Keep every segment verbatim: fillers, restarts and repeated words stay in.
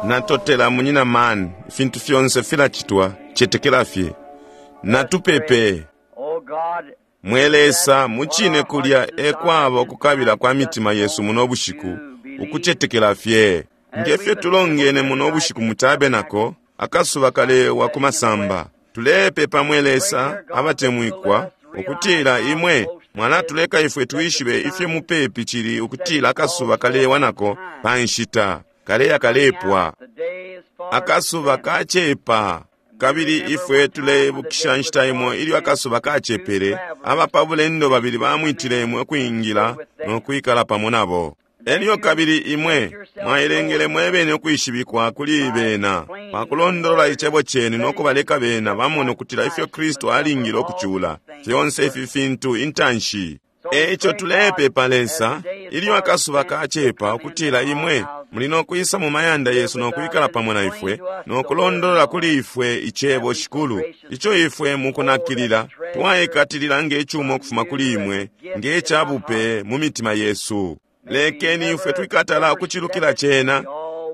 Natotela munyina man, ifintu fyonse filacitwa, cetekela fye. Natupepe. Mwe Lesa, mucine kulya ekwaba ukukabila kwa mitima yesu muno bushiku, ukucetekela fye. Ngefyo tulongene muno bushiku mu tabernacle, akasuba kalewa ku masamba. Tulepepa mwe Lesa abatemwikwa, ukutila imwe mwalatuleka ifwe twishibe ifyo mupepi cili ukutila akasuba kalewa nako pa nshita, kaleya kalepwa. Akasuba kacepa. Kabili ifwe tuleibukisha nshita imo ilyo akasuba kacepele, abapabulendo babili bamwitile imwe ukwingila no kwikala pamo nabo. Elyo kabili imwe mwailengele mwebene ukwishibikwa kuli bena pakulondolola icebo cenu no kubaleka bena bamone ukutila ifyo Kristu alingile ukucula fyonse ifi fintu intanshi. Eico tulepepa Lesa, ilyo akasuba kacepa, ukutila imwe muli no kwisa mu mayanda yesu no kwikala pamo na ifwe no kulondolola kuli ifwe icebo Shikulu, ico ifwe mukunakilila twaikatilila nge cuma ukufuma kuli imwe nge cabupe mu mitima yesu. Lekeni ifwe twikatala ukucilukila cena,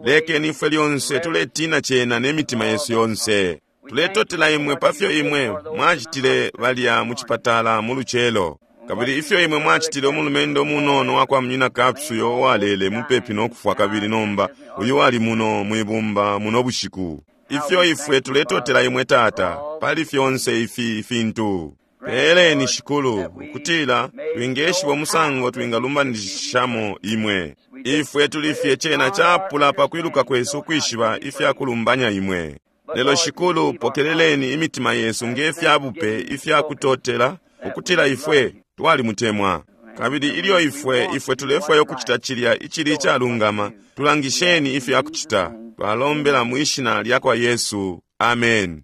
lekeni ifwe lyonse tuletina cena ne mitima yesu yonse. Tuletotela imwe pafyo imwe mwacitile balya mu cipatala mu lucelo, kabili ifyo imwe mwacitile umulumendo munono wakwa munyina Capps uyo uwalele mupepi no kufwa, kabili nomba uyu wali muno mwibumba muno bushiku. Ifyo ifwe tuletotela imwe Tata pali fyonse ifi fintu. Peleni Shikulu ukutila twingeshiba umusango twingalumbanishamo imwe. Ifwe tulifye cena capula pakwiluka kwesu ukwishiba ifyakulumbanya imwe. Lelo Shikulu, pokeleleni imitima yesu nge fyabupe ifyakutotela ukutila ifwe twalimutemwa. Kabili ilyo ifwe ifwe tulefwaya ukucita cilya icili icalungama, tulangisheni ifyakucita. Twalombela mwishina lyakwa Yesu. Amen.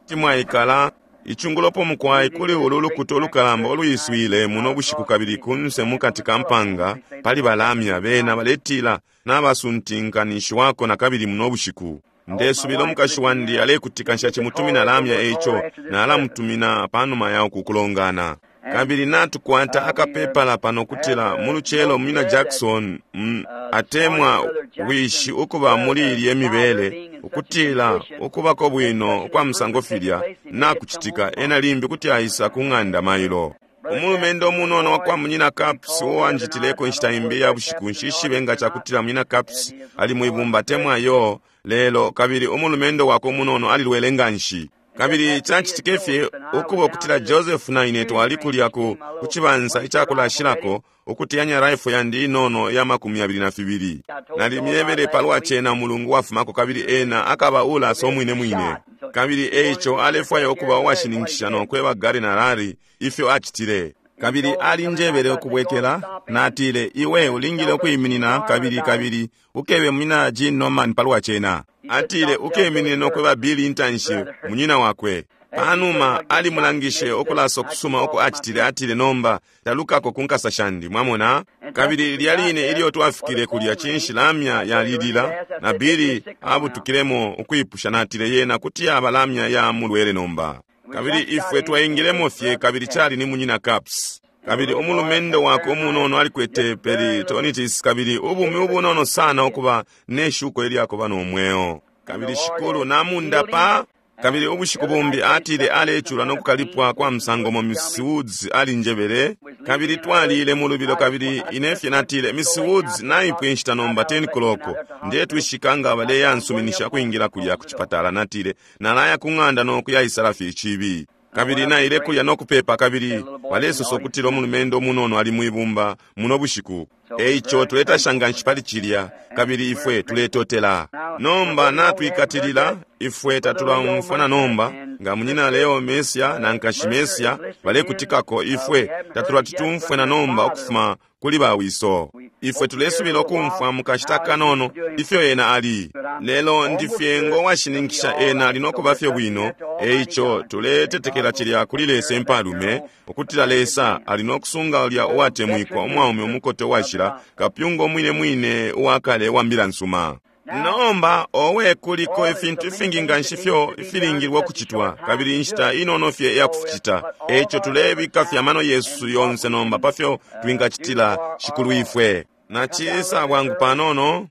Timwaikala icungulopo mukwai kuli ulu lukuta ulukalamba oluiswile muno bushiku, kabili kunse mukati ka mpanga pali balamya bena baletila nabasuntinkanishiwako na kabili muno bushiku. Ndesubila umukashi wandi alekutika nshacimutumina lamya, eico nalamutumina panuma ya uku kulongana. Kabili natukwata akapepala pano kutila mu lucelo munyina Jackson mm, atemwa wishi ukuba muli ilye mibele, ukutila ukubako bwino kwa musango filya nakucitika, ena limbi kuti aisa ku ng'anda mailo. Umulumendo umunono wakwa munyina Capps uwanjitileko inshita imbi ya bushiku, nshishibe nga cakutila munyina Capps ali mwibumba atemwa yo lelo, kabili umulumendo wakwe umunono alilwele nganshi. Kabili cacitike fye ukuba ukutila Joseph na ine twali kulya ku cibansa icakulashilako ukuteyanya rifle yandi inono ya makumi abili na fibili. Nalimyebele palwa cena mulungu wafumako, kabili ena akaba ulasa umwine mwine. Kabili eico alefwaya ukuba uwashininkisha no kweba Gary na Larry ifyo acitile. Kabili alinjebele ukubwekela, natile, iwe ulingile ukwiminina kabili kabili ukebe munyina Gene Norman palwa cena. Atile ukeminine no kweba Billy intanshi munyina wakwe. Panuma alimulangishe ukulasa ukusuma uko acitile, atile nomba talukako ku nkasa shandi, mwamona. Kabili lilya line ilyo twafikile kulya, cinshi lamya yalilila na Billy abutukilemo ukwipusha, natile yena kuti yaba lamya ya mulwele nomba. Kabili ifwe twaingilemo fye, kabili cali ni munyina Capps. Kabili umulumendo wakwe umunono alikwete peritonitis, kabili ubumi ubunono sana ukuba neshuko ilyakuba no mweo. Kabili Shikulu namundapa. Kabili ubushiku bumbi atile alecula no kukalipwa kwa musango mo Miss Woods alinjebele. Kabili twalile mu lubilo, kabili inefye natile, Miss Woods naipwe inshita nomba ten o'clock, ndetwishika nga baleyansuminisha kwingila kulya ku cipatala. Natile nalaya ku ng'anda no kuyaisala fye icibi. Kabili naile kulya no kupepa, kabili balesosa ukutila umulumendo umunono ali mwibumba muno bushiku. Eico tuletasha nganshi pali cilya, kabili ifwe tuletotela. Nomba natwikatilila, ifwe tatulaumfwa na nomba nga munyina Leo Mesia na nkashi Mesia balekutikako, ifwe tatulatitumfwe na nomba ukufuma kuli bawiso. Ifwe tulesubila ukumfwa mukashita kanono ifyo ena ali, lelo ndifye ngo washininkisha ena ali nokuba fye bwino. Eico tuletetekela cilya kuli Lesa impalume, ukutila Lesa ali nokusunga ulya uwatemwikwa umwaume umukote uwashila, kapyunga umwine mwine uwakale wa mbila nsuma. Nomba owe kuliko ifintu ifingi nganshi fyo ifilingilwe ukucitwa, kabili inshita inono fye iyakuficita. Eico tulebika fye amano yesu yonse nomba pafyo twingacitila Shikulu ifwe. Nacisa bwangu panono.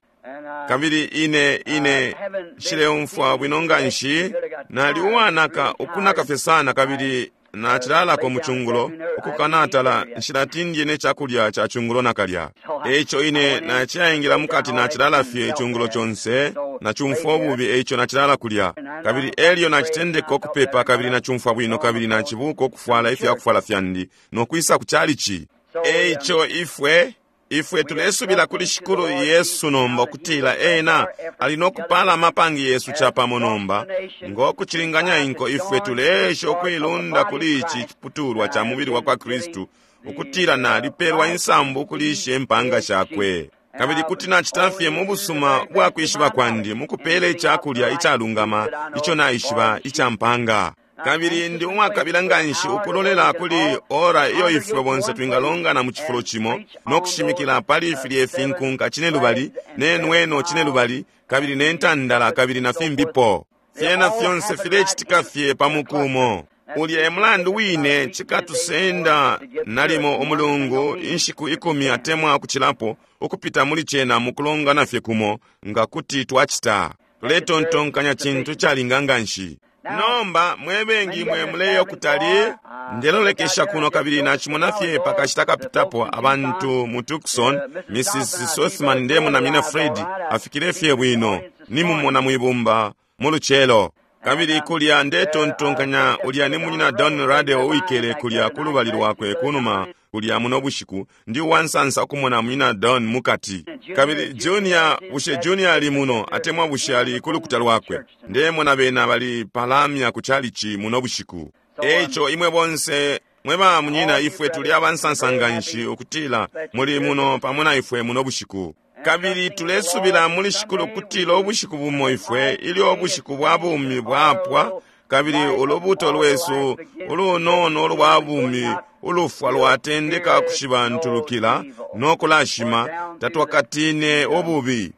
Kabili ine ine nshileumfwa bwino nganshi, nali uwanaka ukunaka fye sana, kabili nacilalako mu cungulo ukukanatala nshilatindye ne cakulya ca cungulo nakalya. Eico ine naciyaingila mukati nacilala fye icungulo conse, nacumfwa ububi, eico nacilala kulya. Kabili elyo nacitendeka ukupepa kabili nacumfwa bwino, kabili nacibuka ukufwala ifyakufwala fyandi nokwisa ku chalichi. Eico ifwe ifwe tulesubila kuli Shikulu Yesu nomba ukutila ena ali nokupala amapangi yesu capamo nomba ngokucilinganya inko. Ifwe tuleesha ukuilunda kuli ici ciputulwa ca mubili wa kwa Kristu, ukutila nalipelwa insambu ukulisha impanga shakwe. Kabili kuti nacita fye mu busuma bwa kwishiba kwandi mukupela icakulya icalungama ico naishiba ica mpanga. Kabili ndi uwakabila nganshi ukulolela kuli ora iyo ifwe bonse twingalongana mu cifulo cimo no kushimikila pali filye finkunka cine lubali ne nweno cine lubali kabili ne ntandala kabili na fimbipo. Fyena fyonse filecitika fye pa mukumo. Ulya e mulandu wine cikatusenda nalimo umulungu inshiku ikumi atemwa ukucilapo ukupita muli cena mukulongana fye kumo nga kuti twacita. Tuletontonkanya cintu calinga nganshi. Nomba mwebengi mwe muleyo kutali, ndelolekesha kuno kabili nachimona fye pakashita kapitapo abantu mu Tucson, Missus Sothman ndemona Mina Fred afikile fye bwino, nimumona mwibumba mu lucelo. Kabili kulya ndetontonkanya ulya ni munyina Don Radel uwikele kulya kulubali lwakwe kunuma kulya muno bushiku. Ndi uwansansa ukumona munyina Don mukati. Kabili Junior, bushe Junior ali muno atemwa bushe ali kulukuta lwakwe? Ndemona bena bali palamya ku chalichi muno bushiku. Eico imwe bonse mwe ba munyina, ifwe tuli abansansa nganshi ukutila muli muno pamo na ifwe muno bushiku. Kabili tulesubila muli Shikulu kutila ubushiku bumo ifwe ilyo ubushiku bwa bumi bwapwa, kabili ulubuto lwesu ulunono ulwa bumi ulufwa lwatendeka kushibantulukila no kulashima, tatwakatine ububi,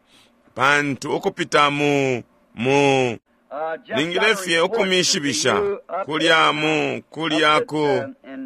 pantu ukupita mu mu ningile fye ukumishibisha kulya mu kulya ku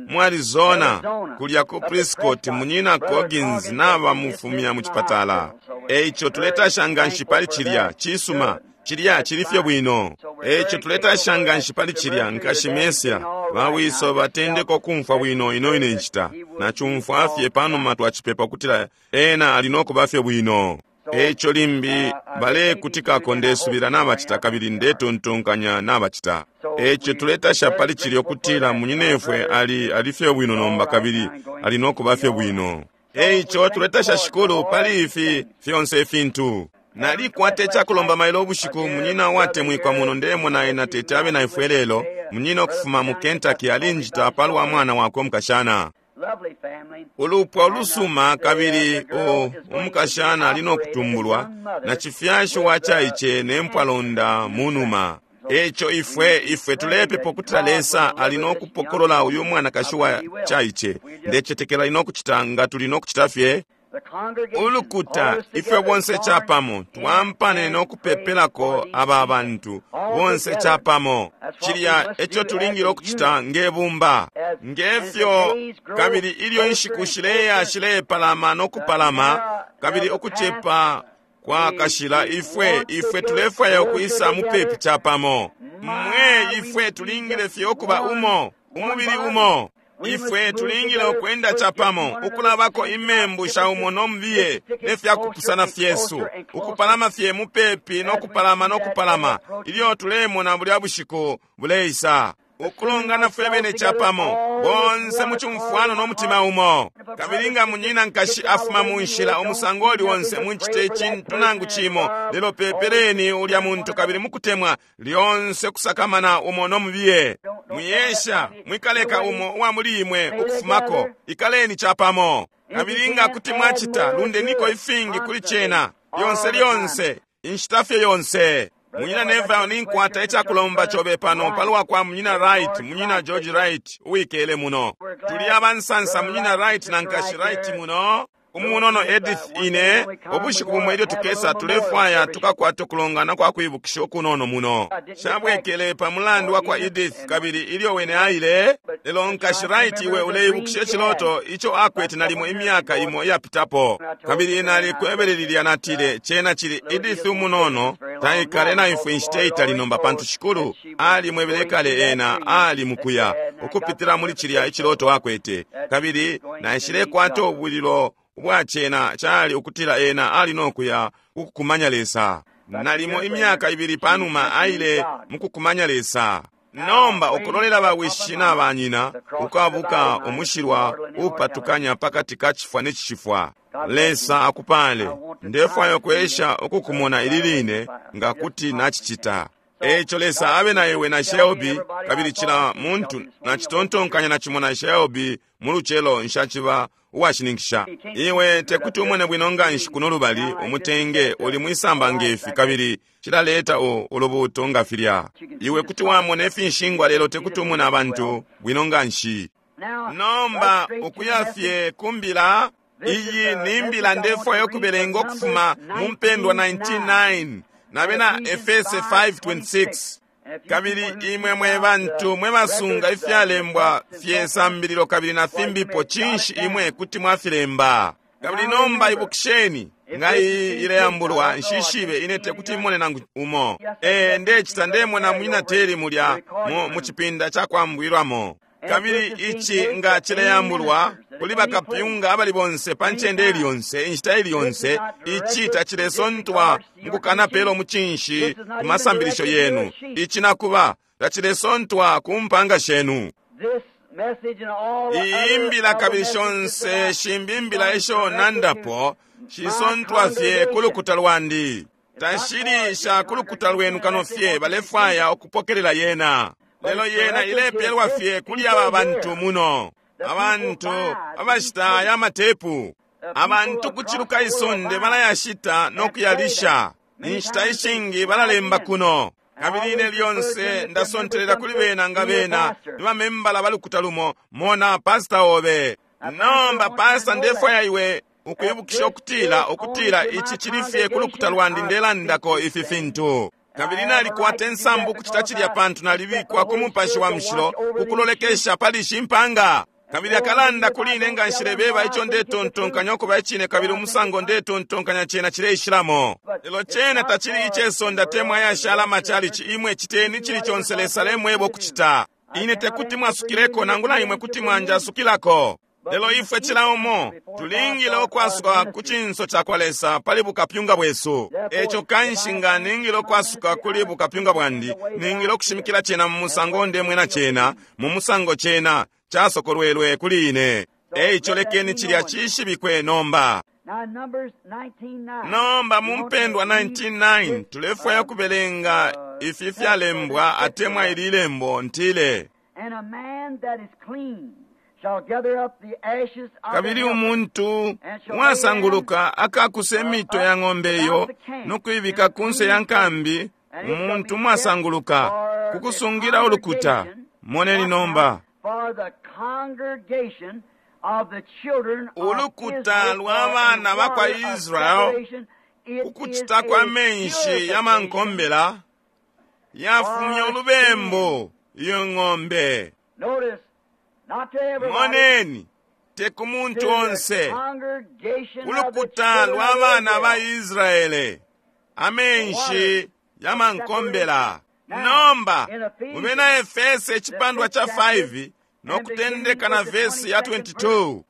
mu Arizona, kulya ku Prescott, munyina Coggins naba mufumya mu chipatala. Eico tuletasha nganshi pali cilya cisuma, cilya cili fye bwino. Eico tuletasha nganshi pali cilya nkashi Mesia bawiso batendeka ukumfwa bwino ino ine nshita. Nachumfwa fye panuma twacipepa kutila ena ali nokuba fye bwino. Eico limbi balekutikako ndesubila nabacita kabili ndetontonkanya nabacita. Eico tuletasha pali cilya ukutila munyinefwe ali ali fye bwino nomba kabili ali nokuba fye bwino. Eico tuletasha Shikulu pali ifi fyonse ifintu. Nalikwata icakulomba mailo ubushiku munyina uwatemwikwa muno ndemona ena tete abe na ifwe lelo, munyina ukufuma mu Kentucky alinjita palwa mwana wakwe umukashana. Ulupwa ulusuma kabili o umukashana ali nokutumbulwa na chifyashi wa chaiche ne mpwalonda munuma. Eico ifwe ifwe tulepepa ukutila Lesa ali nokupokolola uyu mwanakashi wa chaiche. Ndecetekela ali nokucita nga tuli nokucita fye ulukuta ifwe bonse capamo twampane nokupepelako aba bantu bonse capamo. Cilya eco tulingile ukucita ngebumba ngefyo. Kabili ilyo inshiku shileya shilepalama nokupalama kabili ukucepa kwa kashila, ifwe ifwe tulefwaya ukwisa mupepi capamo. Mwe ifwe tulingile fye ukuba umo, umubili umo. Ifwe tulingile ukwenda capamo, ukulabako imembu sha umo nombiye ne fyakupusana fyesu, ukupalama fye mupepi nokupalama nokupalama ilyo tulemona bulya bushiku buleisa, ukulongana fwe bene capamo bonse mu cumfwano no mutima umo. Kabili nga munyina nkashi afuma mu nshila umusango uli onse muncite icintu nangu cimo, lelo pepeleni ulya muntu kabili mukutemwa lyonse kusakamana umo nomubiye. Mwiyesha mwikaleka umo uwa muli imwe ukufumako, ikaleni capamo. Kabili nga kuti mwacita, lundeniko ifingi kuli cena lyonse lyonse inshita fye yonse. Munyina Neville, ninkwata icakulomba cobe pano palwa kwa munyina Wright, munyina George Wright uwikele muno. Tuli abansansa munyina Wright na nkashi Wright muno. Umunono Edith ine, ubushiku bumo ilyo tukesa tulefwaya tukakwata ukulongana kwa kwibukisha ukunono muno. Shabwekele pa mulandu wa kwa Edith kabili ilyo wene aile, lelo nkashi Wright iwe uleibukisha iciloto ico akwete nalimo imyaka imo iyapitapo. Kabili nalikwebele lilya natile, cena cili Edith umunono, taikale na ifwe inshita itali nomba pantu Shikulu alimwebele kale ena ali mukuya ukupitila muli cilya iciloto akwete. Kabili naishilekwata ubulilo ubwa cena cali ukutila ena ali nokuya kukukumanya Lesa. Nalimo imyaka ibili panuma aile mukukumanya Lesa. Nomba ukulolela bawishi na banyina ukwabuka umushilwa upatukanya pakati ka chifwa ne chishifwa. Lesa akupale. Ndefwaya ukwesha ukukumona ili line nga kuti nachicita. Echo Lesa abe na iwe na Shelby kabili chila muntu nachitontonkanya na chimo na Shelby mu lucelo nshachiba uwashininkisha. Iwe tekuti umone bwino nganshi kuno lubali umutenge uli mwisamba ngefi kabili chilaleta ulubuto nga filya. Iwe kuti wamona ifinshingwa lelo tekuti umone abantu bwino nganshi. Nomba ukuya fye kumbila iyi ni mbila ndefwaya ukubelenga ukufuma mu mpendwa ninety-nine na bena Efese five twenty-six. Kabili imwe mwe bantu mwe basunga ifyalembwa fye sambililo kabili na fimbipo chinshi imwe kuti mwafilemba. Kabili nomba ibukisheni nga iyi ileyambulwa nshishibe ine tekuti imone nangu umo. E ndechita ndemona mwina teri mulya mu, mu chipinda cha kwambwilwamo. Kabili ichi nga chileyambulwa kuli bakapyunga abali bonse pa ncende ili yonse inshita ili yonse ichi tachilesontwa mukukanapelo muchinshi ku masambilisho yenu. Ichi nakuba tachilesontwa ku mpanga shenu. Iyi mbila kabili shonse shimbi mbila isho nandapo shisontwa fye kulukuta lwandi. Tashili sha kulukuta lwenu kano fye balefwaya ukupokelela yena. Lelo yena ilepelwa fye kuli aba bantu muno. Abantu abashita ya matepu. Abantu kuchiluka isonde balayashita nokuyalisha. Inshita ishingi balalemba kuno. Kabili ine lyonse ndasontelela kuli bena nga bena ni bamembala balukuta lumo mona pastor obe. Nomba pastor ndefwaya iwe ukwibukisha ukutila ukutila ichi chili fye kulukuta lwandi ndelandako ifi fintu. Kabili nalikwata ensambu kuchita chilya pantu nalibikwa ku mupashi wa mushilo kukulolekesha pali shimpanga. Kabili akalanda kuli ine nga nshilebeba icho ndetontonkanya okuba ichine kabili umusango ndetontonkanya chena chileishilamo. Lelo chena tachili ichesonda temwa yashala machalichi imwe chiteni chili chonse Lesa lemwebo kuchita. Ine tekuti mwasukileko nangula imwe kuti mwanjasukilako. Lelo ifwe chila umo tulingile okwasuka ku chinso cha kwa Lesa pali bukapyunga bwesu. Echo kanshi nga ningile okwasuka kuli bukapyunga bwandi ningile okushimikila chena mu musango ndemwe na chena mu musango chena chasokolwelwe kuli ine. Eicho lekeni chilya chishibikwe nomba. Nomba mu mpendwa nineteen nine tulefwaya kubelenga ifi fyalembwa atemwa ili lembo ntile. Kabili umuntu wasanguluka akakuse mito ya ng'ombe iyo nokuibika kunse ya nkambi. Umuntu mwasanguluka kukusungira ulukuta. Moneni nomba ulukuta lwa bana bakwa Israel kukuchita kwa menshi ya mankombela yafumya ulubembo iyo ng'ombe. Moneni te ku muntu onse ulukuta lwa bana ba Israele amenshi ya mankombela. Nomba mubena Efese echipandwa cha five nokutendeka na vesi ya twenty-two.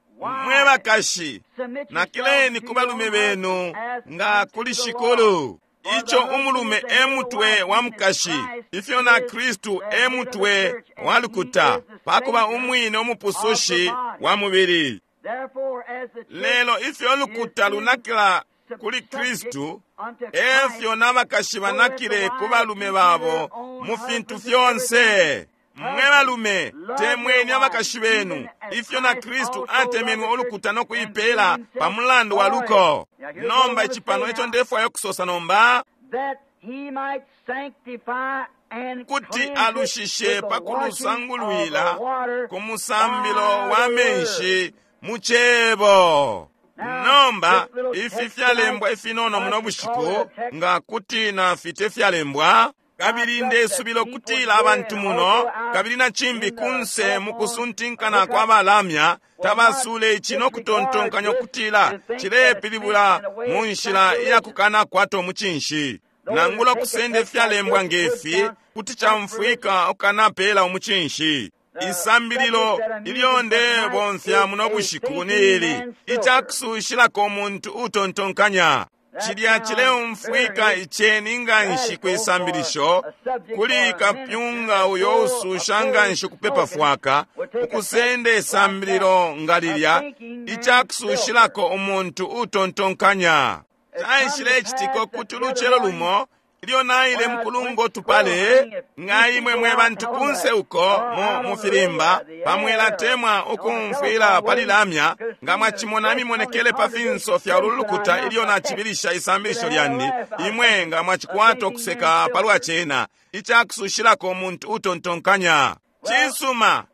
Mwe bakashi nakileni ku balume benu nga kuli Shikulu. Icho umulume emutwe wa mukashi ifyo na Kristu emutwe wa lukuta pakuba umwine umupusushi wa mubili. Lelo ifyo lukuta lunakila kuli Kristu efyo n'abakashi banakile ku balume babo mu fintu fyonse. Mwe balume temweni abakashi benu ifyo na Kristu atemenwe ulukuta nokuipela pa mulandu wa luko. Nomba ichipano icho ndefwayo kusosa nomba kuti alushishe pakulusangulwila ku musambilo wa menshi mu chebo. Nomba ifi fyalembwa ifinono muno bushiku, nga kuti nafite fyalembwa, kabili ndesubila ukutila abantu muno kabili na cimbi kunse mukusuntinkana kwa balamya tabasule ici nokutontonkanya ukutila cilepilibula mu nshila iyakukana kwato mucinshi. Nangula kusenda ifyalembwa ngefi kuti camfwika ukanapela umucinshi. Isambililo ilyo ndebomfya muno bushiku ni ili, icakusushilako umuntu utontonkanya. Cilya cileumfwika iceni nganshi kwisambilisho kuli kapyunga uyo ususha nganshi kupepa fwaka, ukusenda isambililo nga lilya, icakusushilako umuntu utontonkanya. Caishilecitika ukuti ulucelo lumo ilyo naile mukulungo tupale, nga imwe mwe bantu kunse uko mu, mu filimba pamwelatemwa ukumfwila pali lamya, nga mwachimona mimonekele pa finso fya lulukuta ilyo nachibilisha isambilisho lyandi, imwe nga mwachikwata okuseka palwa cena, icakusushilako umuntu utontonkanya. Cisuma,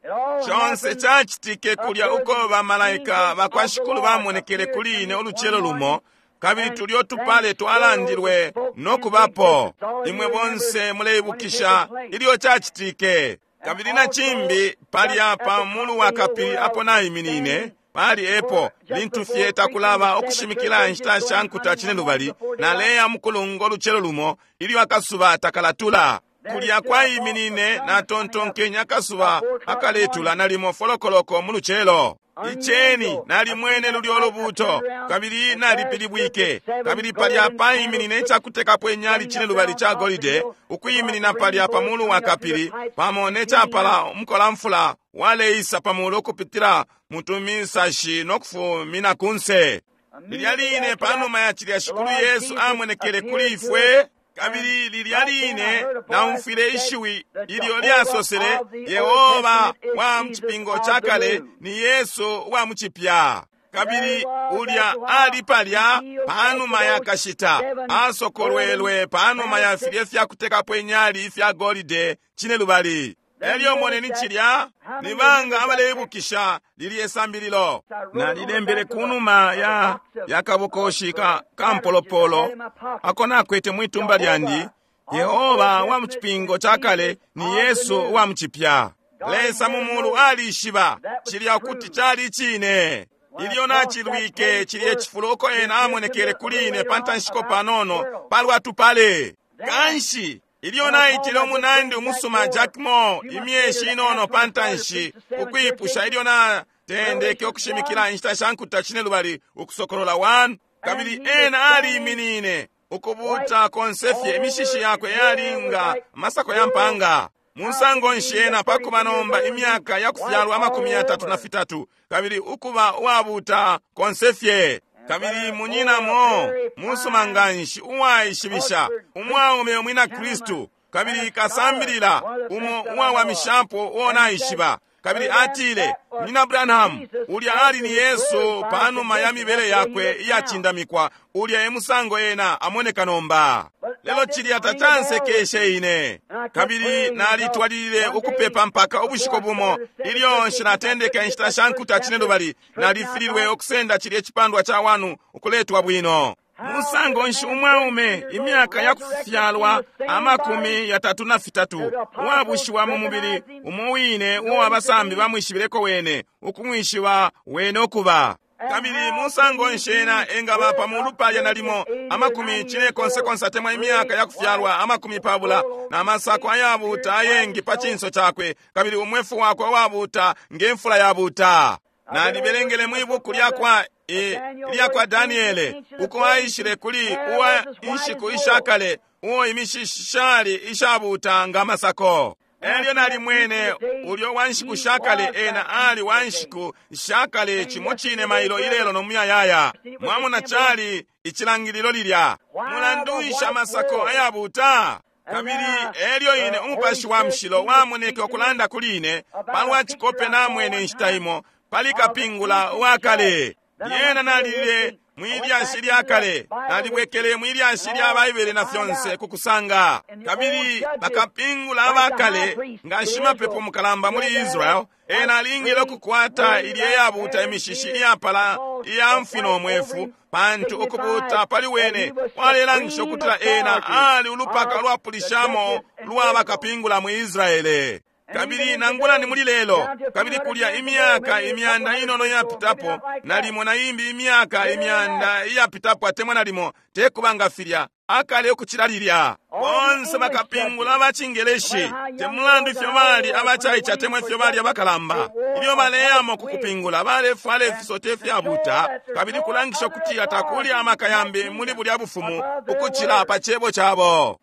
conse cacitike kulya uko bamalaika bakwa Shikulu bamonekele kuli ine ulucelo lumo, kabili tulyo tupale twalandilwe nokubapo. Imwe bonse muleibukisha ilyo cacitike. Kabili na cimbi palya pa mulu wa kapili apo naiminine, pali epo lintu fye takulaba ukushimikila inshita sha nkuta cinelubali, naleya mukulungo lucelo lumo ilyo akasuba takalatula. Kulya kwaiminine natontonkenye akasuba akaletula nalimo folokoloko mu lucelo. Iceni nalimwene lulyo lubuto, kabili nalipilibwike, kabili palya paiminine icakutekapo inyali cinelubali ca golide, ukuyiminina palya pa mulu wa kapili, pamo necapala umukolamfula waleisa pa mulu ukupitila mutumisashi nokufumina kunse. Lilya line panuma ya cilya Shikulu Yesu amonekele kuli ifwe, kabili lilya line naumfwile ishiwi ilyo lyasosele, Yehova wa mucipingo ca kale ni Yesu wa mucipya. Kabili ulya ali palya panuma ya kashita, asokolwelwe panuma ya filye fyakutekapo inyali ifya golide cinelubali. Elyo moneni cilya, ni banga abaleibukisha lilye sambililo. Nalilembele kunuma ya ya kabokoshi ka kampolopolo ako nakwete mwitumba lyandi, Yehova wa mucipingo ca kale ni Yesu wa mucipya. Lesa mu mulu alishiba cilya kuti cali cine. Ilyo nacilwike cilye cifulo uko ena amonekele kuli ine pa ntanshiko panono palwa tupale. Kanshi ilyo naitile umunandi umusuma Jack Moore imyeshi inono pa ntanshi ukwipusha ilyo natendeke ukushimikila inshita sha nkuta cinelubali ukusokolola one, kabili ena aliiminine ukubuta konsefye imishishi yakwe yalinga amasako ya mpanga. Musango nshi ena pakuba nomba imyaka ya kufyalwa amakumi yatatu na fitatu, kabili ukuba uwabuta konsefye. Kabili munyinamo musuma nganshi uwaishibisha umwaume umwina Kristu, kabili kasambilila umo uwawamishapo uo naishiba. Kabili atile, Munyina Branham, ulya ali ni Yesu panuma ya mibele yakwe iyacindamikwa, ulya e musango ena amoneka nomba. Lelo cilya tacansekeshe ine. Kabili nalitwalilile ukupepa mpaka ubushiku bumo ilyo nshilatendeka inshita sha nkuta cinelubali, nalifililwe ukusenda cilya icipandwa ca wanu ukuletwa bwino. Musango nshi umwaume imyaka ya kufyalwa amakumi yatatu na fitatu uwabushiwa mu mubili umo wine uo abasambi bamwishibileko wene, ukumwishiba wene ukuba. Kabili musango nshi ena engaba pa mulu palya nalimo amakumi cinekonsekonse atemwa imyaka ya kufyalwa amakumi pabula, na masako ayabuta ayengi pa cinso cakwe, kabili umwefu wakwe uwabuta nge mfula yabuta. Nalibelengele mwibuku lyakwa E, lyakwa Daniele uko aishile kuli uwa inshiku ishakale uo imishishali ishabuta nga masako. Elyo nalimwene ulyo wa nshiku shakale, ena ali wa nshiku shakale cimo cine mailo ilelo no muyayaya. Mwamona cali icilangililo lilya. Mulandu nshi amasako ayabuta? Kabili elyo ine umupashi wa mushilo wamoneke ukulanda kuli ine palwa cikope namwene inshita imo pali kapingula uwakale. Lyena nalile Mwilyashi lya kale nalibwekele mwilyashi lya Baibele na fyonse kukusanga. Kabili bakapingula abakale nga shimapepo mukalamba muli Israel, ena alingile ukukwata ilye yabuta imishishi iyapala iya mfino mwefu, pantu ukubuta pali wene kwalelangisha ukutila ena ali ulupaka lwapulishamo lwa bakapingula mu Israele. Kabili nangula ni muli lelo, kabili kulya imyaka imyanda inono iyapitapo, nalimo na imbi imyaka imyanda iyapitapo atemwa nalimo tekubanga filya akale ukucila lilya. Bonse bakapingula abacingeleshi, te mulandu ifyo bali abacaice atemwa ifyo bali abakalamba, ilyo baleyamo kukupingula balefwala ifisote ifyabuta, kabili kulangisha ukutila takuli amaka yambi muli bulya bufumu ukucila pa cebo cabo.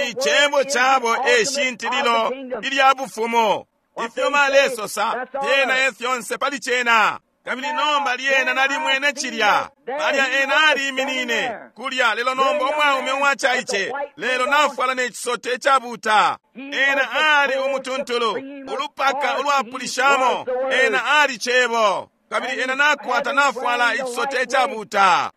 Icebo cabo e shintililo ilya bufumu. Ifyo balesosa fyena e fyonse pali cena. Kabili nomba lyena nalimwene cilya palya ena aliminine kulya, lelo nomba umwaume uwacaice, lelo nafwala ne cisote icabuta. Ena ali umutuntulu, ulupaka ulwapulishamo. Ena ali cebo, kabili ena nakwata nafwala icisote icabuta.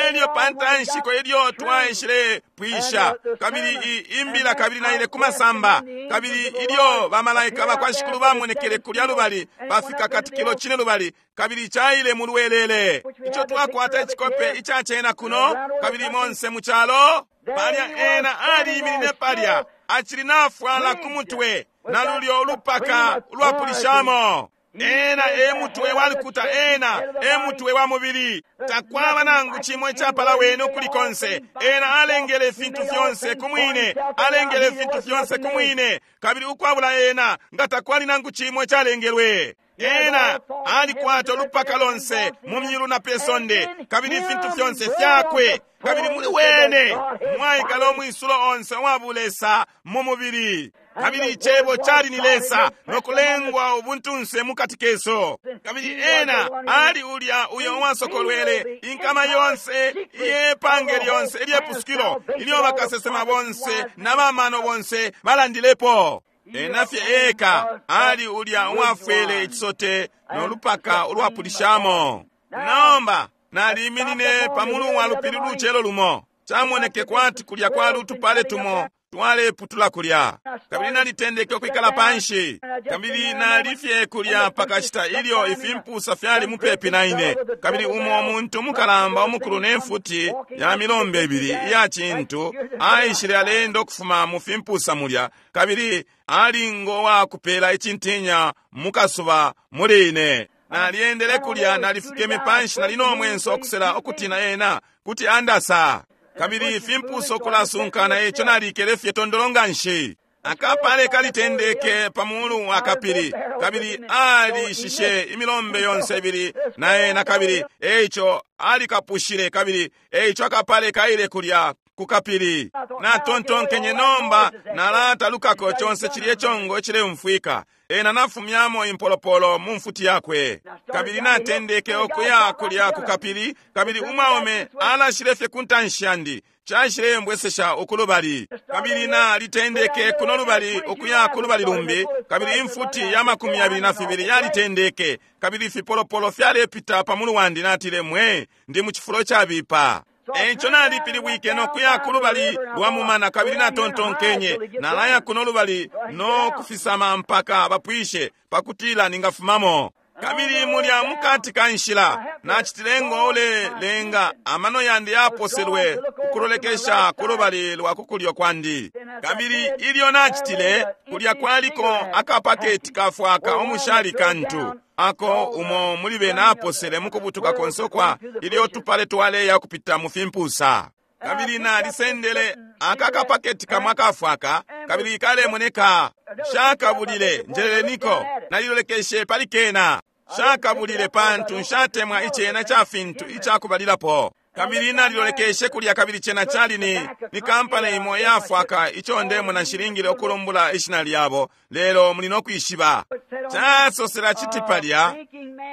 Elyo pantanshiko ilyo twaishile pwisha kabili imbila kabili naile kumasamba, kabili ilyo bamalaika bakwa Shikulu bamonekele kulya lubali bafika katikilo cine lubali, kabili caile mulwelele. Ico twakwata icikope icacena kuno kabili monse mu calo. Palya ena aliminine palya acili nafwala ku mutwe na lulyo ulupaka ulwapulishamo. Ena e mutwe walukuta, ena e mutwe wa mubili. Takwaba nangu chimwe chapala wene ukuli konse. Ena alengele ifintu fyonse kumwine, alengele ifintu fyonse kumwine, kabili ukwabula ena nga takwali nangu chimwe chalengelwe. Ena alikwata ulupaka lonse mu myulu na pesonde, kabili ifintu fyonse fyakwe, kabili muli wene mwaikala omwisulo onse owabulesa mu mubili. Kabili icebo cali ni Lesa nokulengwa ubuntunse mukati keso. Kabili ena ali ulya uyo uwasokolwele inkama yonse iyepange lyonse ilyepusukilo ilyo bakasesema bonse na bamano bonse balandilepo. Ena fye eka ali ulya uwafwele icisote nolupaka ulwapulishamo. Nomba naliminine pamulu wa lupili lucelo lumo, camoneke kwati kulya kwali utupale tumo twaleputula kulya, kabili nalitendeke ukwikala panshi, kabili nalifye kulya pakashita ilyo ifimpusa fyali mupepi na ine. Kabili umo umuntu umukalamba umukulu ne mfuti ya milombe ibili iya cintu aishile alenda ukufuma mu fimpusa mulya, kabili ali ngo wakupela icintinya mukasuba muli ine. Naliendele kulya, nalifukeme panshi, nali no mwenso okusela okutina ena kuti andasa. Kabili ifimpuso kulasunkana, eco nalikele fye tondolo nga nshi. Akapale kalitendeke pamulu wa kapili, kabili alishishe imilombe yonse ibili na ena, kabili eco alikapushile, kabili eco akapale kaile kulya ku kapili. Natontonkenye nomba nalatalukako conse cilye congo icileumfwika. Ena nafumyamo impolopolo mu mfuti yakwe, kabili natendeke okuya kulya ku kapili, kabili umwaume alashile fye ku ntanshi yandi, caishile mbwesesha ukulubali. Kabili nalitendeke kuno lubali ukuya ku lubali lumbi, kabili imfuti ya makumi yabili na fibili yalitendeke, kabili ifipolopolo fyalepita pamulu wandi. Natile, mwe ndi mu cifulo cabipa. Eco nalipilibwike nokuya ku lubali lwa mumana, kabili natontonkenye nalaya kuno lubali no kufisama mpaka bapwishe pakutila ningafumamo. Kabili mulya mukati ka nshila nacitile ngo ulelenga amano yandi yaposelwe ukulolekesha ku lubali lwa kukulyo kwandi. Kabili ilyo nacitile kulya kwaliko akapaketi kafwaka omushali kantu ako umo muli bena aposele mukubutuka konse kwa ilyo tupale twaleya kupita mu fimpusa. Kabili nalisendele aka kapaketi kamwe akafwaka, kabili kalemoneka shakabulile njeleleniko, nalilolekeshe pali kena shakabulile pantu nshatemwa icena ca fintu icakubalilapo. Kabili nalilolekeshe kulya, kabili cena cali ni ni kampani imo yafwaka ico ndemona nshilingile ukulumbula ishina lyabo, lelo muli no kwishiba. Casosela citi palya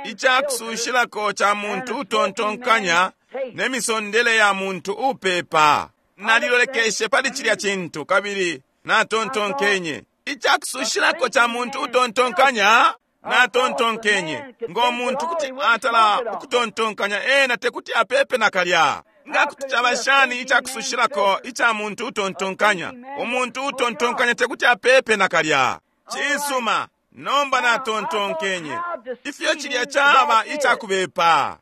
icakusushilako ca muntu utontonkanya ne misondele ya muntu upepa. Nalilolekeshe pali cilya cintu, kabili natontonkenye icakusushilako ca muntu utontonkanya. Natontonkenye ngo muntu kuti atala ukutontonkanya ena tekuti apepe nakalya. Nga kuti caba shani icakusushilako ica muntu utontonkanya? Umuntu utontonkanya tekuti apepe nakalya. Cisuma, nomba natontonkenye ifyo cilya caba icakubepa.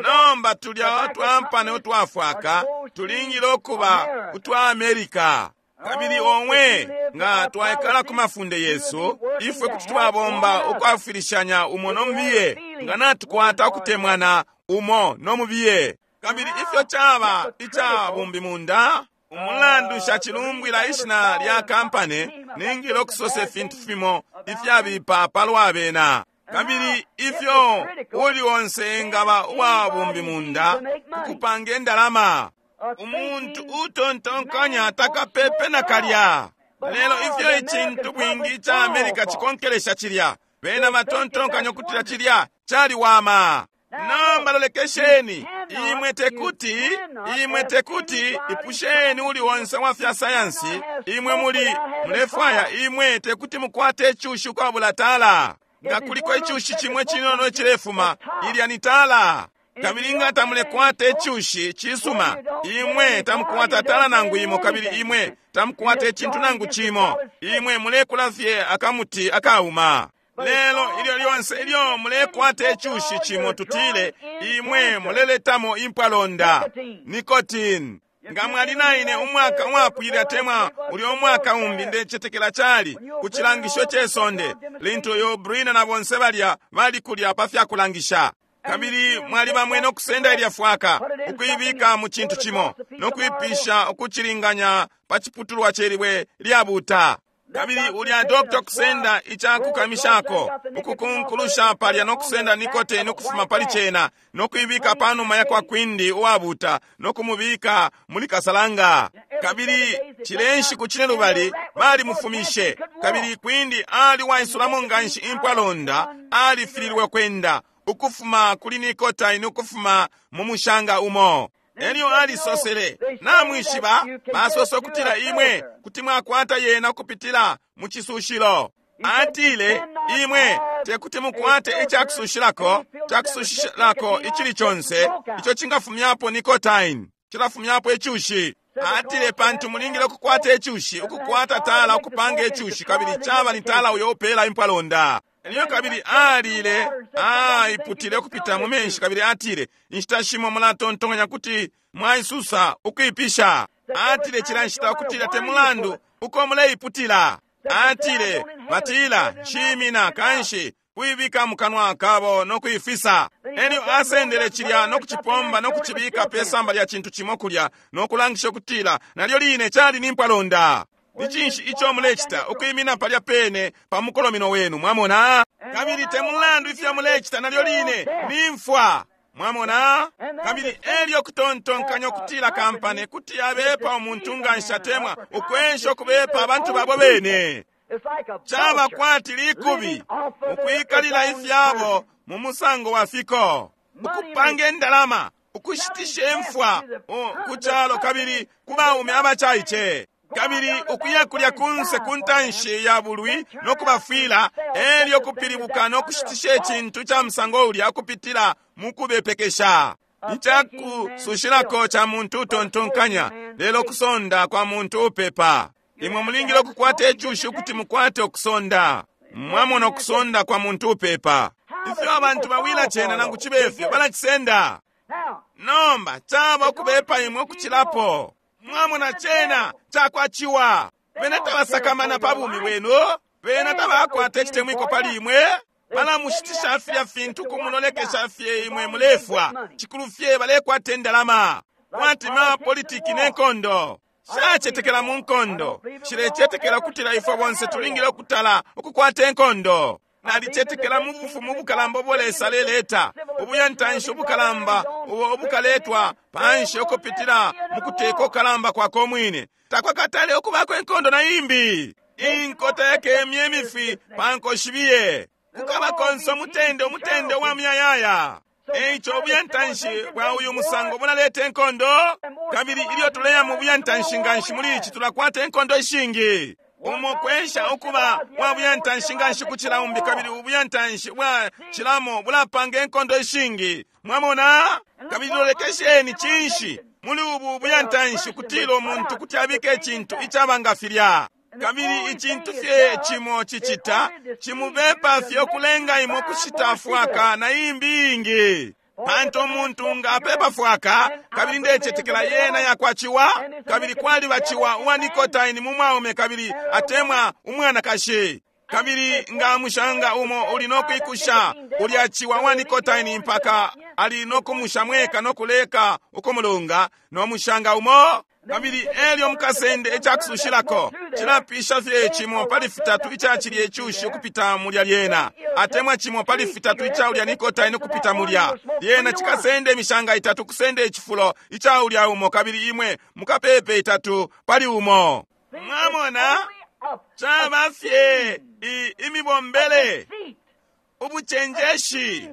Nomba tulya twampane utwafwaka tulingile ukuba utwa Amerika. Kabili omwe nga twaikala ku mafunde yesu, ifwe kuti twabomba ukwafwilishanya umo nomubiye, nga natukwata ukutemwana umo nomubiye. Kabili ifyo caba ica bumbimunda, umulandu shacilumbwila ishina lya kampane, ningile ukusosa ifintu fimo ifyabipa palwa bena. Kabili ifyo uli onse engaba uwa bumbimunda kukupanga indalama, umuntu utontonkanya takapepe nakalya. Lelo ifyo icintu bwingi ica Amerika cikonkelesha cilya, bena batontonkanya ukutila cilya caliwama. Nomba lolekesheni, imwe tekuti, imwe tekuti ipusheni uli onse wa fya sayansi, imwe muli mulefwaya, imwe tekuti mukwate icushi ukwabula tala. Nga kuliko icushi chimwe chinono chilefuma, ilya ni tala. Kabili nga tamulekwata icushi cisuma, imwe tamukwata tala nangu imo, kabili imwe tamukwata icintu nangu cimo, imwe mulekula fye akamuti akauma. Lelo ilyo lyonse ilyo mulekwata icushi cimo, tutile imwe muleletamo impwalonda nicotine. Nga mwali naine umwaka umwapwile atemwa ulyo umwaka umbi, ndecetekela cali ku cilangisho ce sonde lintu yo Brina na bonse balya bali kulya pa fyakulangisha. Kabili mwali bamwene okusenda ilya fwaka ukuibika mu cintu cimo nokuipisha ukucilinganya pa ciputulwa celibwe lyabuta. Kabili ulya dokta kusenda icakukamishako ukukunkulusha palya nokusenda nikotini ukufuma pali cena nokuibika panuma ya kwa kwindi uwabuta nokumubika muli kasalanga. Kabili cilenshi ku cine lubali balimufumishe. Kabili kwindi ali waisulamo nganshi impwalonda, alifililwe kwenda ukufuma kuli nikotini ukufuma mu mushanga umo. Elyo alisosele, namwishiba basosa ukutila imwe kuti mwakwata yena ukupitila mu cisushilo. Atile imwe tekuti mukwate icakusushilako, cakusushilako icili conse ico cingafumyapo nicotine, cilafumyapo icushi. Atile pantu mulingile ukukwata icushi, ukukwata tala ukupanga icushi, kabili caba ni tala uyo upela impwalonda. Elyo kabili alile aiputile ukupita mu menshi, kabili atile inshita shimo mulatontonkanya kuti mwaisusa ukuipisha. Atile cila nshita ukutila te mulandu uko muleiputila. Atile batila nshimina kanshi kuibika mu kanwa kabo no kuifisa. Elyo asendele cilya no kucipomba no kucibika pe samba lya cintu cimo kulya no kulangisha ukutila nalyo line cali ni mpwalonda. Ni cinshi ico mulecita ukwimina palya pene pa mukolomino wenu, mwamona? Kabili te mulandu ifyo mulecita nalyo line ni mfwa, mwamona? Kabili elyo kutontonkanya ukutila kampane kuti abepa umuntu nganshi atemwa ukwensha ukubepa abantu babo bene. Caba kwati likubi ukwikalila ifyabo mu musango wa fiko, ukupanga indalama, ukushitisha imfwa ku calo kabili ku baume abacaice. Kabili ukuya kulya kunse ku ntanshi ya bulwi no kubafwila, elyo kupilibuka no kushitisha icintu ca musango ulya kupitila mu kubepekesha. Icakusushilako ca muntu utontonkanya, lelo kusonda kwa muntu upepa. Imwe mulingile ukukwata icushi ukuti mukwate ukusonda. Mwamona ukusonda kwa muntu upepa. Ifyo abantu bawila cena nangu cibe fyo balacisenda. Nomba caba ukubepa imwe ukucilapo. Mwamona cena cakwaciwa. Bena tabasakamana pa bumi bwenu, bena tabakwata icitemwiko pali imwe. Balamushitisha filya fintu kumulolekesha fye imwe mulefwa. Cikulu fye balekwata indalama. Kwati ma politiki ne nkondo. Shacetekela mu nkondo. Shilecetekela kutila ifwe bonse tulingile ukutala ukukwata inkondo. Nalicetekela mu bufumu bukalamba ubo Lesa aleleta, ubuyantanshi ubukalamba ubo ubukaletwa panshi ukupitila mu kuteka ukalamba kwako umwine. Takwakatale ukubako inkondo na imbi. Inkota yakemye imifwi pa nkoshibiye. Kukaba konse umutende, umutende wa muyayaya. Eico ubuyantanshi bwa uyu musango bulaleta inkondo. Kabili ilyo tuleya mu buyantanshi nganshi muli ici tulakwata inkondo ishingi. Umo kwesha ukuba wa buyantanshi nganshi kucila umbi, kabili ubuyantanshi bwa cilamo bulapanga inkondo ishingi. Mwamona? Kabili lolekesheni cinshi muli ubu buyantanshi kutila umuntu kuti abike icintu icaba nga filya. Kabili icintu fye cimo cicita cimubepa fye ukulenga imwe kushita fwaka na imbi ingi. Pantu umuntu nga apepa fwaka, kabili ndecetekela yena yakwaciwa, kabili kwaliba ciwa uwa nikotaini mu mwaume kabili atemwa umwanakashi. Kabili nga mushanga umo uli no kwikusha ulya ciwa wa nikotaini mpaka ali no kumusha mweka no kuleka ukumulunga no mushanga umo. Kabili elyo mukasende ecakusushilako cilapisha fye cimo pali fitatu ica cilye cushi ukupita mulya lyena, atemwa cimo pali fitatu ica ulya nikotaini ukupita mulya lyena, cikasende imishanga itatu kusende icifulo ica ulya umo, kabili imwe mukapepe itatu pali umo. Mwamona, caba fye imibombele, ubucenjeshi,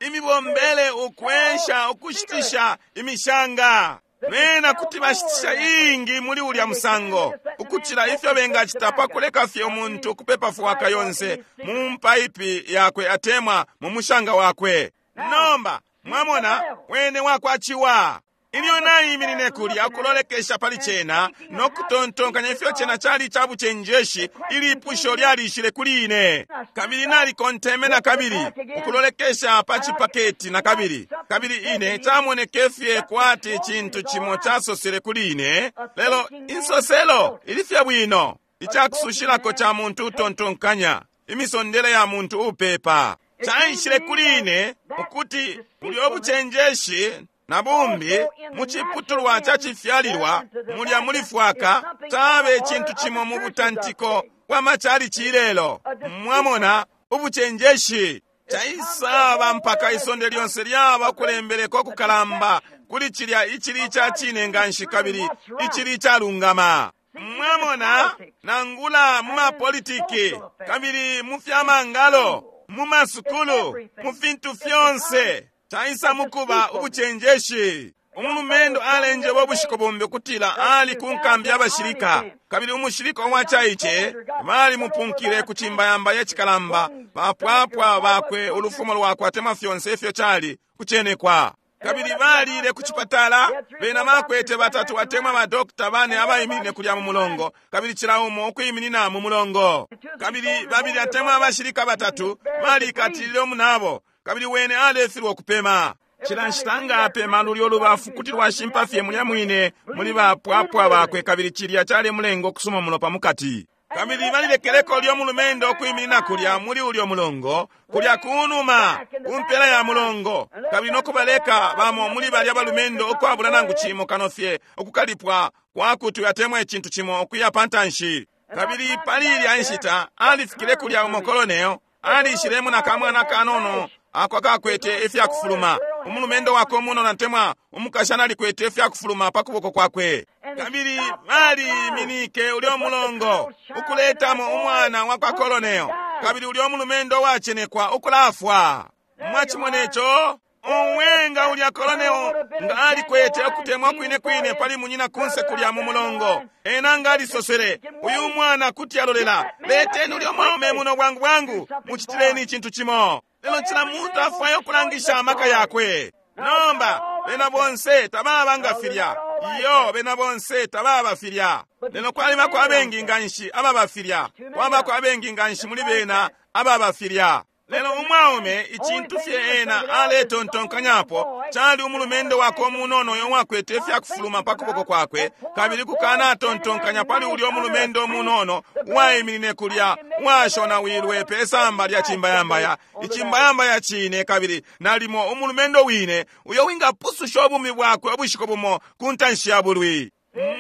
imibombele ukwesha ukushitisha imishanga. Bena kuti bashitisha ingi muli ulya musango ukucila ifyo bengacita pa kuleka fye umuntu ukupepa fwaka yonse mu mpaipi yakwe atemwa mu mushanga wakwe. Nomba mwamona wene wakwaciwa. Ilyo naiminine kulya ukulolekesha pali cena no kutontonkanya ifyo cena cali ca bucenjeshi, ilipusho lyalishile kuli ine. Kabili nalikonteme na kabili ukulolekesha pa cipaketi na kabili, kabili ine camoneke fye kwati cintu cimo casosele kuli ine, lelo insoselo ili fye bwino, icakusushilako ca muntu utontonkanya, imisondele ya muntu upepa. Caishile kuli ine ukuti ulyo bucenjeshi na bumbi mu ciputulwa ca cifyalilwa mulya muli fwaka cabe icintu cimo mu butantiko bwa machalichi ilelo. Mwamona, ubucenjeshi caisaba mpaka isonde lyonse lyaba ukulembeleko kukalamba kuli cilya icili ica cine nganshi kabili icili icalungama. Mwamona, nangula mu mapolitiki kabili mu fyamangalo, mu masukulu, mu fintu fyonse caisa mukuba ubucenjeshi. Umulumendo alenjeba ubushiku bumbi ukutila ali ku nkambi y'abashilika, kabili umushilika uwacaice balimupunkile ku cimbayamba yacikalamba, bapwapwa bakwe ulufumo lwakwe atemwa fyonse ifyo cali kucenekwa. Kabili balile ku cipatala, bena bakwete batatu atemwa badokita bane abaiminine kulya mu mulongo, kabili cila umo ukwiminina mu mulongo. Kabili babili atemwa abashilika batatu balikatilile umunabo, kabili wene alefilwa ukupema. Cila nshita nga apema lulyo lubafu kuti lwashimpa fye mulya mwine muli bapwapwa bakwe, kabili cilya calemulenga ukusuma mulopa mukati. Kabili balilekeleko ulyo mulumendo ukwiminina kulya muli ulyo mulongo, kulya kunuma kumpela ya mulongo, kabili nokubaleka bamo muli balya balumendo ukwabula nangu cimo kano fye ukukalipwa kwakuti atemwa icintu cimo ukuya pantanshi. Kabili pali ilya nshita alifikile kulya umo kolonel alishilemo na kamwana kanono ako akakwete ifyakufuluma. Umulumendo wakwe umunono atemwa umukashana alikwete ifyakufuluma pa kuboko kwakwe. Kabili baliminike ulyo mulongo ukuletamo umwana wa kwa kolonel, kabili ulyo mulumendo wacenekwa ukulafwa. Mwachimona ico? Umwenga ulya kolonel nga alikwete ukutemwa kwine kwine pali munyina kunse kulya mu mulongo. Ena nga alisosele, uyu mwana kuti alolela, leteni ulyo mwaume muno bwangu bwangu, mucitileni icintu cimo. Lelo cila muntu afwaya ukulangisha amaka yakwe. Nomba bena bonse tababa nga filya. Iyo, bena bonse tababa filya. Lelo kwalibako abengi nganshi ababa filya, kwabako abengi nganshi muli bena ababa filya. Lelo umwaume icintu fye ena aletontonkanyapo cali umulumendo wakwe umunono uyo wakwete ifyakufuluma pa kuboko kwakwe, kabili kukana atontonkanya pali ulyo umulumendo umunono uwaiminine kulya uwashonawilwe pe samba lya cimbayambaya, icimbayambaya cine, kabili nalimo umulumendo wine uyo wingapususha ubumi bwakwe ubushiku bumo ku ntanshi ya bulwi.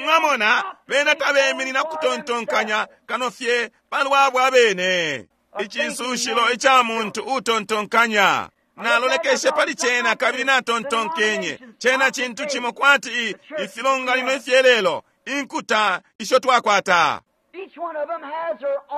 Mwamona, bena tabeminina kutontonkanya kano fye palwabo abene. Icisushilo ica muntu utontonkanya. Nalolekeshe pali cena kabili natontonkenye cena cintu cimo kwati ifilonganino ifyelelo, inkuta isho twakwata.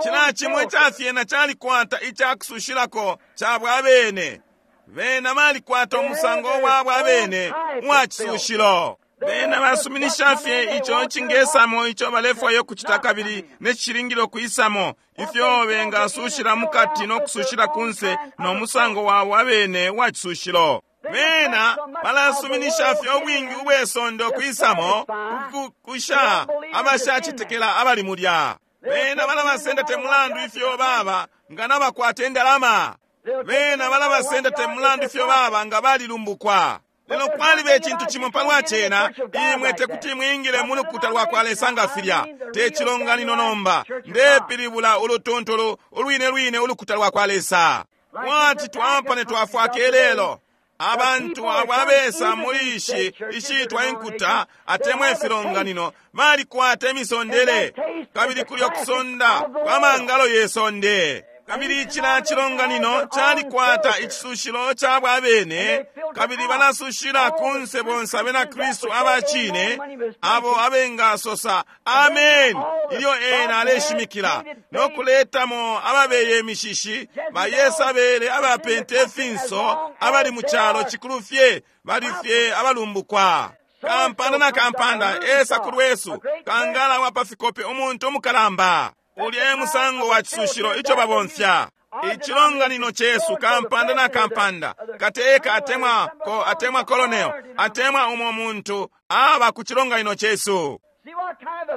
Cila cimo icafyena calikwata icakusushilako cabwe abene. Bena balikwata umusango wabwe abene uwa cisushilo. Bena basuminisha fye ico cingesamo ico balefwaya ukucita kabili ne cishilingile ukwisamo, ifyo bengasushila mukati no kusushila kunse no musango wabo abene wa cisushilo. Bena balasuminisha fye ubwingi ubwe sonde ukwisamo kukusha abashacetekela abali mulya. Bena balabasenda te mulandu ifyo baba nga nabakwata indalama. Bena balabasenda te mulandu ifyo baba nga balilumbukwa. Lelo kwaliba icintu cimo palwa cena, imwe tekuti mwingile mu lukuta lwa kwa Lesa nga filya. Te cilonganino nomba, ndepilibula ulutuntulu ulwine lwine ulukuta lwa kwa Lesa. Mwati twampane twafwaka ilelo. Abantu abo abesa muli ishi ishitwa inkuta atemwa ifilonganino balikwata imisondele, kabili kulya kusonda kwa mangalo ye sonde. Kabili icila cilonganino calikwata icisushilo cabwe abene, kabili balasushila kunse bonse abena Kristu abacine abo abengasosa amen ilyo ena aleshimikila, no kuletamo ababeye imishishi bayesabele abapente ifinso abali mu calo cikulu fye bali fye abalumbukwa. Kampanda na kampanda esa ku lwesu kangala wa pa fikope umuntu umukalamba. Ulya e musango wa cisushilo ico babomfya. Icilonganino cesu kampanda na kampanda kateka atemwa ko atemwa colonel atemwa umo muntu aba ku cilonganino cesu.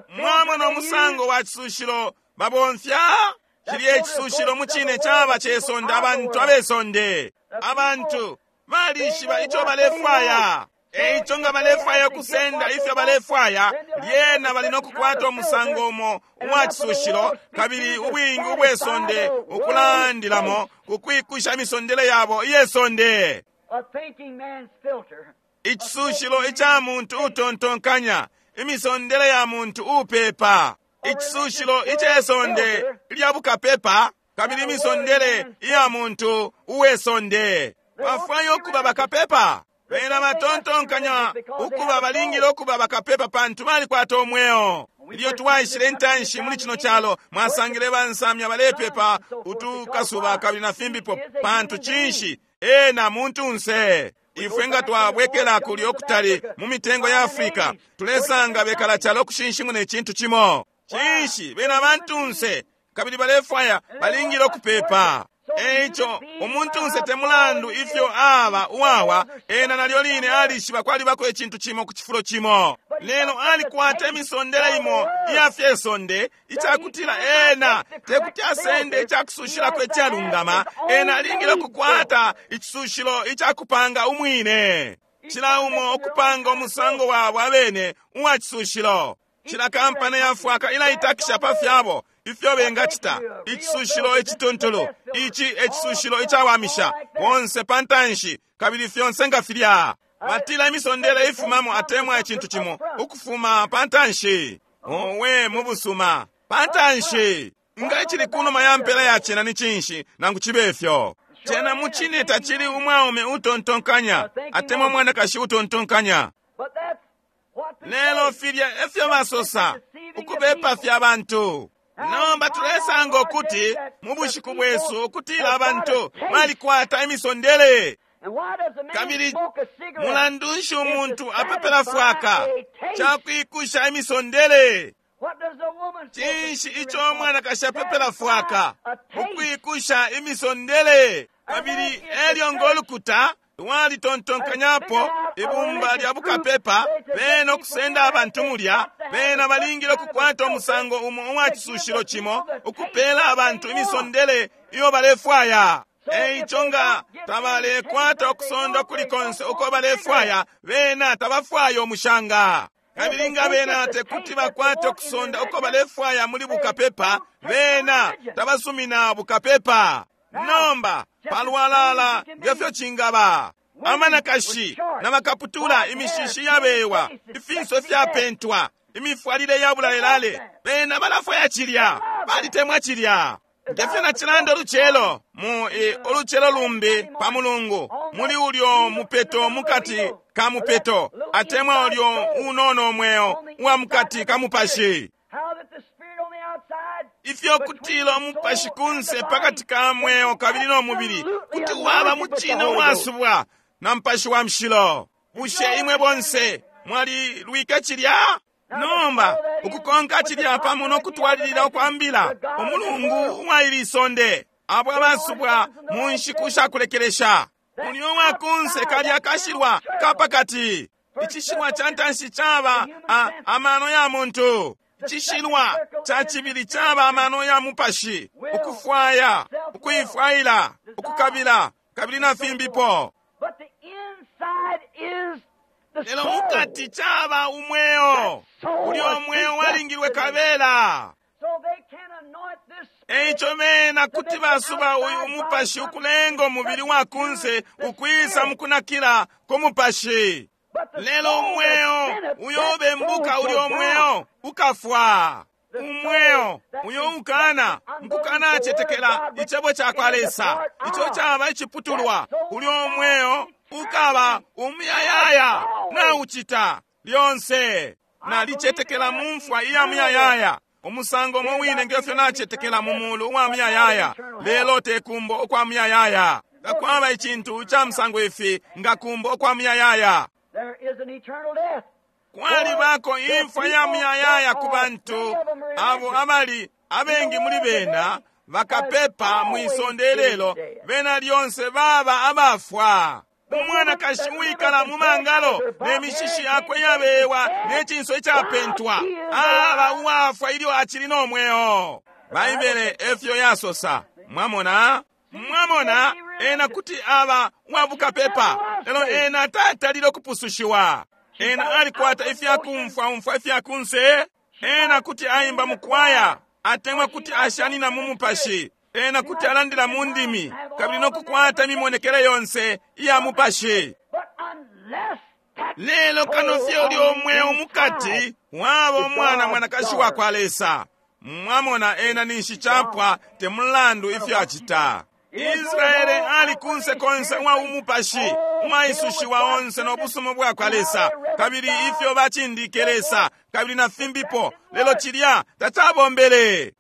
Mwamona umusango wa cisushilo babomfya. Cilya icisushilo mu cine caba cesonde, abantu abesonde. Abantu balishiba ico balefwaya. Eico nga balefwaya kusenda ifyo balefwaya, lyena bali nokukwata umusango umo uwa cisushilo, kabili ubwingi ubwesonde ukulandilamo kukwikusha imisondele yabo iyesonde. Icisushilo ica muntu utontonkanya, imisondele ya muntu upepa. Icisushilo icesonde lya bukapepa, kabili imisondele iya muntu uwesonde. Bafwaya ukuba bakapepa. Bena batontonkanya ukuba balingile ukuba bakapepa pantu balikwata umweo. Ilyo twaishile intanshi muli cino calo, mwasangile bansamya balepepa utukasuba kabili na fimbipo, pantu cinshi? Ena muntunse. Ifwe nga twabwekela kulya okutali mu mitengo ya Afrika, tulesanga bekala calo kushinshimuna icintu cimo. Cinshi? Bena bantunse kabili balefwaya balingile ukupepa. Eico umuntunse te mulandu ifyo aba uwawa, ena nalyo line alishiba kwalibako icintu cimo ku cifulo cimo. Lelo alikwata imisondele imo iya fyesonde icakutila ena tekuti asende icakusushilako icalungama. Ena alingile ukukwata icisushilo icakupanga umwine. Cila umo ukupanga umusango wabo abene uwa cisushilo. Cila kampani yafwaka ilaitakisha pa fyabo ifyo bengacita. Icisushilo icituntulu, ici ecisushilo icawamisha bonse pa ntanshi, kabili fyonse nga filya. Batila imisondele ifumamo atemwa icintu cimo ukufuma pa ntanshi. Owe mu busuma pa ntanshi. Nga icili kunuma ya mpela ya cena ni cinshi, nangu cibe ifyo? Cena mu cine tacili umwaume utontonkanya atemwa umwanakashi utontonkanya. Lelo filya efyo basosa ukubepa fya bantu. Nomba tulesanga ukuti mu bushiku bwesu ukutila abantu balikwata imisondele. Kabili mulandu nshi umuntu apepela fwaka? Cakwikusha imisondele. Cinshi ico umwanakashi apepela fwaka? Ukwikusha imisondele. Kabili elyo ngolukuta walitontonkanyapo ibumba lya bukapepa, bena okusenda abantu mulya, bena balingile okukwata umusango umo uwa cisushilo cimo ukupela abantu imisondele iyo balefwaya. Eico nga tabalekwata okusonda kuli konse uko balefwaya, bena tabafwaya umushanga. Kabili nga bena tekuti bakwate okusonda uko balefwaya muli bukapepa, bena tabasumina bukapepa. Nomba palwalala ngefyo cingaba. Amanakashi na bakaputula, imishishi yabewa, ifinso fyapentwa, imifwalile ya bulalelale, bena balafwaya cilya, balitemwa cilya. Ngefyo nacilanda ulucelo mu e, ulucelo lumbi pa mulungu, muli ulyo mupeto mukati ka mupeto, atemwa ulyo unono mweo uwa mukati ka mupashi. Ifyo kutila umupashi kunse pakati ka mweo kabili no mubili kuti waba mucine uwasubwa na mupashi wa mushilo. Bushe imwe bonse Mwalilwike cilya? Nomba ukukonka cilya pamo nokutwalilila ukwambila umulungu uwa isonde, abo abasubwa mu nshiku shakulekelesha. Ulyo wakunse kalya kashilwa kapakati. Icishilwa ca ntanshi caba amano ya muntu. Icishilwa ca cibili caba amano ya mupashi, ukufwaya, ukuifwaila, ukukabila, kabili na fimbipo. Lelo mukati caba umweo. Ulyo umweo walingilwe kabela. Eico bena kuti basuba uyu umupashi ukulenga umubili wa kunse ukwisa mukunakila ku mupashi. Lelo umweo uyo ubembuka ulyo umweo ukafwa. Umweo uyo ukana mukukana acetekela icebo ca kwa Lesa, ico caba iciputulwa, ulyo umweo ukaba umuyayaya. Naucita lyonse. Nalicetekela mu mfwa iya muyayaya, umusango umo wine ngefyo nacetekela mu mulu uwa muyayaya, lelo tekumbo ukwa muyayaya. Takwaba icintu ca musango ifi nga kumbo ukwa muyayaya. Kwalibako imfwa ya muyayaya ku bantu abo abali abengi muli bena bakapepa mwisonde lelo, bena lyonse baba abafwa. Umwanakashi uwikala mu mangalo ne mishishi yakwe yabewa ne cinso icapentwa aba uwafwa ilyo acili no mweo. Baibele efyo yasosa. Mwamona? Mwamona, ena kuti aba uwabukapepa, lelo ena tatalile ukupusushiwa. Ena alikwata ifyakumfwa umfwa ifyakunse. Ena kuti aimba mukwaya, atemwa kuti ashanina mu mupashi. Ena kuti alandila mu ndimi, kabili nokukwata imimonekele yonse iya mupashi. Lelo kano fye ulyo mweo mukati waba umwana mwanakashi wa kwa Lesa. Mwamona, ena ninshi chapwa te mulandu ifyo acita. Israele ali kunse konse uwa umupashi, umwaisushiwa onse no busumo bwa kwa Lesa, kabili ifyo bacindike Lesa, kabili na fimbipo, lelo cilya tacabombele.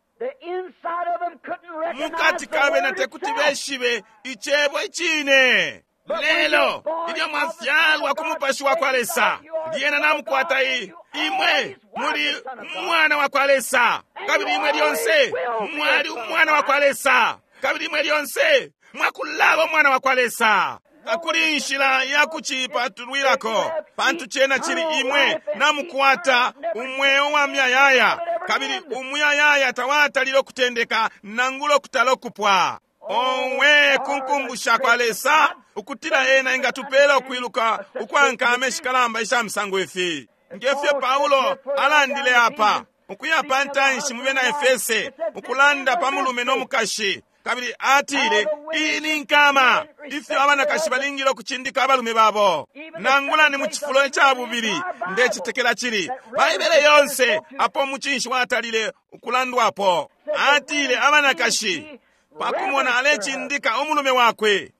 Mukati kabe na tekuti beshibe icebo icine. Lelo ilyo mwafyalwa ku mupashi wa kwa Lesa, lyena namukwata i imwe muli umwana wa kwa Lesa, kabili imwe lyonse mwali umwana wa kwa Lesa, kabili imwe lyonse mwakulaba umwana wa kwa Lesa. Takuli inshila ya kucipatulwilako, pantu cena cili imwe namukwata umweo wa muyayaya, kabili umuyayaya tawatalile ukutendeka nangula okutala okupwa. Owe kunkumbusha kwa Lesa ukutila ena ingatupela ukwiluka ukwankama ishikalamba isha misango ifi. Ngefyo Paulo alandile apa ukuya pa ntanshi mu bena Efese, ukulanda pa mulume no mukashi, kabili atile iyi ni nkama ifyo abanakashi balingile ukucindika abalume babo, nangula ni mu cifulo ica bubili. Ndecetekela cili Baibele yonse apo mucinshi watalile ukulandwapo. Atile abanakashi pakumona alecindika umulume wakwe,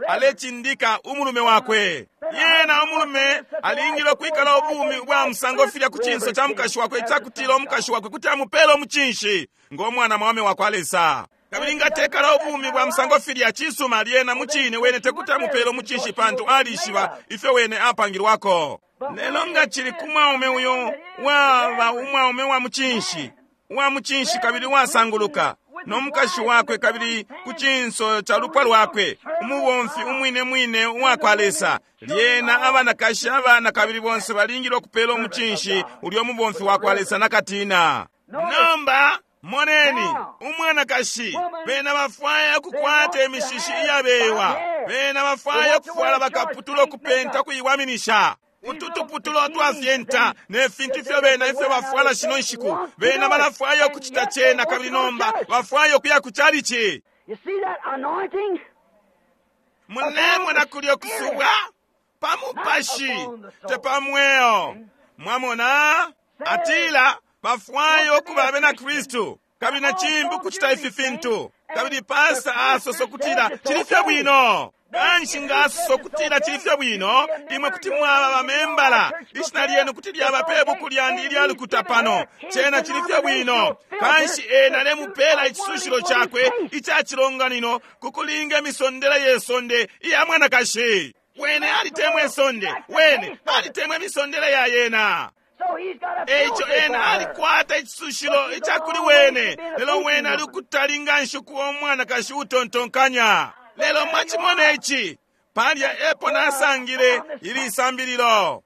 alecindika umulume wakwe. Yena umulume alingile ukwikala ubumi bwa musango filya ku cinso ca mukashi wakwe, icakutila umukashi wakwe kuti amupele umucinshi ngo mwana mwaume wa kwa Lesa. Kabili ngatekala ubumi bwa musango filya cisuma, lyena mucine wene tekuti amupele umucinshi, pantu alishiba ifyo wene apangilwako. Lelo nga cili ku mwaume uyo waba umwaume wa mucinshi, wa mucinshi kabili wasanguluka, no mukashi wakwe, kabili ku cinso ca lupwa lwakwe, umubomfi umwine mwine uwa kwa Lesa, lyena abanakashi abana kabili bonse balingile ukupela umucinshi ulyo mubomfi wa kwa Lesa nakatina. Nomba moneni umwanakashi, bena bafwaya ukukwata imishishi iyabewa, bena bafwaya ukufwala bakaputula ukupenta kuiwaminisha ututuputulo twafyenta ne fintu ifyo bena ifyo bafwala shino nshiku. Bena balafwaya ukucita cena, kabili nomba bafwaya ukuya ku chalichi. Mulemona kulyo kusubwa pa mupashi te pa mweo. Mwamona, atila bafwaya ukuba abena Kristu, kabili na cimbi ukucita ifi fintu, kabili pasta asosa ukutila cili fye bwino. Kanshi nga asosa ukutila cili fye bwino, imwe kuti mwaba bamembala, ishina lyenu kuti lyaba pe buku lyandi ilya lukuta pano, cena cili fye bwino. Kanshi ena alemupela icisushilo cakwe ica cilonganino ku kulinga imisondela ye sonde iya mwanakashi. Wene alitemwe sonde, wene alitemwe misondele ya yena. Eico ena alikwata icisushilo icakuli wene, lelo wene ali ukutali nganshi kuba umwanakashi utontonkanya. Lelo mwachimona ici, palya epo nasangile ili sambililo.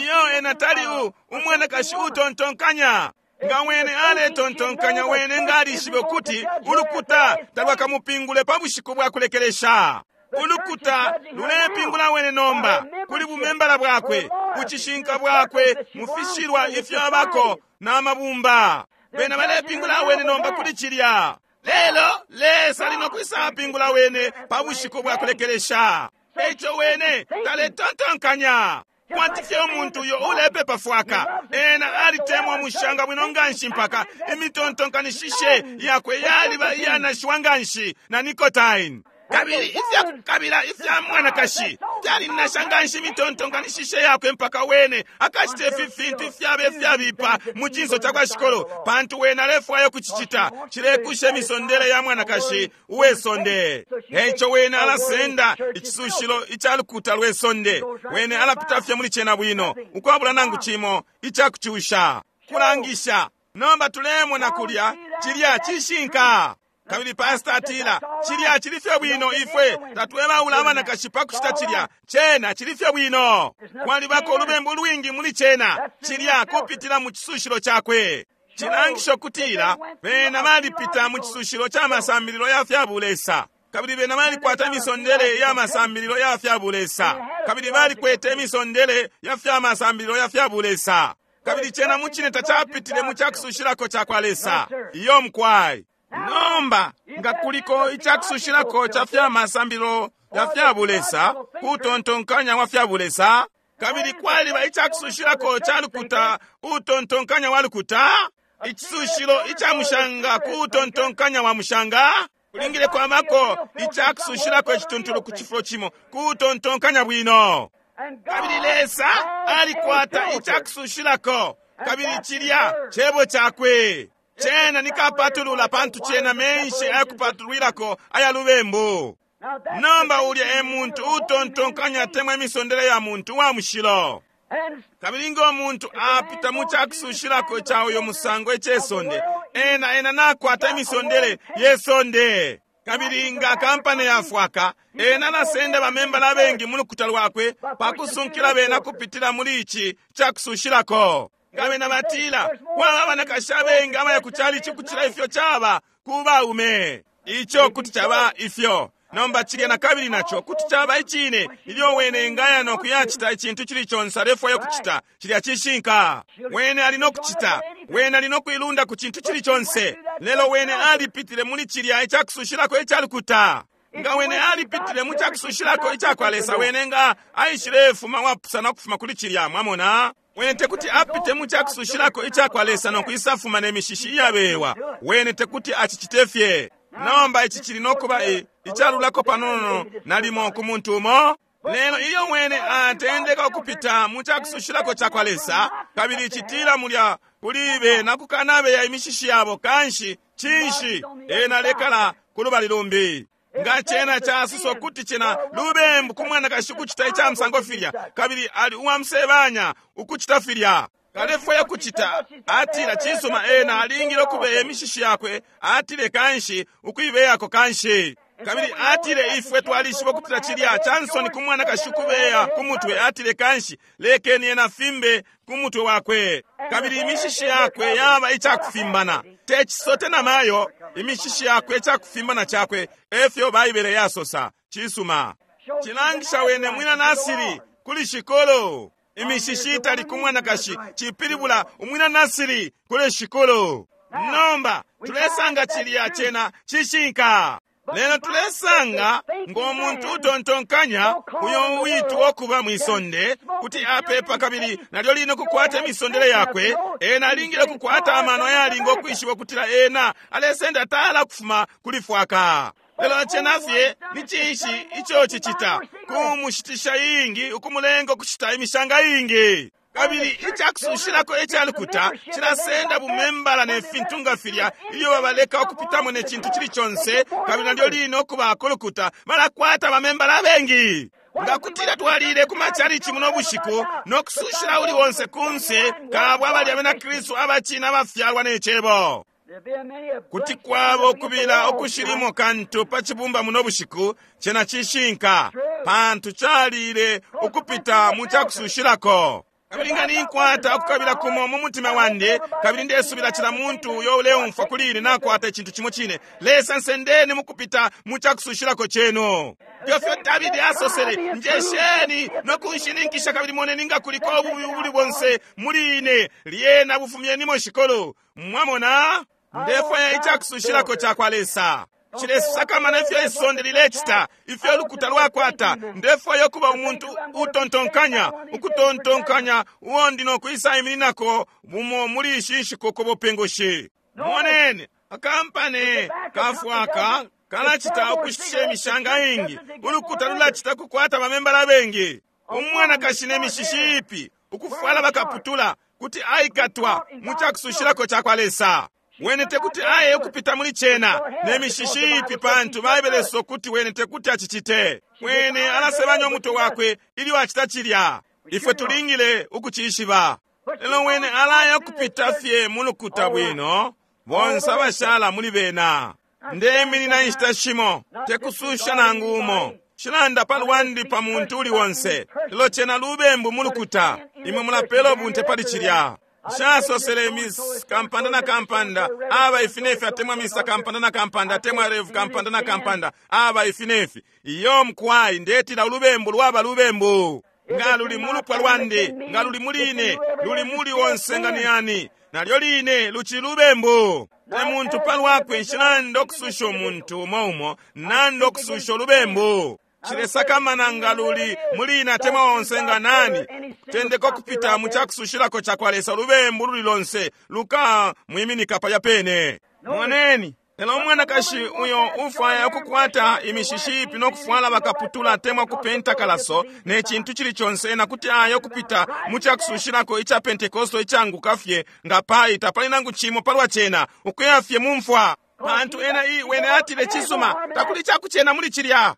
Iyo ena tali u umwanakashi utontonkanya. Nga wene aletontonkanya, wene nga alishibe ukuti ulukuta talwakamupingule pa bushiku bwa kulekelesha. Ulukuta lulepingula wene nomba kuli bumembala bwakwe, bucishinka bwakwe, mufishilwa ifyo abako na mabumba. Bena balepingula wene nomba kuli cilya. Lelo Lesa ali no kwisapingula wene pa bushiku bwa kulekelesha. Eico wene taletontonkanya kwati fye umuntu uyo ulepepa fwaka. Ena alitemwa mushanga bwino nganshi mpaka imitontonkanishishe yakwe yaliba iyanashiwa nganshi na nicotine. Kabili ifya kukabila ifya mwanakashi fyalinasha nganshi imitontonkanishishe yakwe mpaka wene akacita ifi fintu ifyaba ifyabipa mu cinso ca kwa shikolo, pantu wene alefwaya kucicita cilekusha imisondele ya mwanakashi uwe sonde. Eico wene alasenda icisushilo ica lukuta lwe sonde, wene alapita fye muli cena bwino ukwabula nangu cimo icakucusha kulangisha. Nomba tulemona kulya cilya cishinka. Kabili pastor atila cilya cili fye bwino, ifwe tatwebaula abanakashi pa kucita cilya, cena cili fye bwino. Kwalibako ulubembu lwingi muli cena, cilya kupitila mu cisushilo cakwe. Cilangisho kutila bena balipita mu cisushilo ca masambililo ya fya bulesa, kabili bena balikwata imisondele ya masambililo ya fya bulesa, kabili balikwete imisondele ya fya masambililo ya fya bulesa, kabili cena mucine tacapitile mu cakusushilako ca kwa Lesa. Iyo mkwai. Nomba nga kuliko icakusushilako ca fya masambililo ya fya bulesa, kutontonkanya wa fya bulesa, kabili kwaliba icakusushilako ca lukuta, utontonkanya wa lukuta, icisushilo ica mushanga kutontonkanya wa mushanga, kulingile kwamako icakusushilako icituntulu ku cifulo cimo kutontonkanya bwino. Kabili Lesa alikwata icakusushilako, kabili cilya cebo cakwe. Cena nikapatulula, pantu cena menshi ayakupatulwilako aya lubembu. Nomba ulya e muntu utontonkanya atemwa imisondele ya muntu wa mushilo. Kabili ngo muntu apita mu cakusushilako ca uyo musango icesonde, ena ena nakwata imisondele yesonde. Kabili nga kampani yafwaka, ena nasenda bamembala abengi mu lukuta lwakwe pakusunkila bena kupitila muli ici cakusushilako. Nga bena batila kwaba abanakashi abengi abaya ku chalichi kucila ifyo caba ku baume, ico kuti caba ifyo. Nomba cilya na kabili naco kuti caba icine, ilyo wene ngaya no kuyacita icintu cili conse alefwaya kucita, cilya cishinka. Wene ali no kucita, wene ali no kuilunda ku cintu cili conse, lelo wene alipitile muli cilya icakusushilako icalukuta. Nga wene alipitile mu cakusushilako icakwa Lesa, wene nga aishilefuma wapusana ukufuma kuli cilya, mwamona. Wene tekuti apite mu cakusushilako icakwa Lesa no kwisafuma ne mishishi iyabewa, wene tekuti acicite fye. Nomba ici cili no kuba icalulako panono nalimo ku muntu umo. Lelo ilyo wene atendeka ukupita mu cakusushilako cakwa Lesa, kabili citila mulya kuli bena kukanabeya imishishi yabo, kanshi cinshi ena lekala ku lubali lumbi. Nga cena casuso kuti cena lubembu ku mwanakashi ukucita ica musango filya, kabili ali uwamusebanya ukucita filya. Kalefwaya kucita, atila cisuma ena alingile ukubeya imishishi yakwe, atile kanshi ukuibeyako kanshi. Kabili atile ifwe twalishiba ukutila cilya cansoni ku mwanakashi ukubeya ku mutwe, atile kanshi lekeni ena fimbe ku mutwe wakwe. Kabili imishishi yakwe yaba icakufimbana, te cisote na mayo, imishishi yakwe icakufimbana cakwe, efyo Baibele yasosa. Cisuma cilangisha wene mwina Nasiri kuli shikolo. Imishishi itali ku mwanakashi cipilibula umwina Nasiri kuli shikolo. Nomba tulesanga cilya cena cishinka. Lelo tulesanga ngo muntu utontonkanya uyo uitwa okuba mwisonde kuti apepa kabili nalyo lino kukwata imisondele yakwe, ena alingile kukwata amano ayalinga okwishiba ukutila ena alesenda tala kufuma kuli fwaka. Lelo cena fye ni cinshi ico cicita kumushitisha ingi, ukumulenga ukushita imishanga ingi. Kabili icakusushilako icalukuta cilasenda bumembala ne fintu nga filya ilyo babaleka ukupitamo ne cintu cili conse, kabili nalyo lino okubako lukuta balakwata bamembala abengi. Nga kutila twalile ku machalichi muno bushiku no kusushila uli wonse kunse kabwa abali abena Kristu abachina abafyalwa ne Cebo. Kuti kwaba ukubila ukushilimo kantu pa cibumba muno bushiku, cena cishinka, pantu calile ukupita mu cakusushilako. Kabili nga ninkwata ukukabila kumo mu mutima wandi, kabili ndesubila cila muntu uyo uleumfwa kuli ine nakwata icintu cimo cine, Lesa nsendeni mukupita mu cakusushilako chenu. Ifyo Davidi asosele, njesheni no kunshininkisha kabili moneni nga kuliko ububi ubuli bonse muli ine, lyena bufumyenimo shikolo. Mwamona? Ndefwaya icakusushilako cakwa Lesa. Chilesakamana ifyo isonde lilecita, ifyo lukuta lwakwata. Ndefwaya ukuba umuntu utontonkanya, ukutontonkanya uo ndi nokwisa imininako bumo muli ishi nshiku ku bupingushi. Moneni, akampani kafwaka kalacita ukushitisha imishanga ingi, ulukuta lulacita kukwata bamembala bengi. Umwanakashi ne mishishi ipi, ukufwala bakaputula, kuti aikatwa mu cakusushilako cakwa Lesa. Wene tekuti aye ukupita muli cena ne mishishi ipi, pantu Baibele sokuti wene tekuti achichite. Wene alasebanya umutwe wakwe ilyo acita cilya. Ifwe tulingile ukucishiba. Lelo wene alaya ukupita fye mu lukuta bwino, bonse abashala muli bena. Ndeminina inshita shimo, tekususha nangu umo. Shilanda pa lwandi pa muntu uli wonse. Lelo cena lubembu mu lukuta, imwe mulapela ubunte pali cilya. Shasosele Miss Kampanda na Kampanda, aba ifinefi atemwa Mister Kampanda na Kampanda, atemwa Rev Kampanda na Kampanda, aba ifinefi. Iyo mkwai ndetila ulubembu lwaba lubembu. Nga luli mulupwa lwandi, nga luli muline, luli muli wonse nga niyani. Nalyo line luchi lubembu. Te muntu palwakwe nshilanda okususha omuntu umo umo, nanda okususha olubembu. Chilesakamana nga luli mulina atemwa onse nga nani. Tendeko kupita mu cakusushilako cakwa Lesa lubembu luli lonse luka mwiminika palya pene. Moneni, lelo umwanakashi uyo ufwaya ukukwata imishishi ipi no kufwala bakaputula atemwa kupenta kalaso ne cintu cili conse, na kuti ayo kupita mu cakusushilako ica Pentekosto icanguka fye nga pai tapali nangu cimo palwa cena, ukuya fye mu mfwa. Pantu ena i wene atile cisuma, takuli cakucena muli cilya.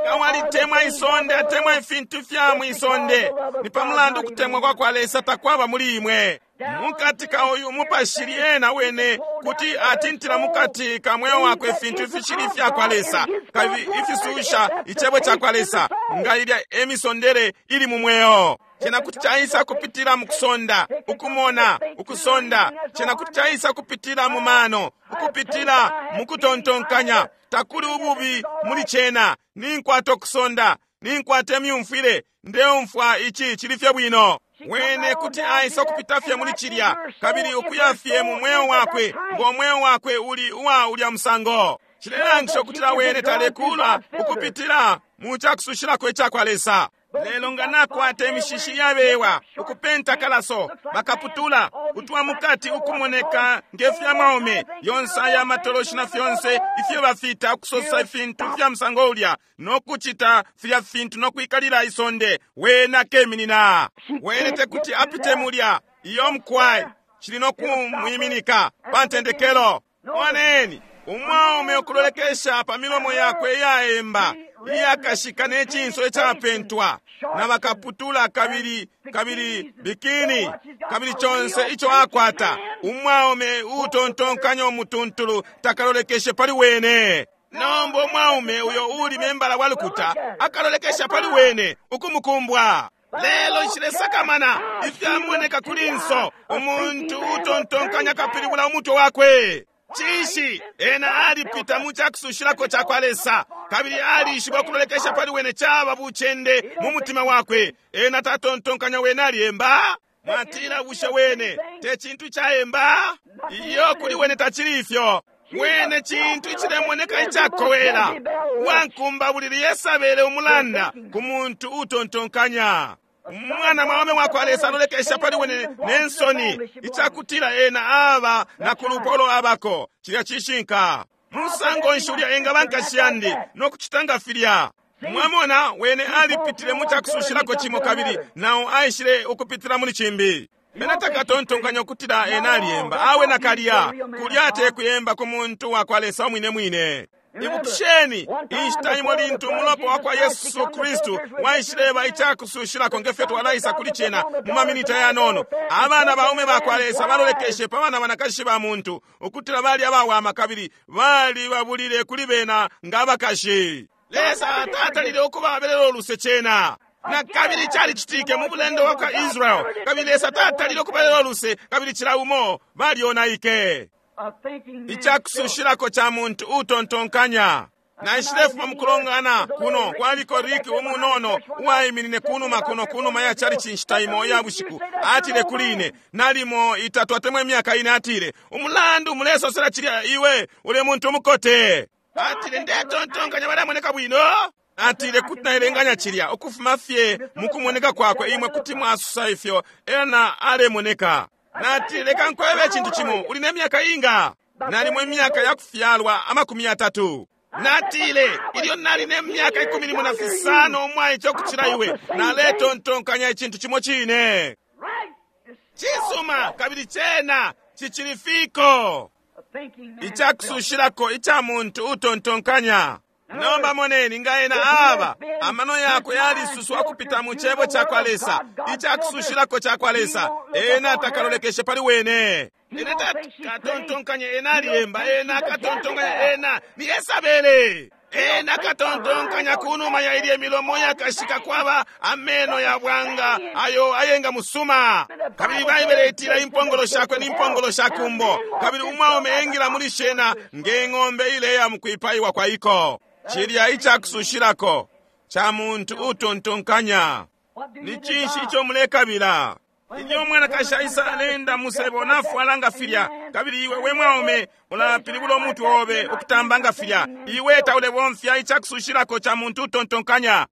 Nga walitemwa isonde atemwa ifintu fya mwisonde, ni pamulandu kutemwa kwa kwa Lesa takwaba muli imwe. Mukati ka uyu mupashi lyena wene kuti atintila mukati ka mweo wakwe ifintu ifishili fya kwa Lesa, kabili ifisusha icebo ca kwa Lesa, nga ilya emisondere ili mu mweo. Cena kuti caisa kupitila mu kusonda, ukumona, ukusonda. Cena kuti caisa kupitila mu mano, ukupitila mu kutontonkanya. Takuli ububi muli cena. Ninkwata ukusonda, ninkwata imyumfwile, ndeumfwa ici cili fye bwino. Wene kuti aisa kupita fye muli cilya, kabili ukuya fye mu mweo wakwe, ngo mweo wakwe uli uwa ulya musango. Cilelangisha ukutila wene talekula ukupitila mu cakusushilako icakwa Lesa. Lelo nga nakwata imishishi yabewa, ukupenta kalaso, bakaputula, utwa mukati ukumoneka ngefya maume, yonse aya matoloshi na fyonse ifyo bafita ukusosa ifintu fya musango ulya, no kucita filya fintu no kwikalila isonde, wene akeminina. Wene tekuti apite mulya, iyo mkwai, cili no kumwiminika pa ntendekelo. Moneni, umwaume ukulolekesha pa milomo yakwe iyaemba, iyakashika ne cinso icapentwa, na bakaputula kabili kabili bikini, kabili conse ico akwata. Umwaume utontonkanya umutuntulu takalolekeshe pali wene. Nomba umwaume uyo uli membala wa lukuta akalolekesha pali wene ukumukumbwa. Lelo nshilesakamana ifyamoneka kuli nso, umuntu utontonkanya kapilibula umutwe wakwe. Cinshi? Ena alipita mu cakusushilako cakwa Lesa, kabili alishiba ukulolekesha pali wene caba bucende mu mutima wakwe. Ena tatontonkanya wene aliemba. Mwatila bushe wene te cintu caemba? Iyo, kuli wene tacili ifyo. Wene cintu icilemoneka icakowela. Wankumba bulili Yesabele umulanda ku muntu utontonkanya. Umwana mwaume wakwa Lesa alolekesha pali wene ne nsoni, icakutila ena aba na kulupolo abako. Cilya cishinka. Musango nshi ulya engaba nkashi yandi no kucita nga filya? Mwamona, wene alipitile mu cakusushilako cimo kabili nao aishile ukupitila muli cimbi. Bena takatontonkanya ukutila ena aliemba. Awe nakalya, kulya te kuyemba ku muntu wakwa Lesa umwine mwine. Ibukisheni inshita imo lintu umulopa wa kwa Yesu Kristu waishileba icakusushilako ngefyo twalaisa kuli cena mu maminita yanono. Abana baume bakwa Lesa balolekeshe pa bana banakashi ba muntu ukutila bali abawama kabili bali babulile kuli bena nga abakashi. Lesa tatalile ukubabelela uluse cena. Na kabili calicitike mu bulendo bwa kwa Israel, kabili Lesa tatalile ukubabelela uluse, kabili cila umo balyonaike. Icakusushilako ca muntu utontonkanya. Naishilefuma mukulongana kuno kwaliko Rick umunono uwaiminine kunuma kuno kunuma ya chalichi nshita imo ya bushiku. Atile kuli ine nalimo itatu atemwa imyaka ine, atile umulandu mulesosela cilya iwe uli muntu umukote. Atile ndetontonkanya balamoneka bwino. Atile kuti naelenganya cilya ukufuma fye mukumoneka kwakwe imwe kuti mwasusa ifyo ena alemoneka. Natile leka nkwebe icintu cimo, uli ne myaka inga? Nalimo imyaka yakufyalwa amakumi yatatu. Natile ilyo nali ne myaka ikumi limo na fisano umwaice ukucila iwe, naletontonkanya icintu cimo cine. Cisuma, kabili cena cicili fiko. Icakusushilako ica muntu utontonkanya. Nomba moneni nga ena aba amano yakwe yalisuswa kupita mu cebo ca kwa Lesa, icakusushilako ca kwa Lesa, ena takalolekeshe pali wene. Ena katontonkanya ena aliyemba, ena katontonkanya ena ni Yesabele. Ena katontonkanya kunuma ya ilye milomo yakashika kwaba ameno ya bwanga ayo ayenga musuma. Kabili Baibele itila impongolo shakwe ni impongolo sha kumbo, kabili umwaume engila muli shena nge ng'ombe ileya mukwipaiwa kwa iko. Cilya icakusushilako ca muntu utontonkanya. Ni cinshi ico mulekabila? Ilyo umwanakashi aisa alenda musebo nafwala nga filya, kabili iwe we mwaume ulapilibula umutwe obe ukutamba nga filya, iwe taulebomfya icakusushilako ca muntu utontonkanya.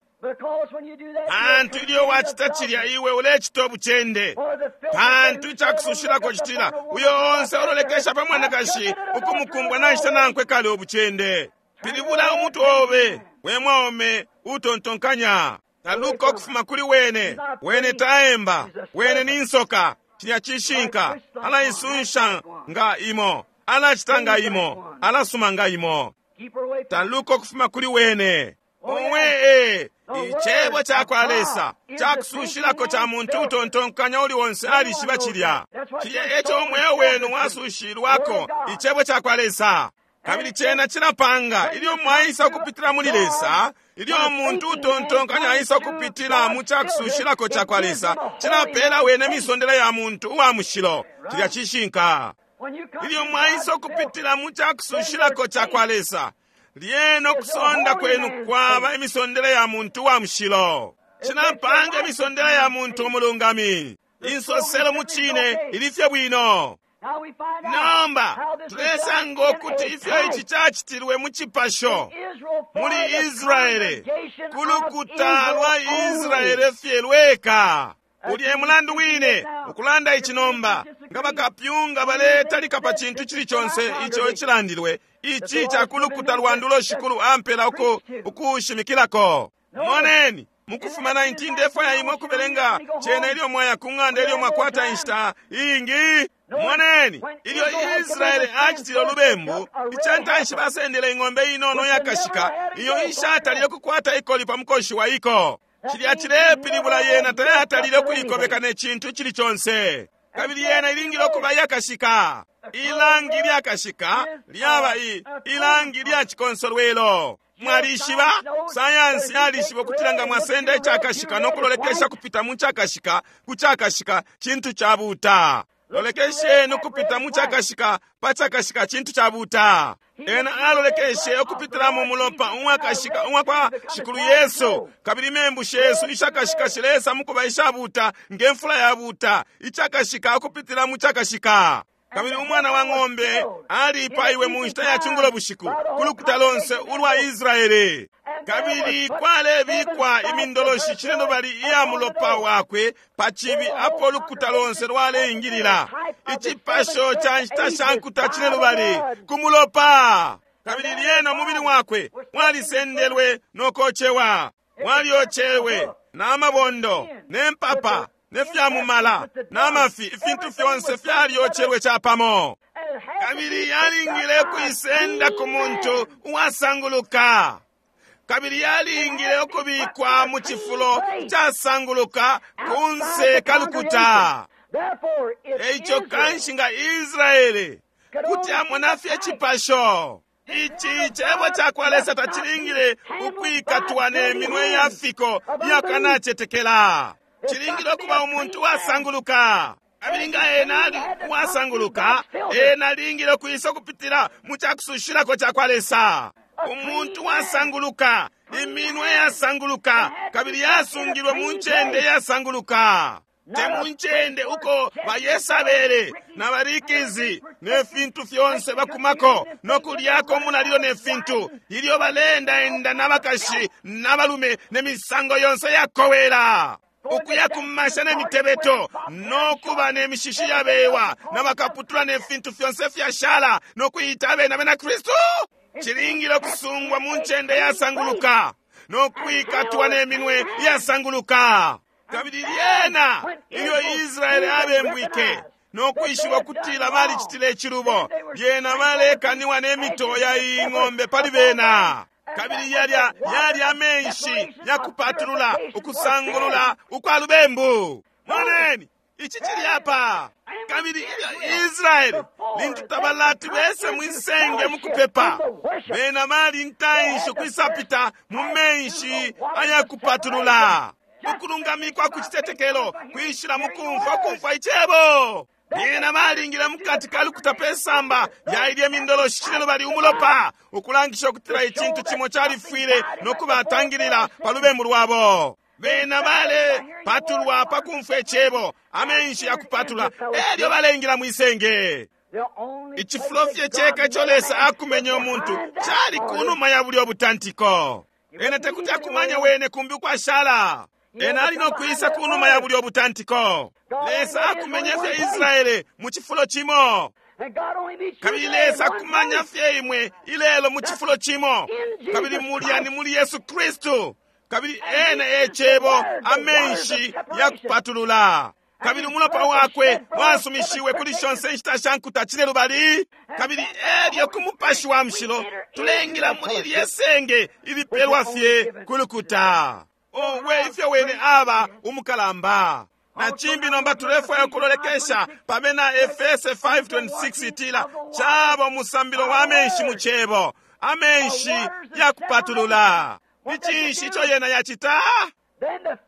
Pantu ilyo wacita cilya iwe ulecita ubucende. Pantu icakusushilako citila uyo onse ulolekesha pa mwanakashi ukumukumbwa nacita nankwe kale ubucende. Pilibula umutwe obe we mwaume utontonkanya. Taluka ukufuma kuli wene. Wene taemba, wene ni nsoka. Cilya cishinka. Alaisunsha nga imo, alacita nga imo, alasuma nga imo. Taluka ukufuma kuli wene. Owe, icebo ca kwa Lesa cakusushilako ca muntu utontonkanya uli onse alishiba cilya. Cilya eco umweo wenu wasushilwako, icebo ca kwa Lesa. Kabili cena cilapanga ilyo mwaisa ukupitila muli Lesa, ilyo umuntu utontonkanya aisa ukupitila mu cakusushilako ca kwa Lesa, cilapela wene misondela ya muntu uwa mushilo. Cilya cishinka. Ilyo mwaisa ukupitila mu cakusushilako ca kwa Lesa, lyena ukusonda kwenu kwaba imisondela ya muntu uwa mushilo. Cilapanga imisondela ya muntu umulungami. Insoselo mu cine ilifye bwino. Nomba tulesanga ukuti ifyo ici cacitilwe mu cipasho muli Israele, ku lukuta lwa Israele fye lweka. Ulye mulandu wine ukulanda ici nomba nga bakapyunga baletalika pa cintu cili conse ico icilandilwe, ici ca ku lukuta lwa ndulo shikulu ampela uku ukushimikilako. Moneni mukufuma nineteen ndefwaya imwe ukubelenga cena ilyo mwaya ku ng'anda ilyo mwakwata inshita iingi. Moneni ilyo Israele acitile ulubembu, icantanshi basendele ing'ombe inono yakashika iyo ishatalile kukwata ikoli pa mukoshi wa iko. Cilya cilepilibula yena tayatalile ukuikobeka ne cintu cili conse, kabili yena ilingile ukuba yakashika. Ilangi lyakashika lyaba i ilangi lya cikonsolwelo. Mwalishiba sayansi yalishiba ukutila nga mwasenda icakashika no kulolekesha kupita mu cakashika ku cakashika cintu cabuta. Lolekesheni ukupita mu cakashika pa cakashika cintu cabuta. Ena alolekeshe ukupitila mu mulopa umwakashika umwa kwa Shikulu Yesu, kabili membu shesu ishakashika shilesa mukuba ishabuta nge mfula yabuta, icakashika ukupitila mu cakashika. Kabili umwana wa ng'ombe alipaiwe mu nshita ya cungulo bushiku ku lukuta lonse ulwa Israele. Kabili kwalebikwa imindoloshi cinelubali iya mulopa wakwe pa cibi apo lukuta lonse lwaleingilila. Icipasho ca nshita sha nkuta cinelubali ku mulopa. Kabili lyena umubili wakwe walisendelwe no kocewa, walyocewe na mabondo ne mpapa ne fya mumala na mafi, ifintu fyonse fyalyocelwe capamo. Kabili yalingile kuisenda ku muntu uwasanguluka. Kabili yalingile ukubikwa mu cifulo casanguluka kunse kalukuta. Eico kanshi nga Israele kuti amona fye cipasho. Ici cebo cakwa Lesa tacilingile ukwikatwa ne minwe ya fiko iyakanacetekela. Cilingile ukuba umuntu uwasanguluka. Kabili nga ena ali uwasanguluka, ena alingile ukwisa ukupitila mu cakusushilako cakwa Lesa. Umuntu wasanguluka, iminwe yasanguluka, kabili yasungilwe mu ncende yasanguluka. Te mu ncende uko bayesabele na barikizi ne fintu fyonse bakumako no kulyako umulalilo ne fintu, ilyo baleendaenda n'abakashi n'abalume ne misango yonse yakowela. Ukuya kumasha ne mitebeto no kuba ne mishishi yabewa n'abakaputula ne fintu fyonse fyashala no kuyita abena bena Kristu. Cilingile kusungwa mu ncende yasanguluka no kwikatwa ne minwe yasanguluka. Kabili lyena ilyo Israele abembwike no kwishiba kutila balicitile icilubo, lyena balekaniwa ne mito ya ing'ombe pali bena. Kabili yalya yali amenshi yakupatulula ukusangulula ukwa lubembu. Moneni ici cili apa. Kabili ilyo Israele lintu tabalati bese mwisenge mukupepa, bena bali ntanshi ukwisapita mu menshi ayakupatulula. Ukulungamikwa ku citetekelo kwishila mukumfwa kumfwa icebo. Lyena balingile mukati ka lukuta pe samba yailye mindoloshi cine lubali umulopa, ukulangisha ukutila icintu cimo califwile no kubatangilila pa lubembu lwabo. Bena bale patulwa pa kumfwa icebo, amenshi yakupatula, elyo balengila mwisenge. Icifulo fye ceka ico Lesa akumenye umuntu cali kunuma ya bulyo butantiko. Ena tekuti akumanya wene kumbi ukwashala. Ena ali no kwisa kunuma ya bulyo butantiko. Lesa akumenye fye Israele mu cifulo cimo. Kabili Lesa akumanya fye imwe ilelo mu cifulo cimo. Kabili mulya ni muli Yesu Kristu. Kabili ena e cebo, amenshi yakupatulula. Kabili umulopa wakwe wasumishiwe kuli shonse inshita sha nkuta cine lubali. Kabili elyo ku mupashi wa mushilo tulengila muli lye senge ilipelwa fye ku lukuta. Owe ifyo wene aba umukalamba. Na cimbi nomba tulefwaya kulolekesha pamena Efese five twenty-six itila caba umusambilo wa amenshi mu cebo, amenshi yakupatulula. Ni cinshi ico yena yacita?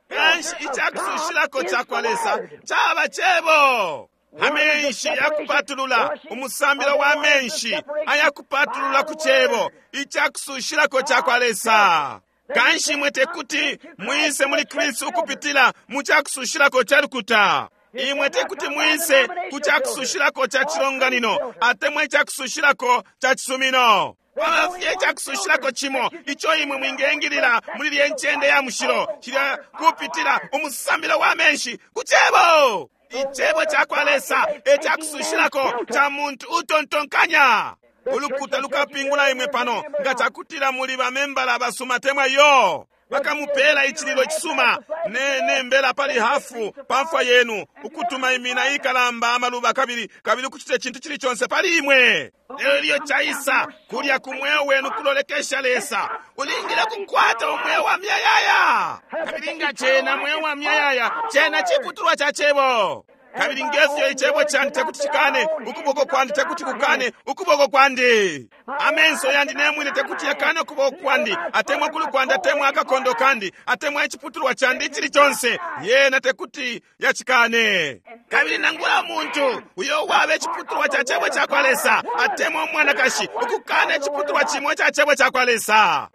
Kanshi icakusushilako cakwa Lesa caba cebo. Amenshi yakupatulula, umusambilo wa amenshi ayakupatulula ku cebo, icakusushilako cakwa Lesa. Kanshi imwe tekuti mwise muli Kristu ukupitila mu cakusushilako ca lukuta. Imwe tekuti mwise ku cakusushilako ca cilonganino atemwa icakusushilako ca cisumino. Kwaba fye icakusushilako cimo ico imwe mwingengilila muli lye ncende ya mushilo, cilya kupitila umusambilo wa menshi ku cebo. Icebo cakwa Lesa e cakusushilako ca muntu utontonkanya. Ulukuta lukapingula imwe pano nga cakutila muli bamembala basuma temwa yo. Bakamupela icililo cisuma ne nembela pali hafu pamfwa yenu, ukutuma imina ikalamba amaluba kabili kabili ukucita icintu cili conse pali imwe. Lelo ilyo caisa kulya ku mweo wenu kulolekesha Lesa, ulingile kukwata umweo wa myayaya. Kabili nga cena mweo wa myayaya, cena ciputulwa ca cebo. Kabili ngefyo icebo candi tekuti cikane ukuboko kwandi, tekuti kukane ukuboko kwandi. Amenso yandi nemwine tekuti yakane ukuboko kwandi, atemwa kulu kwandi, atemwa akakondo kandi, atemwa iciputulwa candi icili conse, yena tekuti yacikane. Kabili nangula muntu uyo wabe iciputulwa ca cebo cakwa Lesa, atemwa umwanakashi ukukana iciputulwa cimo ca cebo cakwa Lesa.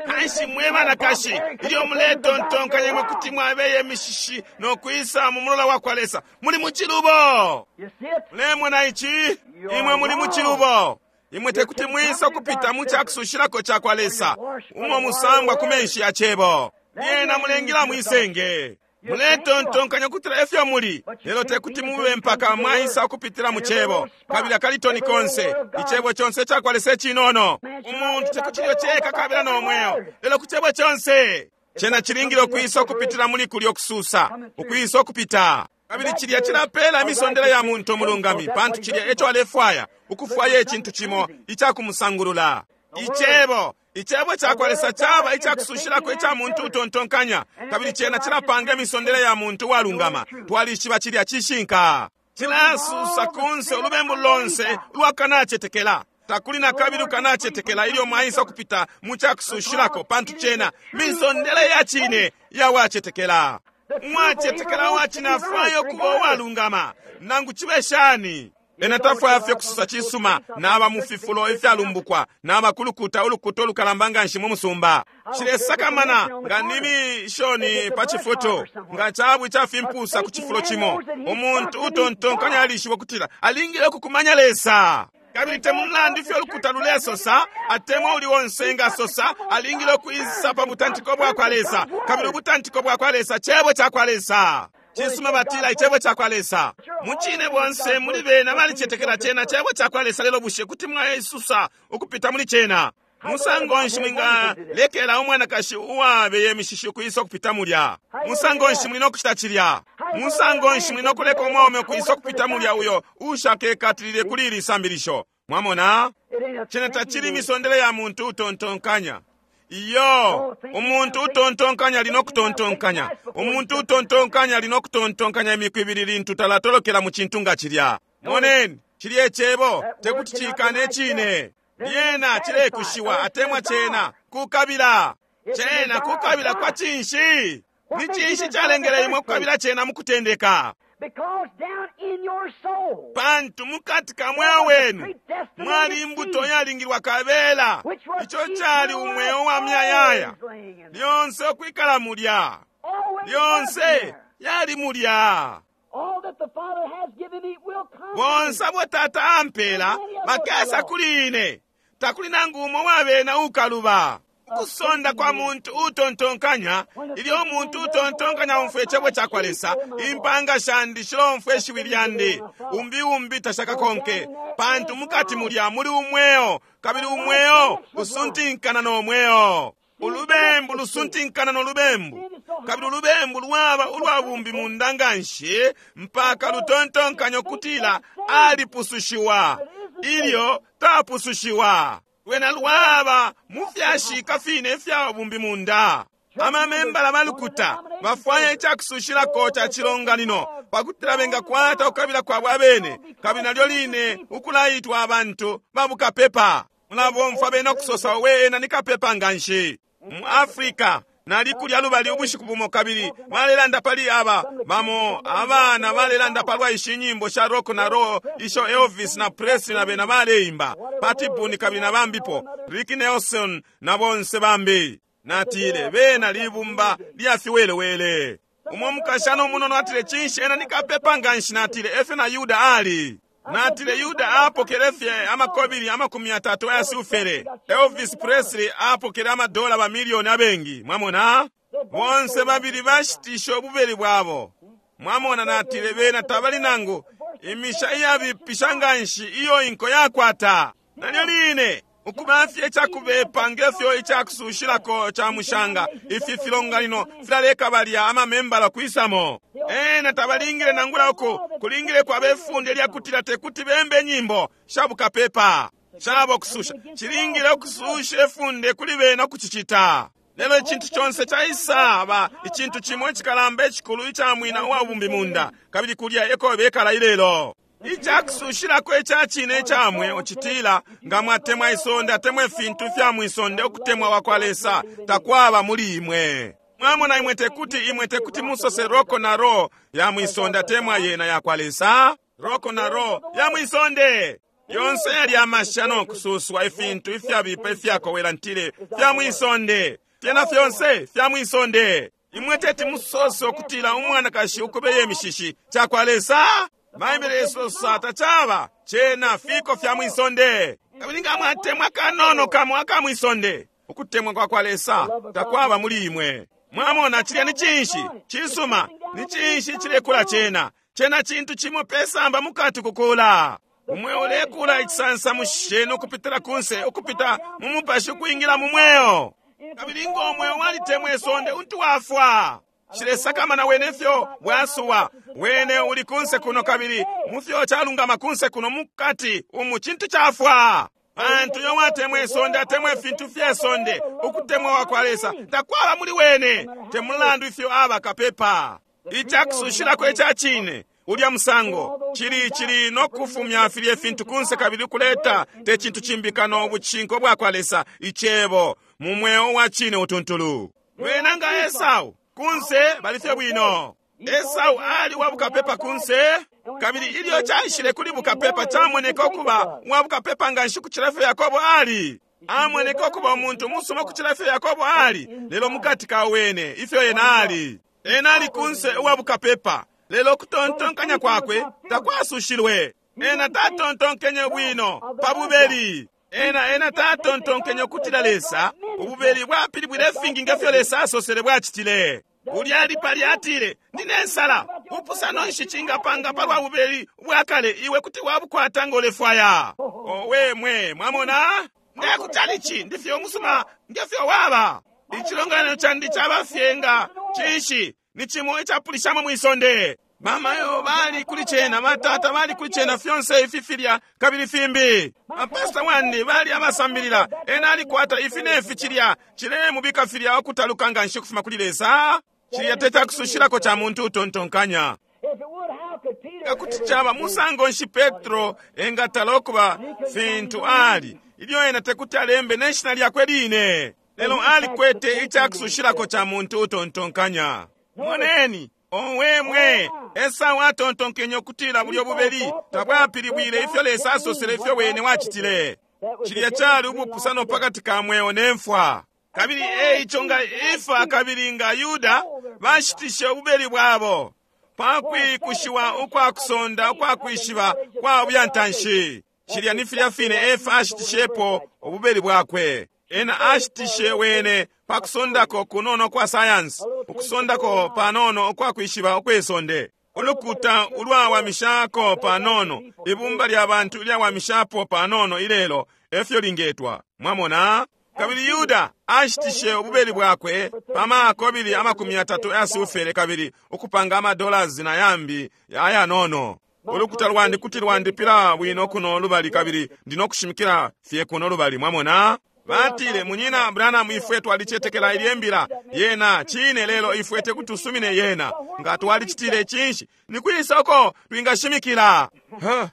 Kanshi mwe banakashi, ilyo muletontonkanya imwe kuti mwabeye imishishi no kwisa mu mulola wa kwa Lesa, muli mu cilubo. Mulemona ici? Imwe muli mu cilubo. Imwe tekuti mwisa kupita mu cakusushilako ca kwa Lesa, umo musangwa ku menshi ya cebo. Lyena mulengila mwisenge. Muletontonkanya kutila efyo muli, lelo tekuti mube mpaka mwaisa kupitila mu cebo. Kabili akalitoni konse, icebo conse cakwa Lesa cinono. Umuntu tekuti ilyo ceka kabila no mweo, lelo ku cebo conse. Cena cilingile ukwisa ukupitila muli kulyo kususa, ukwisa ukupita. Kabili cilya cilapela imisondele ya muntu umulungami, pantu cilya eco alefwaya, ukufwaya icintu cimo icakumusangulula. Icebo, Icebo cakwa Lesa caba icakusushilako ica muntu utontonkanya, kabili cena cilapanga imisondele ya muntu uwalungama. Twalishiba cilya cishinka. Cilasusa kunse ulubembu lonse ulwakanacetekela. Takuli na kabili ukanacetekela ilyo mwaisa kupita mu cakusushilako, pantu cena misondele ya cine ya wacetekela. Uwacetekela uwacine afwaya ukuba uwalungama, nangu cibe shani. Ena tafwaya fye kususa cisuma naba mu fifulo ifyalumbukwa, naba kulukuta ulukuta ulukalamba nganshi mu musumba. Cilesakamana nga ni mishoni pa cifutu, nga cabu icafimpusa ku cifulo cimo. Umuntu utontonkanya alishiba ukutila alingile ukukumanya Lesa. Kabili te mulandu ifyo ulukuta lulesosa, atemwa uli onse ngasosa, alingile ukuisa pa butantiko bwa kwa Lesa. Kabili ubutantiko bwa kwa Lesa cebo ca kwa Lesa. Cisuma batila icebo ca kwa Lesa. Mucine bonse muli bena balicetekela cena cebo ca kwa Lesa, lelo bushe kuti mwaisusa ukupita muli cena? Musango nshi mwingalekela umwanakashi uwabeye imishishi ukuisa ukupita mulya? Musango nshi muli nokucita cilya? Musango nshi muli nokuleka umwaume ukuisa ukupita mulya uyo ushakekatilile kuli ili sambilisho? Mwamona? Cena tacili misondele ya muntu utontonkanya. Iyo, umuntu utontonkanya ali nokutontonkanya. Umuntu utontonkanya ali nokutontonkanya imiku ibili lintu talatolokela mu cintu nga cilya. Moneni, cilya icebo tekuti cikane cine. Lyena cilekushiwa atemwa cena kukabila. Cena kukabila kwa cinshi? Ni cinshi calengele imwe kukabila cena mu kutendeka? Pantu mukati ka mweo wenu mwali imbuto yalingilwa kabela, ico cali umweo wa myayaya. Lyonse ukwikala mulya, lyonse yali mulya. Bonse abo Tata ampela bakesa kuli ine, takuli nangu umo wabena ukaluba. Ukusonda kwa muntu utontonkanya, ilyo umuntu utontonkanya umfwe icebo ca kwa Lesa, impanga shandi shilomfwe ishiwi lyandi, umbi umbi tashakakonke, pantu mukati mulya muli umweo, kabili umweo usuntinkana no mweo. Ulubembu lusuntinkana no lubembu, kabili ulubembu lwaba ulwa bumbi munda nganshi mpaka lutontonkanya ukutila alipusushiwa ilyo tapusushiwa. Lwena lwaba mufyashika fine ifya bumbi munda. Amamembala balukuta bafwaya icakusushilako ca cilonganino pakutila bengakwata ukukabila kwabo abene, kabili nalyo line ukulaitwa abantu babukapepa. Mulabomfwa bena ukusosa, we ena ni kapepa nganshi. Mu Afrika nali kulya lubali ubushiku bumo, kabili balelanda pali aba bamo abana balelanda palwa ishi nyimbo sha rock na roll isho Elvis na Presley na bena baleimba, Pat Boone kabili na bambipo, Rick Nelson na bonse bambi. Natile bena libumba lya fiwelewele. Umo mukashana umunono atile, cinshi ena ni kapepa nganshi? Natile efyo na Yuda ali. Natile Yuda apokele fye amakobili amakumi atatu aya silfere. Elvis Presley apokele amadola ba milioni abengi. Mwamona? Bonse babili bashitisha ububeli bwabo. Mwamona? Natile bena tabali nangu imisha iyabipisha nganshi iyo inko yakwata. Nalyo line ukubafye icakubepa ngefyo icakusushilako ca mushanga, ifi filonganino filaleka balya amamembala kwisamo. Ena tabalingile nangula uku kulingile kwa befunde lyakutila tekuti bembe nyimbo shabukapepa shabo kususha. Cilingile ukususha efunde kuli bena ukucicita. Lelo icintu conse caisaba icintu cimo icikalamba icikulu ica mwina uwa bumbi munda, kabili kulya eko bekala ilelo. Icakusushilako ica cine ica mweo citila, nga mwatemwa isonde atemwa ifintu fya mwisonde, ukutemwa kwa kwa Lesa takwaba muli imwe. Mwamona, imwe tekuti imwe tekuti musose roko na ro ya mwisonde atemwa yena ya kwa Lesa. Roko na ro ya mwisonde yonse yali amasha no kususwa ifintu ifyabipa ifyakowela ntile fya mwisonde, fyena fyonse fya mwisonde. Imwe teti musose ukutila umwanakashi ukubeye imishishi ca kwa Lesa. Baibele isosa tacaba cena fiko fya mwisonde. Kabili nga mwatemwa kanono kamo aka mwisonde, ukutemwa kwa kwa Lesa takwaba muli imwe. Mwamona, cilya ni cinshi cisuma, ni cinshi cilekula cena? Cena cintu cimo pesamba mukati kukula. Umwe ulekula icisansamushi cenu ukupitila kunse, ukupita mu mupashi ukwingila mu mweo. Kabili ngo mweo walitemwa isonde untu wafwa. Nshilesakamana wene ifyo bwasuwa, wene uli kunse kuno kabili mufyo calungama kunse kuno mukati umu cintu cafwa. Pantu yo watemwa isonde atemwa ifintu fye sonde, ukutemwa kwa Lesa takwaba muli wene, te mulandu ifyo aba kapepa. Icakusushilako ica cine ulya musango chili chili no kufumya filye fintu kunse kabili kuleta te cintu cimbi kano ubucinko bwa kwa Lesa icebo mu mweo wa cine utuntulu. Wena nga Esau kunse balifye bwino. Esau ali wa bukapepa kunse, kabili ilyo caishile kuli bukapepa camoneka ukuba wa bukapepa nga nshi kucila ifyo Yakobo ali. Amoneka ukuba umuntu musuma kucila ifyo Yakobo ali, lelo mukati ka wene ifyo ena ali. Ena ali kunse uwa bukapepa, lelo kutontonkanya kwakwe takwasushilwe. Ena tatontonkenye bwino pa bubeli. Ena ena tatontonkenye ukutila Lesa ububeli bwapilibwile ifingi ngefyo Lesa asosele bwacitile. Ulya ali pali atile, ndine nsala, upusano nshi cingapanga palwa bubeli bwakale iwe kuti wabukwata ngolefwaya. Owe mwe, mwamona? Ndekutalichi ndifye umusuma ngefyo waba. Icilonganino candi cabafye nga cinshi ni cimo icapulishamo mwisonde. Mamayo bali kuli cena, batata bali kuli cena, fyonse ifi filya kabili fimbi. Bapasta wandi bali abasambilila, ena alikwata ifi nefi cilya, cilemubika filya okutaluka nga nshi kufuma kuli Lesa. Cilya te cakusushilako ca muntu utontonkanya. Nga kuti caba musango nshi Petro engatala okuba fintu ali, ilyo ena tekuti alembe ne shina lyakwe line, lelo alikwete icakusushilako ca muntu utontonkanya. Moneni, owe mwe, Esau atontonkenye ukutila bulyo bubeli tabwapilibwile ifyo Lesa asosele ifyo wene wacitile. Cilya cali ubupusano pakati ka mweo ne mfwa. Kabili eico nga Efa kabili nga Yuda bashitishe ububeli bwabo pakwikushiwa ukwakusonda ukwakwishiba kwa buyantanshi. Cilya ni filya fine Efa ashitishepo ububeli bwakwe. Ena ashitishe wene pakusondako kunono kwa sayansi, ukusondako panono ukwakwishiba ukwesonde, ulukuta ulwawamishako panono, ibumba lya bantu ilyawamishapo panono ilelo efyo lingetwa. Mwamona? Kabili Yuda ashitishe ububeli bwakwe pamakobili amakumi yatatu yasufele kabili ukupanga amadolasi na yambi ayanono. Ulukuta lwandi kuti lwandipila bwino kuno lubali kabili ndinokushimikila fye kuno lubali. Mwamona? Batile, munyina Branham, ifwe twalicetekela ilye mbila yena cine, lelo ifwe tekuti tusumine yena. Nga twalicitile cinshi? Ni kwisoko twingashimikila? Huh.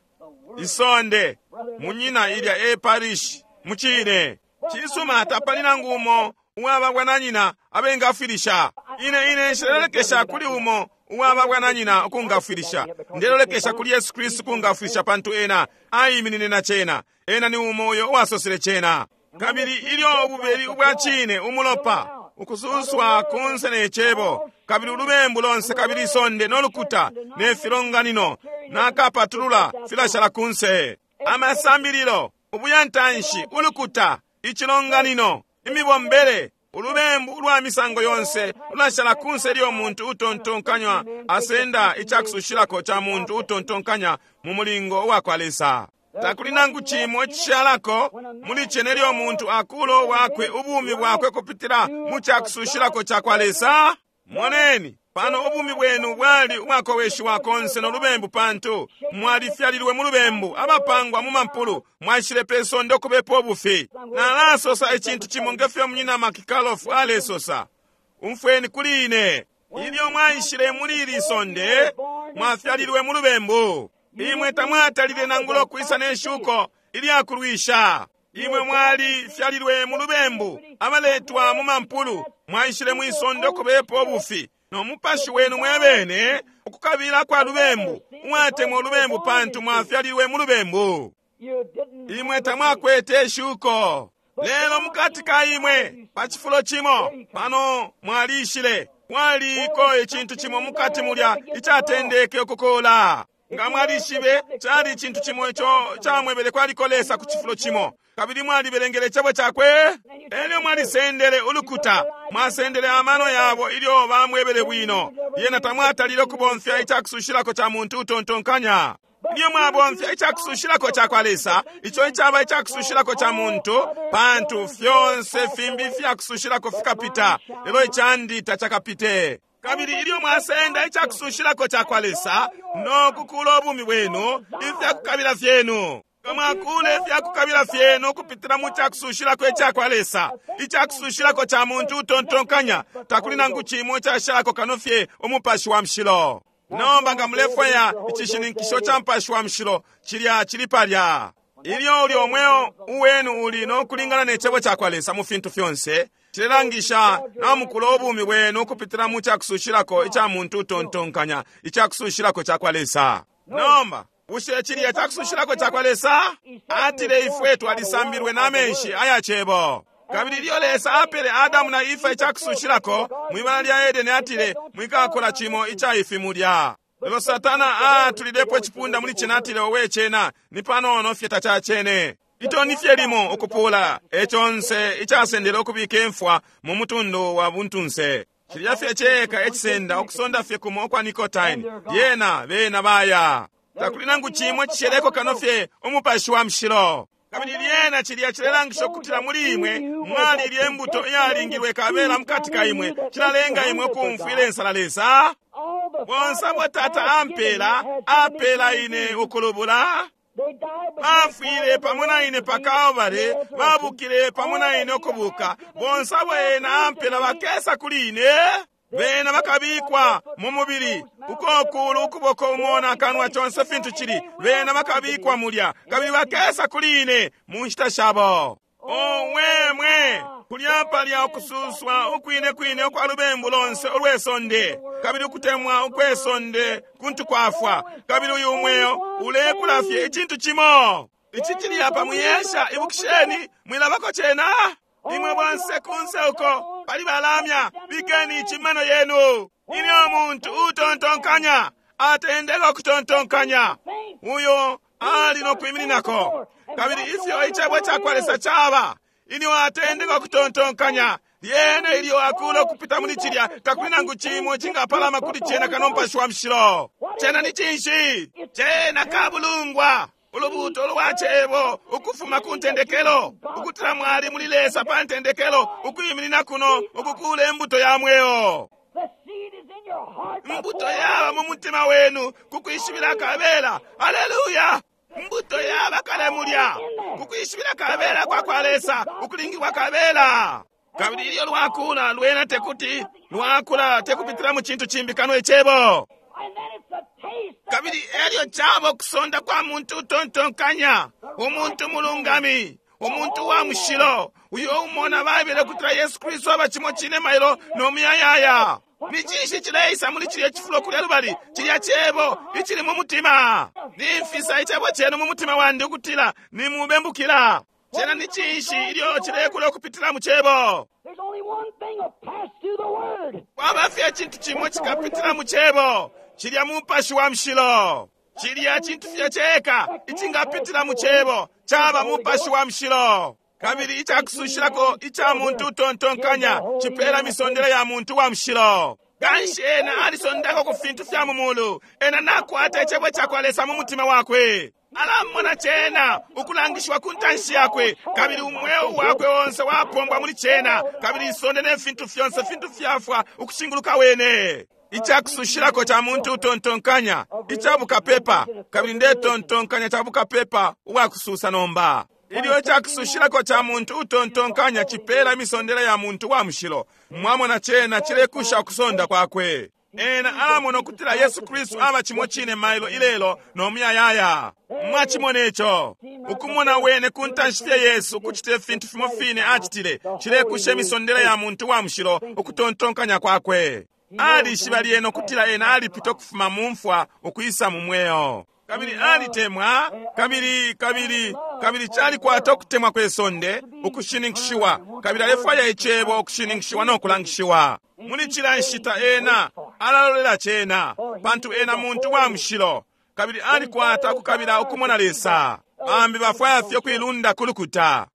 Isonde munyina ilya e parish mucine cisuma tapali nangu umo uwaba bwananyina abengafwilisha. Ine ine nshilelekesha kuli umo uwaba bwananyina ukungafwilisha, ndelolekesha kuli Yesu Kristu kungafwilisha, pantu ena aiminine na cena. Ena ni umo uyo uwasosele cena. Kabili ilyo ububeli ubwa cine umulopa ukususwa kunse ne cebo, kabili ulubembu lonse kabili isonde nolukuta ne filonganino nakapatulula filashala kunse. Amasambililo, ubuyantanshi, ulukuta, icilonganino, imibombele, ulubembu ulwa misango yonse lulashala kunse ilyo muntu utontonkanya asenda icakusushilako ca muntu utontonkanya mu mulingo uwa kwa Lesa. Takuli nangu cimo icishalako muli cene ilyo muntu akulo wakwe ubumi bwakwe kupitila mu cakusushilako ca kwa Lesa. Moneni, pano ubumi bwenu bwali ubwakoweshiwa konse no lubembu, pantu mwalifyalilwe mu lubembu, abapangwa mu mampulu, mwaishile pe sonde ukubepo ubufi. Nalasosa icintu cimo ngefyo munyina Makikalofu alesosa. Umfweni kuli ine. Ilyo mwaishile muli ili sonde, mwafyalilwe mu lubembu. Imwe tamwatalile nangula ukwisa ne shuko ilyakulwisha. Imwe mwalifyalilwe mu lubembu, abaletwa mu mampulu, mwaishile mwisonde ukubepo ubufi. No mupashi wenu mwebene ukukabila kwa lubembu, mwatemwa ulubembu pantu mwafyalilwe mu lubembu. Imwe tamwakwete shuko. Lelo mukati ka imwe pa cifulo cimo pano mwalishile, mwaliko icintu cimo mukati mulya icatendeke ukukola. Nga mwalishibe cali icintu cimo ico camwebele kwaliko Lesa ku cifulo cimo, kabili mwalibelengele icebo cakwe, elyo mwalisendele ulukuta, mwasendele amano yabo ilyo bamwebele bwino. Lyena tamwatalile ukubomfya icakusushilako ca muntu utontonkanya. Ilyo mwabomfya icakusushilako ca kwa Lesa, ico icaba icakusushilako ca muntu, pantu fyonse fimbi ifyakusushilako fikapita, lelo icandi tacakapite. Kabili ilyo mwasenda icakusushilako cakwa Lesa no kukula ubumi bwenu, ifyakukabila fyenu, mwakule ifyakukabila fyenu ukupitila mu cakusushilako icakwa Lesa, icakusushilako ca muntu utontonkanya, takuli nangu cimo icashalako kano fye umupashi wa mushilo. Nomba nga mulefwaya icishininkisho ca mupashi wa mushilo, cilya cili palya. Ilyo uli omweo uwenu uli no kulingana ne cebo cakwa Lesa mu fintu fyonse, cilelangisha namukula ubumi bwenu ukupitila mu cakusushilako ica muntu utontonkanya, icakusushilako cakwa Lesa. Nomba bushe cilya cakusushilako cakwa Lesa? Atile ifwe twalisambilwe na menshi aya cebo. Kabili ilyo Lesa apele Adamu na Efa icakusushilako mwibala lya Edeni, atile mwikakula cimo ica ifi mulya. Lelo Satana atulilepo icipunda muli cena, atile owe cena ni panono fye tacacene. Itoni fye limo ukupula econse icasendele ukubika imfwa mu mutundu wa buntunse. Cilya fye ceka ecisenda ukusonda fye kumo kwa nicotine, lyena bena baya. Takuli nangu cimwe cisheleko kano fye umupashi wa mushilo. Kabili lyena cilya cilelangisha ukutila muli imwe mwali ilye mbuto iyalingilwe kabela mukati ka imwe, cilalenga imwe ukumfwila insala Lesa. Bonse abo Tata ampela, apela ine ukulubula. Bafwile pamo na ine pa Kalvari, babukile pamo na ine ukubuka. Bonse abo ena ampela bakesa kuli ine. Bena bakabikwa mu mubili, ukokulu ukuboko umona akanwa conse fintu cili. Bena bakabikwa mulya, kabili bakesa kuli ine mu nshita shabo. Owe mwe, kulya palya ukususwa ukwine kwine ukwa lubembu lonse ulwesonde, kabili ukutemwa ukwesonde kuntu kwafwa. Kabili uyu mweo ulekula fye icintu cimo. Ici cili apa muyesha, ibukisheni, mwilabako cena. Imwe bonse kunse uko pali balamya, bikeni icimano yenu. Ilyo muntu utontonkanya atendeka ukutontonkanya, uyo ali no kwimininako. Kabili ifyo icebo cakwa Lesa caba, ilyo atendeka ukutontonkanya, lyena ilyo akula ukupita muli cilya, takuli nangu cimo cingapalama kuli cena kano mupashi wa mushilo. Cena ni cinshi? Cena kabulungwa, ulubuto lwa cebo ukufuma ku ntendekelo, ukutila mwali muli Lesa pa ntendekelo, ukwiminina kuno ukukula imbuto ya mweo. Mbuto yaba mu mutima wenu kukwishibila kabela. Haleluya! Mbuto yaba kale mulya kukwishibila kabela kwa kwa Lesa, ukulingilwa kabela. Kabili ilyo lwakula lwena tekuti lwakula tekupitila mu cintu cimbi kano icebo. Kabili elyo cabo kusonda kwa muntu utontonkanya, umuntu mulungami, umuntu wa mushilo, uyo umona Baibele kutila Yesu Kristu aba cimo cine mailo no muyayaya. Ni cinshi cileisa muli cilya cifulo kulya lubali? Cilya cebo icili mu mutima. Nimfisa icebo cenu mu mutima wandi ukutila nimubembukila. Cena ni cinshi ilyo cilekula ukupitila mu cebo? Kwaba fye icintu cimo cikapitila mu cebo, cilya mupashi wa mushilo. Cilya cintu fye ceka icingapitila mu cebo caba mupashi wa mushilo. Kabili icakusushilako ica muntu utontonkanya cipela misondele ya muntu wa mushilo. Kanshi ena alisondako ku fintu fya mu mulu, ena nakwata icebo cakwa Lesa mu mutima wakwe. Alamona cena ukulangishiwa ku ntanshi yakwe, kabili umweo wakwe onse wapombwa muli cena, kabili isonde ne fintu fyonse fintu fyafwa ukushinguluka wene. Icakusushilako ca muntu utontonkanya icabukapepa, kabili ndetontonkanya cabukapepa ubwakususa nomba. Ilyo icakusushilako ca muntu utontonkanya cipela imisondele ya muntu wa mushilo, mwamona cena cilekusha ukusonda kwakwe. Ena alamona ukutila Yesu Kristu aba cimo cine mailo ilelo no muyayaya. Mwachimona ico? Ukumona wene ku ntanshi fye Yesu ukucita ifintu fimo fine acitile, cilekusha imisondele ya muntu wa mushilo ukutontonkanya kwakwe. Alishiba lyena ukutila ena alipita ukufuma mu mfwa ukwisa mu mweo. Kabili alitemwa, kabili kabili kabili calikwata ukutemwa kwe sonde ukushininkishiwa, kabili alefwaya icebo ukushininkishiwa no kulangishiwa. Muli cila nshita ena alalolela cena, pantu ena muntu wa mushilo, kabili alikwata ukukabila ukumona Lesa. Bambi bafwaya fye ukuilunda ku lukuta.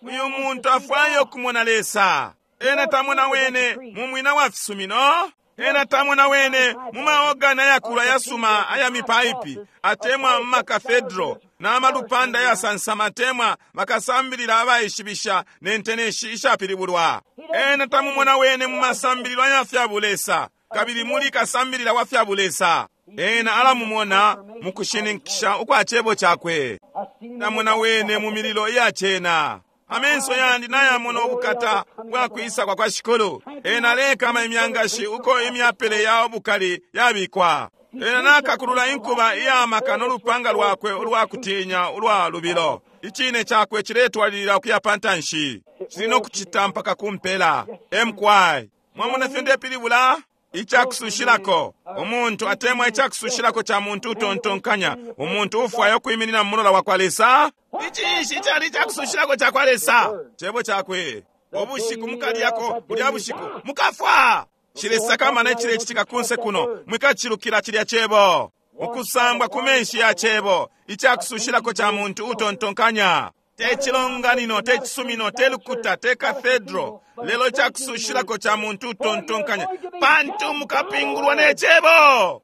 Uyu muntu afwaya ukumona Lesa. Ena tamona wene mu mwina wa fisumino. Ena tamona wene mu maogana yakulu ayasuma aya mipaipi, atemwa mu makathedro n'amalupanda ayasansama, atemwa bakasambilila abaishibisha ne nteneshi ishapilibulwa. Ena tamumona wene mu masambililo aya fya bulesa, kabili muli kasambilila wa fya bulesa. Ena alamumona mukushininkisha ukwa cebo cakwe. Namona wene mu mililo iya cena. Amenso yandi nayamona ubukata bwakwisa kwa kwa Shikulu. Ena alekama imyangashi uko imyapele ya ubukali yabikwa. Ena nakakulula inkuba iyamaka n'olupanga lwakwe ulwakutinya ulwa lubilo. Icine cakwe ciletwalilila ukuya pantanshi. Cili nokucita mpaka kumpela. Emkwai. Mwamona fyo ndepilibula? Icakusushilako. Umuntu atemwa icakusushilako ca muntu utontonkanya. Umuntu ufwaya ukwiminina mu mulola wa kwa Lesa. Icinshi icali icakusushilako ca kwa Lesa? Cebo cakwe. Ubushiku mukalyako bulya bushiku mukafwa. Cilesakamana icilecitika kunse kuno, mwikacilukila cilya cebo. Ukusambwa ku menshi ya cebo, icakusushilako ca muntu utontonkanya. Te cilonganino, te cisumino, te lukuta, te cathedral, lelo icakusushilako ca muntu utontonkanya, pantu mukapingulwa ne cebo.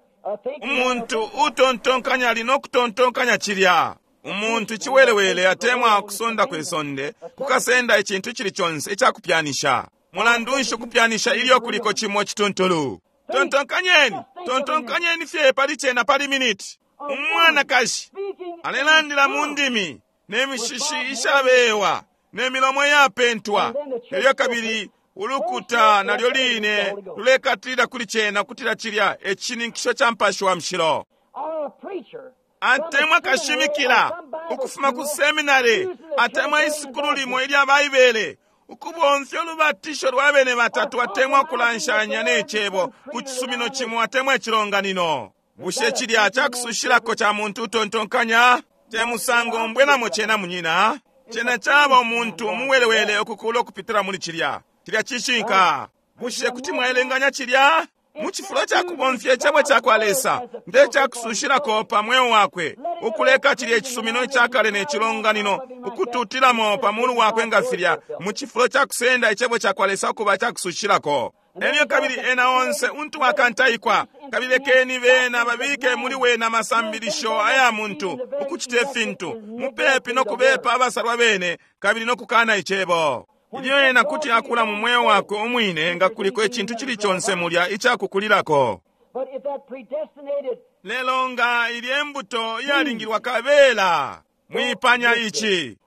Umuntu utontonkanya ali no kutontonkanya cilya. Umuntu ciwelewele atemwa kusonda kwe sonde, kukasenda icintu cili conse icakupyanisha. Mulandu nshi ukupyanisha ilyo kuliko cimo cituntulu? Tontonkanyeni, tontonkanyeni fye pali cena pali miniti. Umwanakashi alelandila mu ndimi, ne mishishi ishabewa, ne milomo yapentwa. Elyo kabili ulukuta nalyo line lulekatilila kuli cena kutila cilya ecininkisho ca mpashi wa mushilo. Atemwa kashimikila ukufuma ku seminary, atemwa isukulu limo ilya Baibele, ukubomfya ulubatisho lwa bene batatu, atemwa kulanshanya ne cebo ku cisumino cimo atemwa icilonganino. Bushe cilya cakusushilako ca muntu utontonkanya? Te musango mbwenamo cena munyina. Cena caba umuntu umuwelewele ukukula ukupitila muli cilya. Cilya cishinka. Bushe kuti mwaelenganya cilya? Mu cifulo ca kubomfya icebo ca kwa Lesa nge cakusushilako pa mweo wakwe, ukuleka cilya icisumino icakale ne cilonganino ukututilamo pa mulu wakwe nga filya, mu cifulo ca kusenda icebo ca kwa Lesa ukuba cakusushilako. Elyo kabili ena onse untu akantaikwa, kabili lekeni bena babike muli wena amasambilisho aya muntu ukucita ifintu mupepi no kubepa abasalwa bene kabili no kukana icebo. Ilyo ena kuti akula mu mweo wakwe umwine nga kuliko icintu cili conse mulya icakukulilako. Lelo nga ilya imbuto iyalingilwa kabela, mwipanya ici.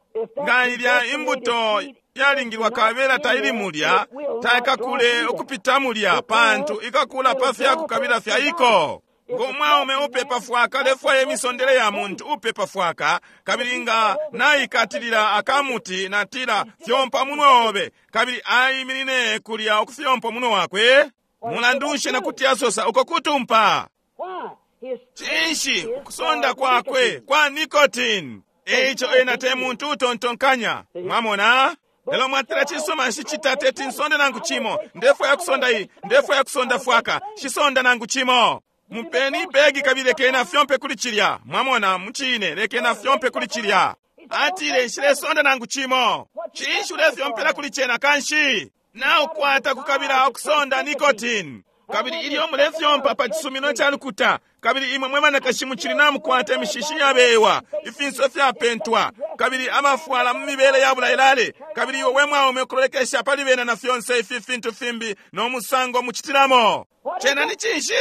Nga ilya imbuto yalingilwa kabela taili mulya, taikakule ukupita mulya, pantu ikakula pa fyakukabila fya iko. Ngo mwaume upepa fwaka lefwaya imisondele ya muntu upepa fwaka, kabili nga naikatilila akamuti natila fyompa munwe obe, kabili aiminine kulya ukufyompa munwe wakwe, mulandu nshi na kuti asosa uko kutumpa. Cinshi ukusonda kwakwe kwa nicotine? Eico ena te muntu utontonkanya. Mwamona? Lelo mwatila cisuma nshicita teti nsonde nangu cimo, ndefwaya kusonda iyi, ndefwaya kusonda fwaka, shisonda nangu cimo. Mupeni ibegi kabili lekeni fyompe kuli cilya. Mwamona, mucine, lekeni fyompe kuli cilya. Atile nshilesonda nangu cimo. Cinshi ulefyompela kuli cena kanshi? Naukwata kukabila ukusonda nicotine. Kabili ilyo mulefyompa pa cisumino ca lukuta, kabili imwe mwe banakashi mucili namukwata imishishi yabewa, ifinso fyapentwa, kabili amafwala mu mibele ya bulailale, kabili iwe we mwaume ukulolekesha pali bena na fyonse ifi fintu fimbi no musango mucitilamo. Cena ni cinshi?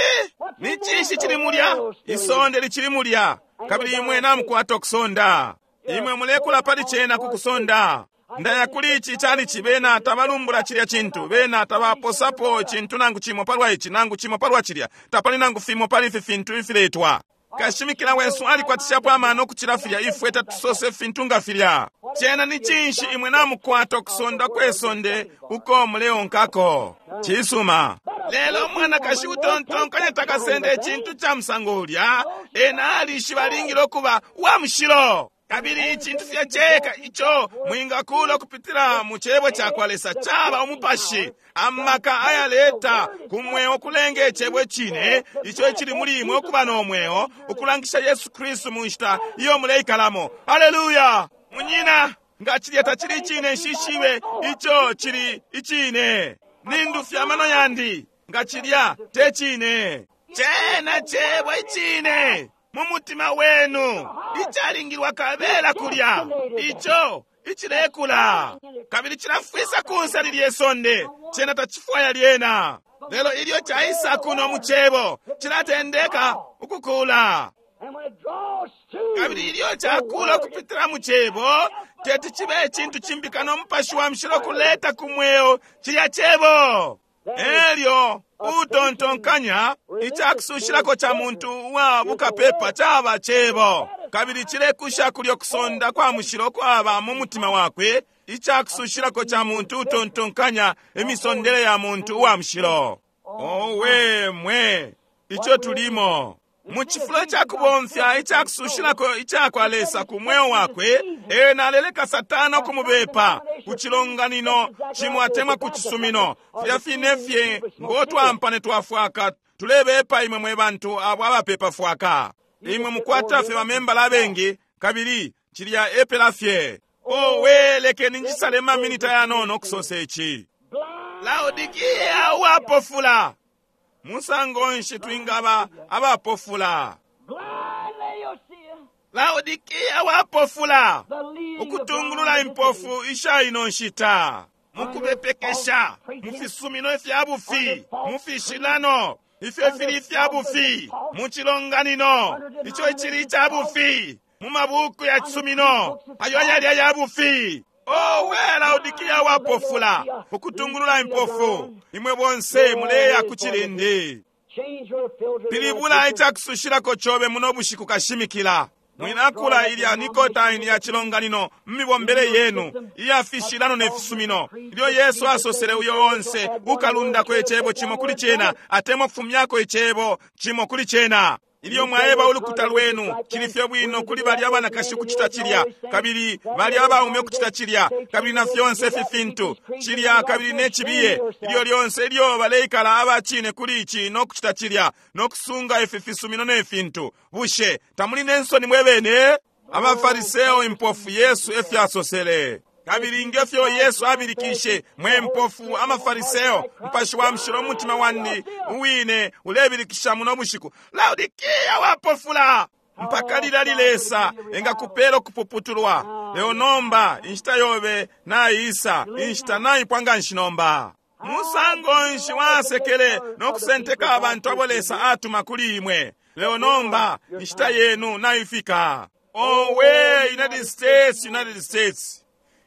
Ni cinshi cili mulya? Isonde licili mulya, kabili imwe namukwata ukusonda. Imwe mulekula pali cena ku kusonda. Ndaya kuli ici calici, bena tabalumbula cilya cintu, bena tabaposapo icintu nangu cimo palwa ici nangu cimo palwa cilya, tapali nangu fimo pali ifi fintu ifiletwa. Kashimikila wesu alikwatishapo amano ukucila filya, ifwe tatusose fintu nga filya. Cena ni cinshi imwe namukwata ukusonda kwe sonde uko muleonkako? Cisuma. Lelo mwanakashi utontonkanya takasende icintu ca musango ulya, ena alishiba alingile ukuba wa mushilo. Kabili icintu fye ceka ico mwingakula ukupitila mu cebo ca kwa Lesa caba umupashi, amaka ayaleta ku mweo kulenga icebo icine ico icili muli imwe ukuba no mweo, ukulangisha Yesu Kristu mu nshita iyo muleikalamo. Haleluya! Munyina, nga cilya tacili icine, nshishibe ico cili icine. Nindufya amano yandi, nga cilya te cine. Cena cebo icine mu mutima wenu icalingilwa kabela kulya ico icilekula kabili cilafwisa kunse lilye sonde, cena tacifwaya lyena. Lelo ilyo caisa kuno mu Cebo, cilatendeka ukukula. Kabili ilyo cakula ukupitila mu Cebo, teti cibe icintu cimbi kano Mupashi wa Mushilo kuleta ku mweo cilya Cebo. Elyo utontonkanya icakusushilako ca muntu uwa bukapepa caba Cebo, kabili cilekusha kulyo kusonda kwa mushilo kwaba mu mutima wakwe. Icakusushilako ca muntu utontonkanya imisondele ya muntu uwa mushilo. Owe mwe, ico tulimo mu cifulo cakubomfya icakusushilako icakwa Lesa ku mweo wakwe, ena aleleka Satana ukumubepa ku cilonganino cimo atemwa ku cisumino. Filya fine fye ngo twampane twafwaka tulebepa imwe mwe bantu abo abapepa fwaka. Imwe mukwata fye bamembala abengi, kabili cilya epela fye. Owe, lekeni njisale maminita yanono okusosa ici. Laodikia uwapofula. Musango nshi twingaba abapofula? Laodikia wapofula, ukutungulula impofu isha ino nshita, mukubepekesha mu fisumino ifya bufi, mu fishilano ifyo fili ifya bufi, mu cilonganino ico icili ica bufi, mu mabuku ya cisumino ayo ayali aya bufi. Owe, Laodikia wapofula, ukutungulula impofu. Imwe bonse muleya ku cilindi. Pilibula icakusushilako cobe muno bushiku kashimikila. Mwinakula ilya nikotaini ya cilonganino mmibombele yenu iya fishilano ne fisumino. Ilyo Yesu asosele uyo onse ukalundako icebo cimo kuli cena, atemwa kufumyako icebo cimo kuli cena. Ilyo mwaeba ulukuta lwenu cili fye bwino kuli balya abanakashi ukucita cilya, kabili balya abaume ukucita cilya, kabili na fyonse ifi fintu cilya, kabili ne cibiye. Ilyo lyonse ilyo baleikala abacine kuli ici no kucita cilya no kusunga ifi fisumino ne fintu, bushe tamuli ne nsoni mwe bene? Abafariseo impofu, Yesu efyasosele. Kabili ngefyo Yesu abilikishe, mwe mpofu amafariseo, Mupashi wa Mushilo umutima wandi uwine ulebilikisha muno bushiku. Laodikia wapofula, mpaka lilali Lesa engakupela ukupuputulwa. Leo nomba inshita yobe naisa, inshita naipwa nganshi nomba. Musango nshi wasekele no kusenteka abantu abo Lesa atuma kuli imwe. Leo nomba inshita yenu naifika. Owe, United States, United States.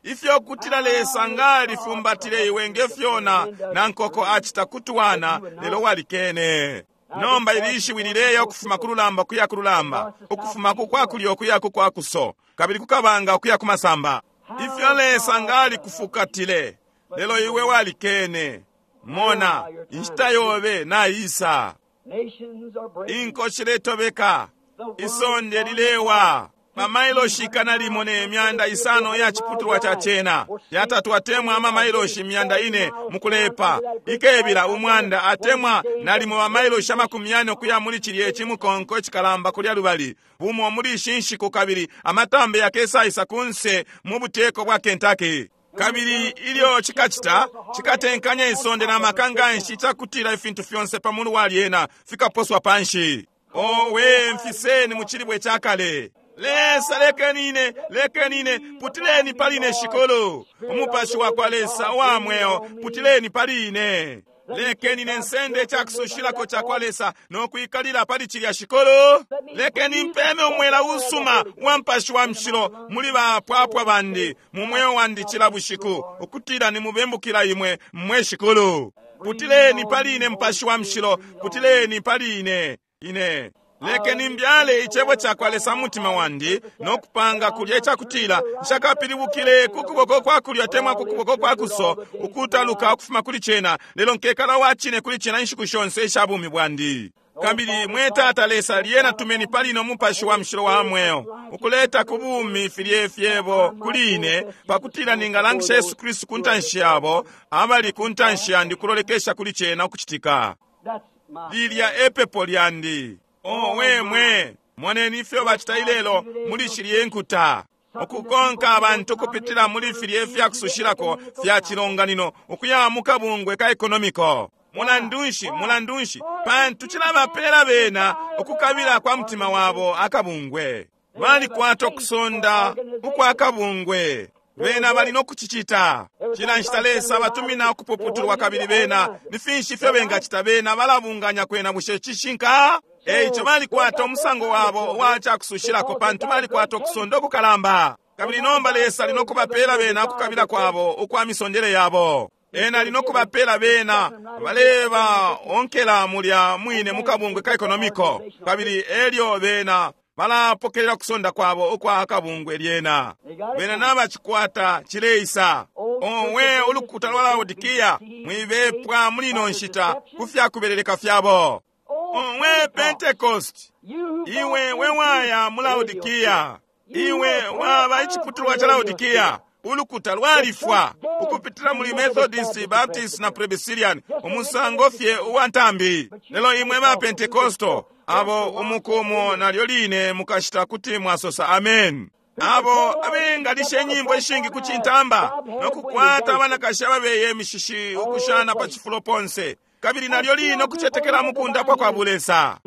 Ifyo kutila Lesa ngalifumbatile iwe ngefyona na nkoko acita kutuwana, lelo walikene. Nomba ilishiwi lileya ukufuma ku lulamba kuya ku lulamba, ukufuma ku kwakulyo kuya ku kwakuso, kabili kukabanga kuya ku masamba. Ifyo Lesa ngalikufukatile, lelo iwe walikene. Mona, inshita yobe naisa. Inko shiletobeka, isonde lilewa. Mamailoshi ikana limo ne myanda isano ya chiputulwa cha chena yatatu atemwa amamailoshi myanda ine mukulepa ikebila umwanda atemwa nalimo mamailoshi amakumi yane okuya muli cilye cimukonko icikalamba kulya lubali bumo muli shinshiku kabili amatambe yakesaisa kunse mu buteko bwa Kentucky. Kabili ilyo chikachita chikatenkanya isonde na makanganshi chakutila ifintu fyonse pamulu wa lyena fikaposwa panshi. Owe, mfiseni mu chilibwe chakale. Lesa lekenine, lekenine, putileni pali ine shikolo. Umupashi wa kwa Lesa wa mweo, putileni pali ine. Lekenine nsende chakusushilako cha kwa Lesa no kuikalila pali chilya shikolo. Lekeni mpeme umwela usuma wa mpashi wa mshilo muli bapwapwa bandi mu mweo wandi chila bushiku, ukutila nimubembukila imwe mwe shikolo. Putileni pali ine mpashi wa mshilo, putileni pali ine ine. Lekeni mbyale icebo cha kwa Lesa mutima wandi no kupanga kulya ichakutila nshakapilibukile ku kuboko kwa kulya temwa ku kuboko kwa kuso ukutaluka ukufuma kuli chena, lelo nkekala wachine kuli chena inshiku shonse isha bumi bwandi. Kabili mwe Tata Lesa lyena tumeni pali ino mupashi wa mshilo wa mweo ukuleta ku bumi filye fyebo kuli ine, pakutila ningalangisha Yesu Kristu ku ntanshi yabo abali ku ntanshi yandi kulolekesha kuli chena ukuchitika. Lilya epepo lyandi. Owe mwe, moneni ifyo bachita ilelo muli shilye nkuta, ukukonka abantu kupitila muli filye fyakusushilako fya chilonganino ukuya mu kabungwe ka ekonomiko. Mulandunshi, mulandunshi, pantu chilabapela bena ukukabila kwa mutima wabo akabungwe. Balikwata okusonda ukwa kabungwe, bena bali nokuchichita. Cila nshita Lesa batumina ukupuputulwa kabili bena ni finshi ifyo bengacita? Bena balabunganya kwena. Bushe cishinka? Eico balikwata umusango wabo uwa cakusushilako, pantu balikwata ukusonda ukukalamba. Kabili nomba Lesa ali nokubapela bena ukukabila kwabo ukwa misondele yabo. Ena ali nokubapela bena baleba onkela mulya mwine mukabungwe ka ekonomiko, kabili elyo bena balapokelela kusonda kwabo ukwa akabungwe lyena. Bena nabacikwata cileisa. Owe ulukuta lwa Laodikia, mwibepwa muli ino nshita ku fyakubeleleka fyabo. Owe Pentecost, iwe we waya mu Laodikia, iwe waba iciputulwa ca Laodikia. Ulukuta lwalifwa ukupitila muli Methodist, Baptist na Presbyterian, umusango fye uwa ntambi. Lelo imwe ba Pentecostal, abo umukumo nalyo line mukashita kuti mwasosa amen. Abo abengalisha inyimbo ishingi ku cintamba no kukwata abanakashi ababeye imishishi ukushana pa cifulo ponse, kabili nalyo line ukucetekela mukundapwa kwa bulesa.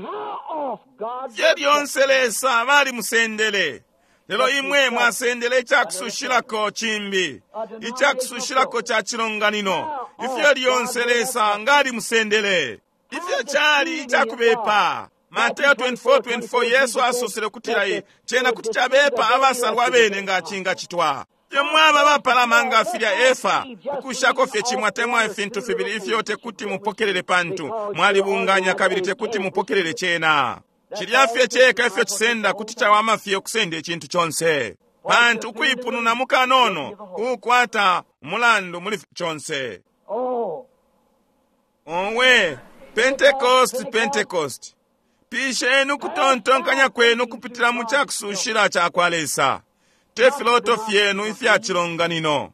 Fye lyonse Lesa balimusendele. Lelo imwe mwasendele icakusushilako cimbi, icakusushilako ca cilonganino. Ifyo lyonse Lesa ngalimusendele. Ifyo cali icakubepa. Mateo twenty-four twenty-four, Yesu asosele kutila iyi cena kuti cabepa abasalwa bene nga cingacitwa. Fye mwaba bapalama nga filya Efa, ukushako fye cimwe atemwa ifintu fibili ifyo tekuti mupokelele, pantu mwalibunganya kabili tekuti mupokelele cena. Cilya fye ceka ifyo cisenda kuti cawama fye ukusenda icintu conse, pantu ukuipununa mukanono kukwata umulandu muli conse. Owe Pentecost, Pentecost, pisheni ukutontonkanya kwenu kupitila mu cakusushila ca kwa Lesa, te filoto fyenu ifya cilonganino.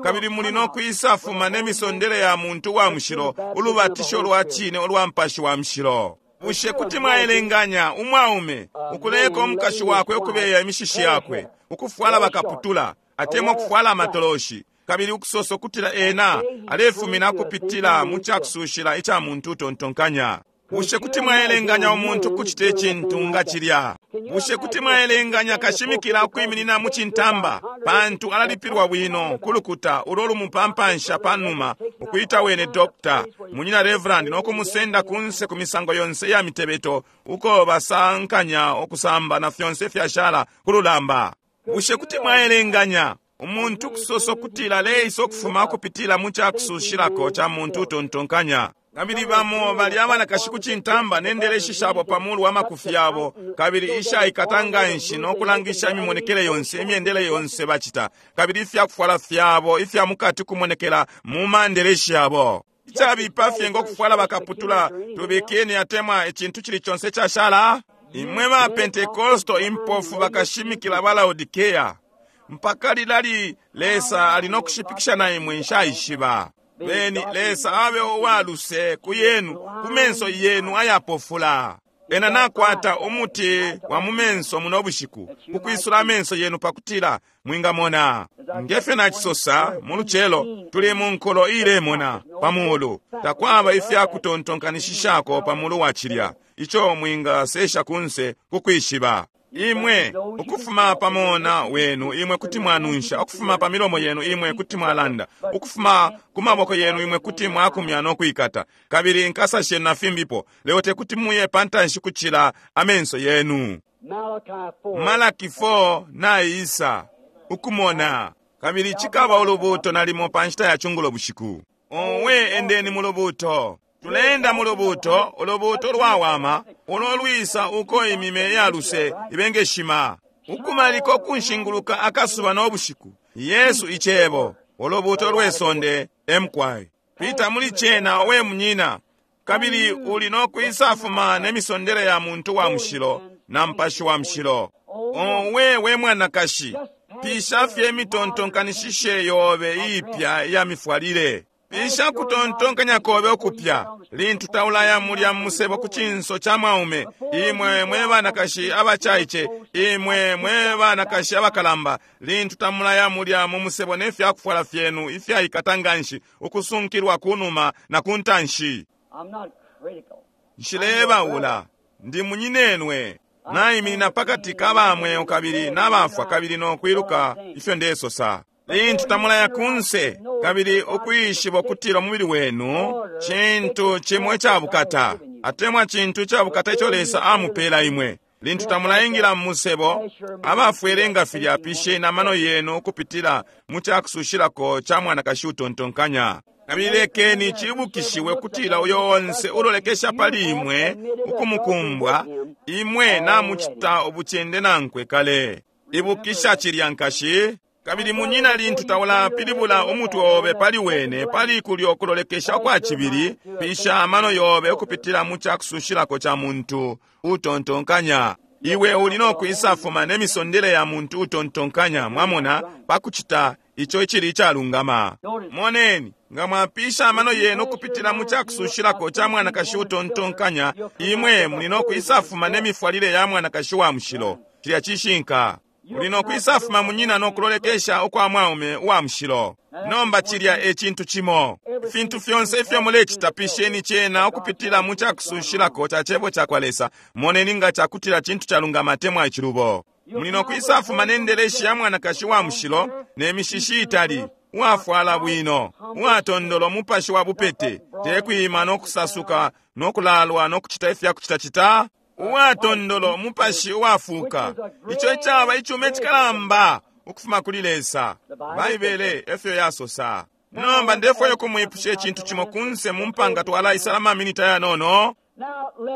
Kabili muli no kwisafuma ne misondele ya muntu wa mushilo, ulubatisho lwa cine ulwa mpashi wa mushilo. Bushe kuti mwaelenganya umwaume ukuleka umukashi wakwe ukubeya imishishi yakwe, ukufwala bakaputula atemwa ukufwala amatoloshi, kabili ukusosa ukutila ena alefumina kupitila mu cakusushila ica muntu utontonkanya? Bushe kuti mwaelenganya umuntu kucita icintu nga cilya? Bushe kuti mwaelenganya kashimikila ukwiminina mu cintamba, pantu alalipilwa bwino ku lukuta ulo lumupampansha panuma, ukuita wene doctor, munyina reverend, no kumusenda kunse ku misango yonse ya mitebeto uko basankanya ukusamba na fyonse fyashala ku lulamba? Bushe kuti mwaelenganya umuntu kusosa ukutila aleisa ukufuma kupitila mu cakusushilako ca muntu utontonkanya? Kabili bamo bali abanakashi ku cintamba ne ndeleshi shabo pa mulu wa makufi yabo, kabili ishaikata nganshi no kulangisha imimonekele yonse, imyendele yonse bacita, kabili ifyakufwala fyabo ifya mukati kumonekela mu mandeleshi yabo. Icabipa fye ngo kufwala bakaputula tubikini atemwa icintu cili conse cashala. Imwe ba Pentecosto impofu bakashimikila ba Laodikea, mpaka lilali Lesa ali no kushipikisha na imwe nshaishiba. Beni Lesa abe uwaluse ku yenu, ku menso yenu ayapofula. Ena nakwata umuti wa mu menso muno bushiku, ukwisula amenso yenu pakutila mwingamona. Ngefyo nacisosa mu lucelo, tuli mu nkulo ilemona pa mulu. Takwaba ifya kutontonkanishishako pa mulu wa cilya ico mwingasesha kunse kukwishiba. Imwe ukufuma pa mona wenu imwe kuti mwanunsha, ukufuma pa milomo yenu imwe kuti mwalanda, ukufuma ku maboko yenu imwe kuti mwakumya no kuikata, kabili nkasa shenu na fimbipo, lelo tekuti muye pantanshi kucila amenso yenu. Malaki four naisa ukumona, kabili cikaba ulubuto nalimo pa nshita ya cungulo bushiku. Owe endeni mu lubuto. Tulenda mu lubuto, ulubuto lwawama, ulo lwisa uko imime ya luse ibengeshima, ukumaliko kunshinguluka akasuba no bushiku. Yesu icebo, ulubuto lwe sonde emkwai. Pita muli cena we munyina, kabili uli no kwisafuma ne misondele ya muntu wa mushilo na mpashi wa mushilo. Owe we mwanakashi, pisha fye imitontonkanishishe yobe iipya iya mifwalile. Pisha kutontonkanya kobe ukupya lintu taulaya mulya musebo ku cinso ca mwaume. Imwe mwe banakashi abacaice, imwe mwe banakashi abakalamba, lintu tamulaya mulya mu musebo ne fyakufwala fyenu ifyaikata nganshi ukusunkilwa ku numa na ku ntanshi. Nshilebaula, ndi munyinenwe. Naiminina pakati ka bamweo kabili n'abafwa kabili no kwiluka ifyo ndesosa. Lintu tamulaya kunse, kabili ukwishiba ukutila umubili wenu cintu cimo icabukata, atemwa cintu icabukata ico Lesa amupela imwe. Lintu tamulaingila mu musebo, abafwele nga filya, pisheni amano yenu ukupitila mu cakusushilako ca mwanakashi utontonkanya. Kabili lekeni cibukishiwe kutila uyo onse ulolekesha pali imwe ukumukumbwa, imwe namucita ubucende nankwe kale. Ibukisha cilya, nkashi. Kabili munyina, lintu taulapilibula umutwe obe pali wene, pali kulyo kulolekesha kwa cibili, pisha amano yobe ukupitila mu cakusushilako ca muntu utontonkanya. Iwe uli no kwisafuma ne misondele ya muntu utontonkanya, mwamona, pakucita ico icili icalungama. Moneni, nga mwapisha amano yenu ukupitila mu cakusushilako ca mwanakashi utontonkanya, imwe muli no kwisafuma ne mifwalile ya mwanakashi wa mushilo. Cilya cishinka. Uli no kwisafuma munyina no kulolekesha ukwa mwaume uwa mushilo. Nomba cilya e cintu cimo. Ifintu fyonse ifyo mulecita, pisheni cena ukupitila mu cakusushilako ca cebo ca kwa Lesa. Moneni nga cakutila cintu calungama atemwa icilubo. Muli no kwisafuma ne ndeleshi ya mwanakashi wa mushilo, ne mishishi itali, uwafwala bwino, uwatondolo mupashi wa bupete, tekwima no kusasuka no kulalwa no kucita ifya kucitacita, uwatondolo mupashi uwafuka. Ico icaba icume cikalamba ukufuma kuli Lesa. Baibele efyo yasosa. Nomba ndefwayo kumwipusha icintu cimo kunse mu mpanga twalaisala maminita yanono.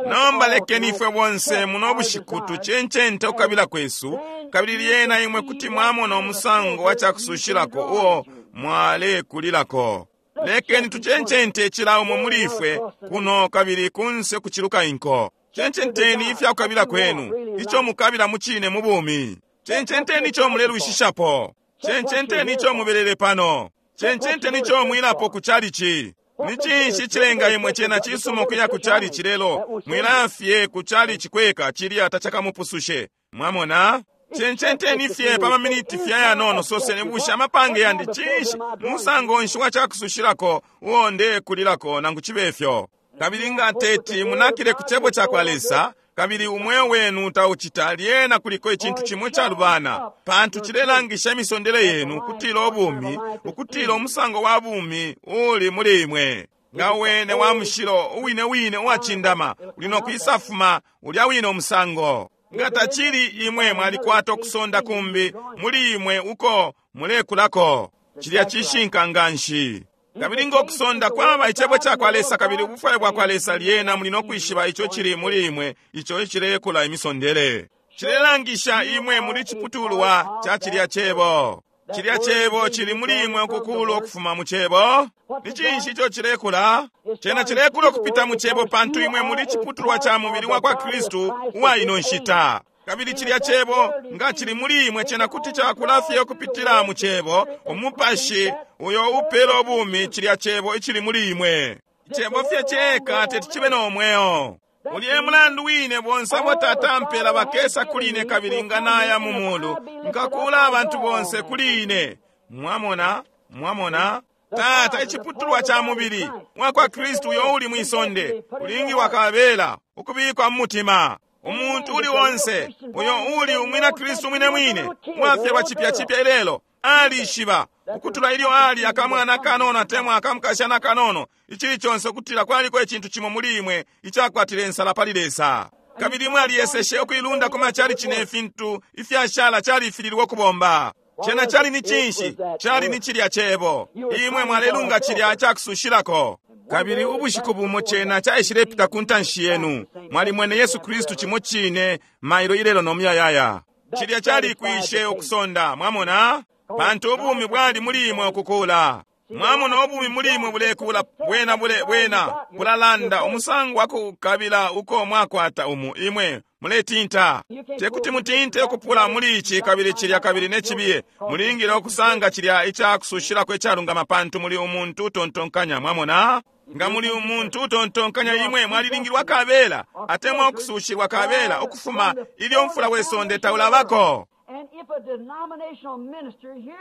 Nomba lekeni ifwe bonse muno bushiku tucencente ukukabila kwesu, kabili lyena imwe kuti mwamona umusango wa cakusushilako uo mwalekulilako. Lekeni tucencente cila umo muli ifwe kuno kabili kunse kuciluka inko. Cencenteni ifyakukabila kwenu, ico mukabila mucine mu bumi. Cencenteni ico mulelwishishapo. Cencenteni ico mubelele pano. Cencenteni ico mwilapo ku chalichi. Ni cinshi cilenga imwe cena cisuma ukuya ku chalichi lelo mwilafye ku chalichi kweka, cilya tacakamupusushe. Mwamona? Cencenteni fye pa maminiti fye ayanono, soseni bushe amapange yandi cinshi, musango nshi wa cakusushilako uo ndekulilako nangu cibe fyo. Kabili nga teti munakile ku cebo ca kwa Lesa, kabili umweo wenu taucita, lyena kuliko icintu cimo calubana, pantu cilelangisha imisondele yenu kutila ubumi, ukutila umusango wa bumi uli muli imwe. Nga wene wa mushilo uwine wine uwacindama, uli no kwisafuma ulya wine umusango. Nga tacili, imwe mwalikwata ukusonda kumbi muli imwe uko mulekulako. Cilya cishinka nganshi. Kabili ngo kusonda kwaba icebo ca kwa Lesa kabili ubufwayo bwa kwa Lesa, lyena muli no kwishiba ico cili muli imwe, ico icilekula imisondele. Cilelangisha imwe muli ciputulwa ca cilya cebo. Cilya cebo cili muli imwe ukukula ukufuma mu cebo. Ni cinshi ico cilekula? Cena cilekula ukupita mu cebo, pantu imwe muli ciputulwa ca mubili wa kwa Kristu uwa ino nshita. Kabili cilya cebo nga cili muli imwe, cena kuti cakula fye ukupitila mu cebo, umupashi uyo upela ubumi, cilya cebo icili muli imwe. Icebo fye ceka teti cibe no mweo. Uliye mulandu wine bonse abo Tata ampela bakesa kuli ine, kabili nga naya mu mulu nkakula abantu bonse kuli ine. Mwamona? Mwamona? Tata iciputulwa ca mubili wa kwa Kristu uyo uli mwisonde ulingilwa kabela ukubikwa mu mutima. Umuntu uli onse uyo uli umwina Kristu mwine mwine wafyalwa chipya chipya ilelo alishiba ukutula ilyo ali akamwana kanono atemwa akamukashana kanono, ichili chonse ukutila kwaliko icintu cimo muli imwe icakwatile nsala pali Lesa. Kabili imwe aliyeseshe ukuilunda ku machalichi ne fintu ifyashala califililwe ukubomba. Cena cali ni cinshi? Cali ni cilya cebo. Imwe mwalelunga cilya cakusushilako. Kabili ubushiku bumo cena caishilepita ku ntanshi yenu. Mwalimwene Yesu Kristu cimo cine mailo ilelo no muyayaya. Cilya calikwishe ukusonda, mwamona? Pantu ubumi bwali muli imwe ukukula. Mwamona ubumi muli imwe bulekula, bwena bule bwena bulalanda umusango wa kukabila uko mwakwata umu imwe muletinta. Tekuti mutinte ukupula muli ici kabili cilya kabili ne cibiye. Mulingile ukusanga cilya icakusushilako icalungama, pantu muli umuntu utontonkanya, mwamona? Nga muli umuntu utontonkanya, imwe mwalilingilwa kabela atemwa ukusushilwa kabela ukufuma ilyo mfula wesonde taulabako.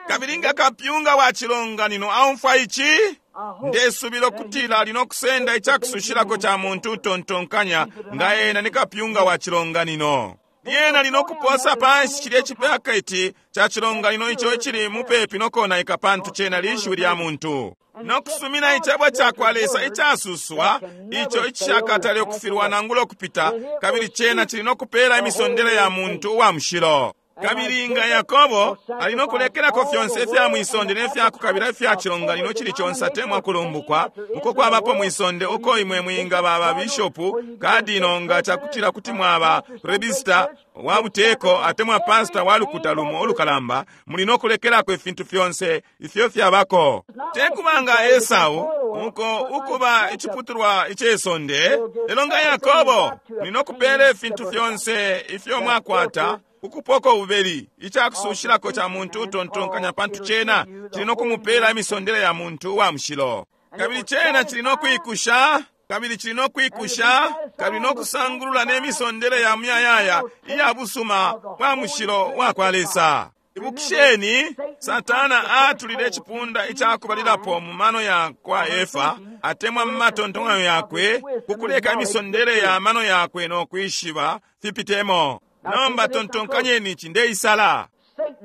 Kabili nga kapyunga wa chilonganino aumfwa ichi, ndesubilo kutila ali nokusenda icakusushilako ca muntu utontonkanya nga ena ni kapyunga wa chilonganino. Lyena linokuposa panshi cilye cipaketi ca cilonganino ico icili mupepi nokonaika, pantu cena lishiwi lya muntu. Nokusumina icebo cakwa Lesa icasuswa ico icishakatale ukufilwa nangula ukupita, kabili cena cili nokupela imisondele ya muntu uwa mushilo. Kabili nga Yakobo ali nokulekelako fyonse ifya mwisonde ne fyakukabila ifya cilonganino cili conse atemwa kulumbukwa uko kwabapo mwisonde, uko imwe mwingaba ba bishopu kadino nga cakutila kuti mwaba rebista wa buteko atemwa pasta wa lukuta lumo ulukalamba, muli nokulekelako ifintu fyonse ifyo fyabako. Tekuba nga Esau uko ukuba iciputulwa icesonde, lelo nga Yakobo muli nokupela ifintu fyonse ifyo mwakwata ukupoko ububeli icakusushilako ca muntu utontonkanya, pantu cena cili nokumupela imisondele ya muntu uwa mushilo. Kabili cena cili nokwikusha, kabili cili nokwikusha, kabili nokusangulula ne misondele ya muyayaya iya busuma bwa mushilo wa kwa Lesa. Ibukisheni, Satana atulile icipunda icakubalilapo mu mano ya kwa Efa atemwa mu matontonkanyo yakwe, kukuleka imisondele ya mano yakwe nokwishiba fipitemo. Nomba tontonkanyeni ici, ndeisala.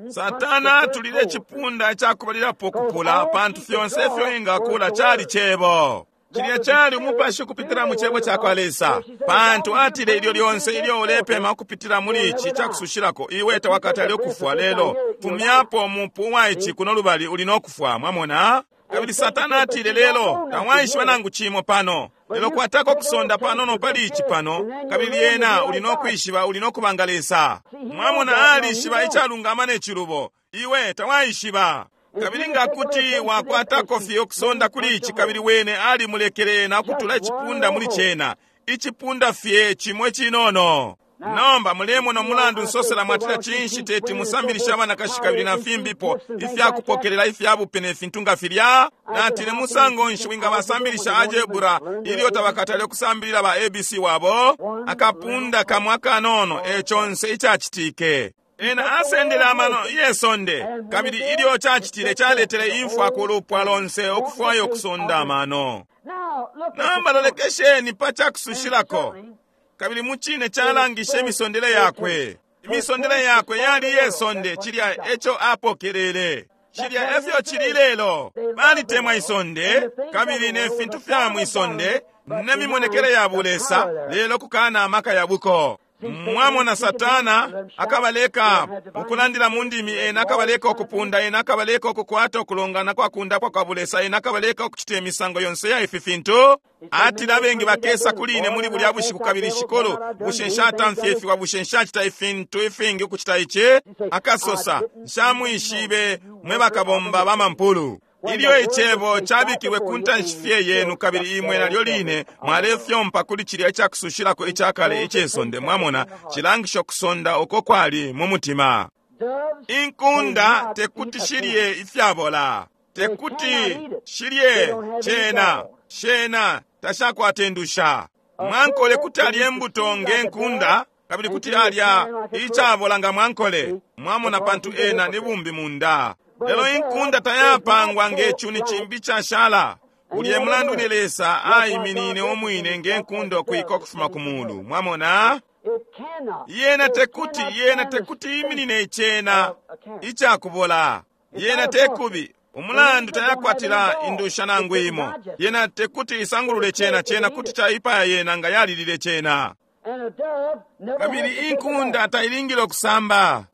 Satana atulile icipunda icakubalilapo kupula, pantu fyonse ifyo ingakula cali cebo. Cilya cali umupashi ukupitila mu cebo cakwa Lesa, pantu atile ilyo lyonse ilyo ulepema ukupitila muli ici cakusushilako, iwe tawakatale ukufwa, lelo fumyapo umupu wa ici kuno lubali uli nokufwa. Mwamona? Kabili Satana atile, lelo tawaishiba nangu cimo pano, lelo kwatako kusonda panono pali ici pano, kabili lyena uli nokwishiba, uli nokubanga Lesa. Mwamona, alishiba icalungama ne cilubo, iwe tawaishiba. Kabili nga kuti wakwatako fye ukusonda kuli ici, kabili wene alimulekele na kutula icipunda muli cena, icipunda fye cimwe cinono. Nomba mulemona umulandu nsosela mwatila cinshi teti musambilisha abanakashi kabili na fimbipo ifyakupokelela ifyabupe ne fintu nga filya. Natile, musango nshi wingabasambilisha algebra ilyo tabakatale ukusambilila ba A B C wabo? Akapunda kamwe akanono e conse icacitike. Ena asendele amano yesonde, kabili ilyo cacitile caletele imfwa ku lupwa lonse ukufwaya ukusonda amano. Nomba lolekesheni pa cakusushilako, kabili mucine calangishe imisondele yakwe. Imisondele yakwe yali yesonde, cilya eco apokelele. Cilya efyo cili lelo. Balitemwa isonde, kabili ne fintu fya mwisonde, ne mimonekele ya bulesa, lelo kukana amaka ya buko. Mwamona, Satana akabaleka ukulandila mu ndimi, ena akabaleka ukupunda, ena akabaleka ukukwata ukulongana kwa kundapwa kwa bulesa, ena akabaleka ukucita imisango yonse ya ifi fintu. Atile abengi bakesa kuli ine muli bulya bushiku, kabili shikulu, bushe nshatamfya ifiwa, bushe nshacita ifintu ifingi ukucita ici? Akasosa, nshamwishibe mwe bakabomba ba mampulu. Ilyo icebo cabikilwe ku ntanshi fye yenu, kabili imwe nalyo line mwalefyompa kuli cilya icakusushilako icakale icesonde. Mwamona, cilangisha ukusonda uko kwali mu mutima. Inkunda tekuti shilye ifyabola, tekuti shilye cena, shena tashakwata indusha. Mwankole kuti alye imbuto nge nkunda, kabili kuti alya icabola nga mwankole. Mwamona, pantu ena ni bumbi munda. Lelo inkunda tayapangwa nge cuni cimbi cashala. Ulye mulandu ni Lesa aiminine omwine nge nkunda ukwika ukufuma ku mulu. Mwamona, yena tekuti, yena tekuti iminine icena icakubola. Yena tekubi umulandu tayakwatila indusha nangu imo. Yena tekuti isangulule cena, cena kuti caipaya yena nga yalilile cena. Kabili inkunda tailingile ukusamba.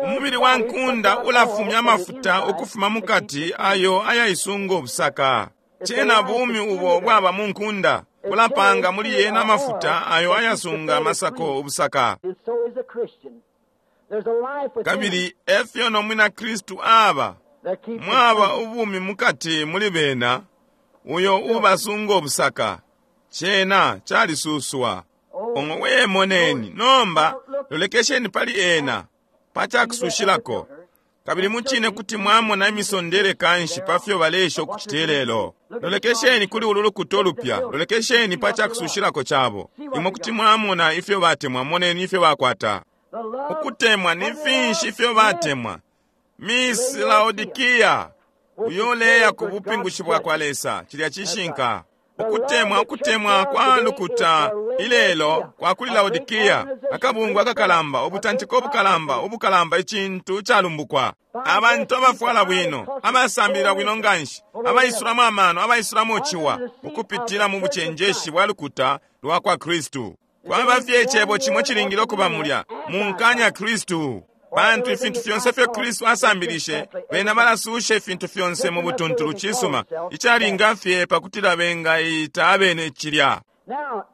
Umubili wa nkunda ulafumya amafuta ukufuma mukati ayo ayaisunga obusaka. Cena bumi ubo bwaba mu nkunda bulapanga muli yena amafuta ayo ayasunga amasako obusaka. Kabili efyo no mwina Kristu aba, mwaba ubumi mukati muli bena uyo ubasunga obusaka. Cena calisuswa. Ongo wemoneni nomba lolekesheni pali ena pacakusushilako, kabili mucine kuti mwamona imisondele kanshi pafyo balesha ukucita lelo. Lolekesheni kuli ulu lukuta ulupya, lolekesheni pacakusushilako cabo. Imwe kuti mwamona ifyo batemwa, moneni ifyo bakwata. Ukutemwa ni finshi ifyo batemwa. Miss Laodikia uyo leya ku bupingushi bwa kwa Lesa, cilya cishinka. Ukutemwa, ukutemwa kwa lukuta ilelo kwa kuli Laodikia, akabungwe akakalamba, ubutantiko ubukalamba, ubukalamba, icintu calumbukwa. Abantu abafwala bwino, abasambilila bwino nganshi, abaisulamo amano, abaisulamo ciwa, ukupitila mu bucenjeshi bwa lukuta lwa kwa Kristu. Kwaba fye icebo cimo cilingile ukuba mulya, munkanya Kristu. Pantu ifintu fyonse fyo Kristu asambilishe, bena balasusha ifintu fyonse mu butuntulu cisuma, icalinga fye pakutila bengaita abene cilya.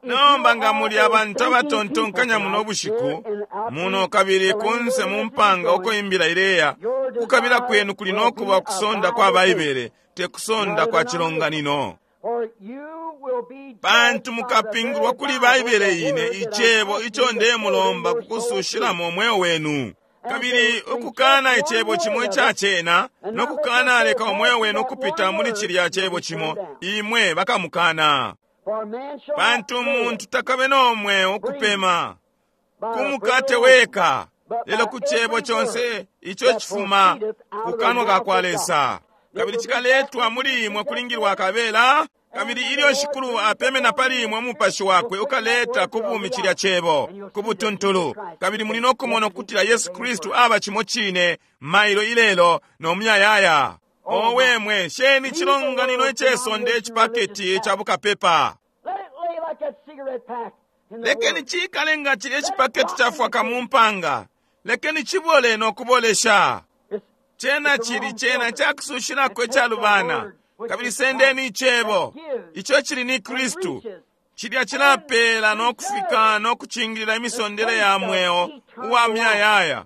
Nomba nga muli abantu abatontonkanya muno bushiku, muno kabili kunse mu mpanga uko imbila ileya, kukabila kwenu kuli nokuba kusonda kwa Baibele, te kusonda kwa cilonganino. Pantu mukapingulwa kuli Baibele ine, icebo ico ndemulomba kukusushilamo umweo wenu. Kabili ukukana icebo cimo ica cena, no kukana leka umweo wenu ukupita muli cilya cebo cimo, imwe bakamukana. Pantu umuntu takabe no mweo ukupema ku mukate weka, lelo ku cebo conse ico cifuma ku kanwa ka kwa Lesa. Kabili cikaletwa muli imwe kulingilwa kabela. Kabili ilyo Shikulu apemena pali imwe umupashi wakwe ukaleta ku bumi cilya cebo ku butuntulu. Kabili muli no kumona ukutila Yesu Kristu aba cimo cine mailo ilelo no muyayaya. Owe mwe, sheni cilonganino icesonde icipaketi ca bukapepa. Lekeni cikale nga cilya icipaketi cafwaka mu mpanga. Lekeni cibole no kubolesha. Cena cili cena cakusushilako icalubana. Kabili sendeni icebo ico cili ni Kristu. Cilya cilapela no kufika no kucingilila imisondele ya mweo uwa muyayaya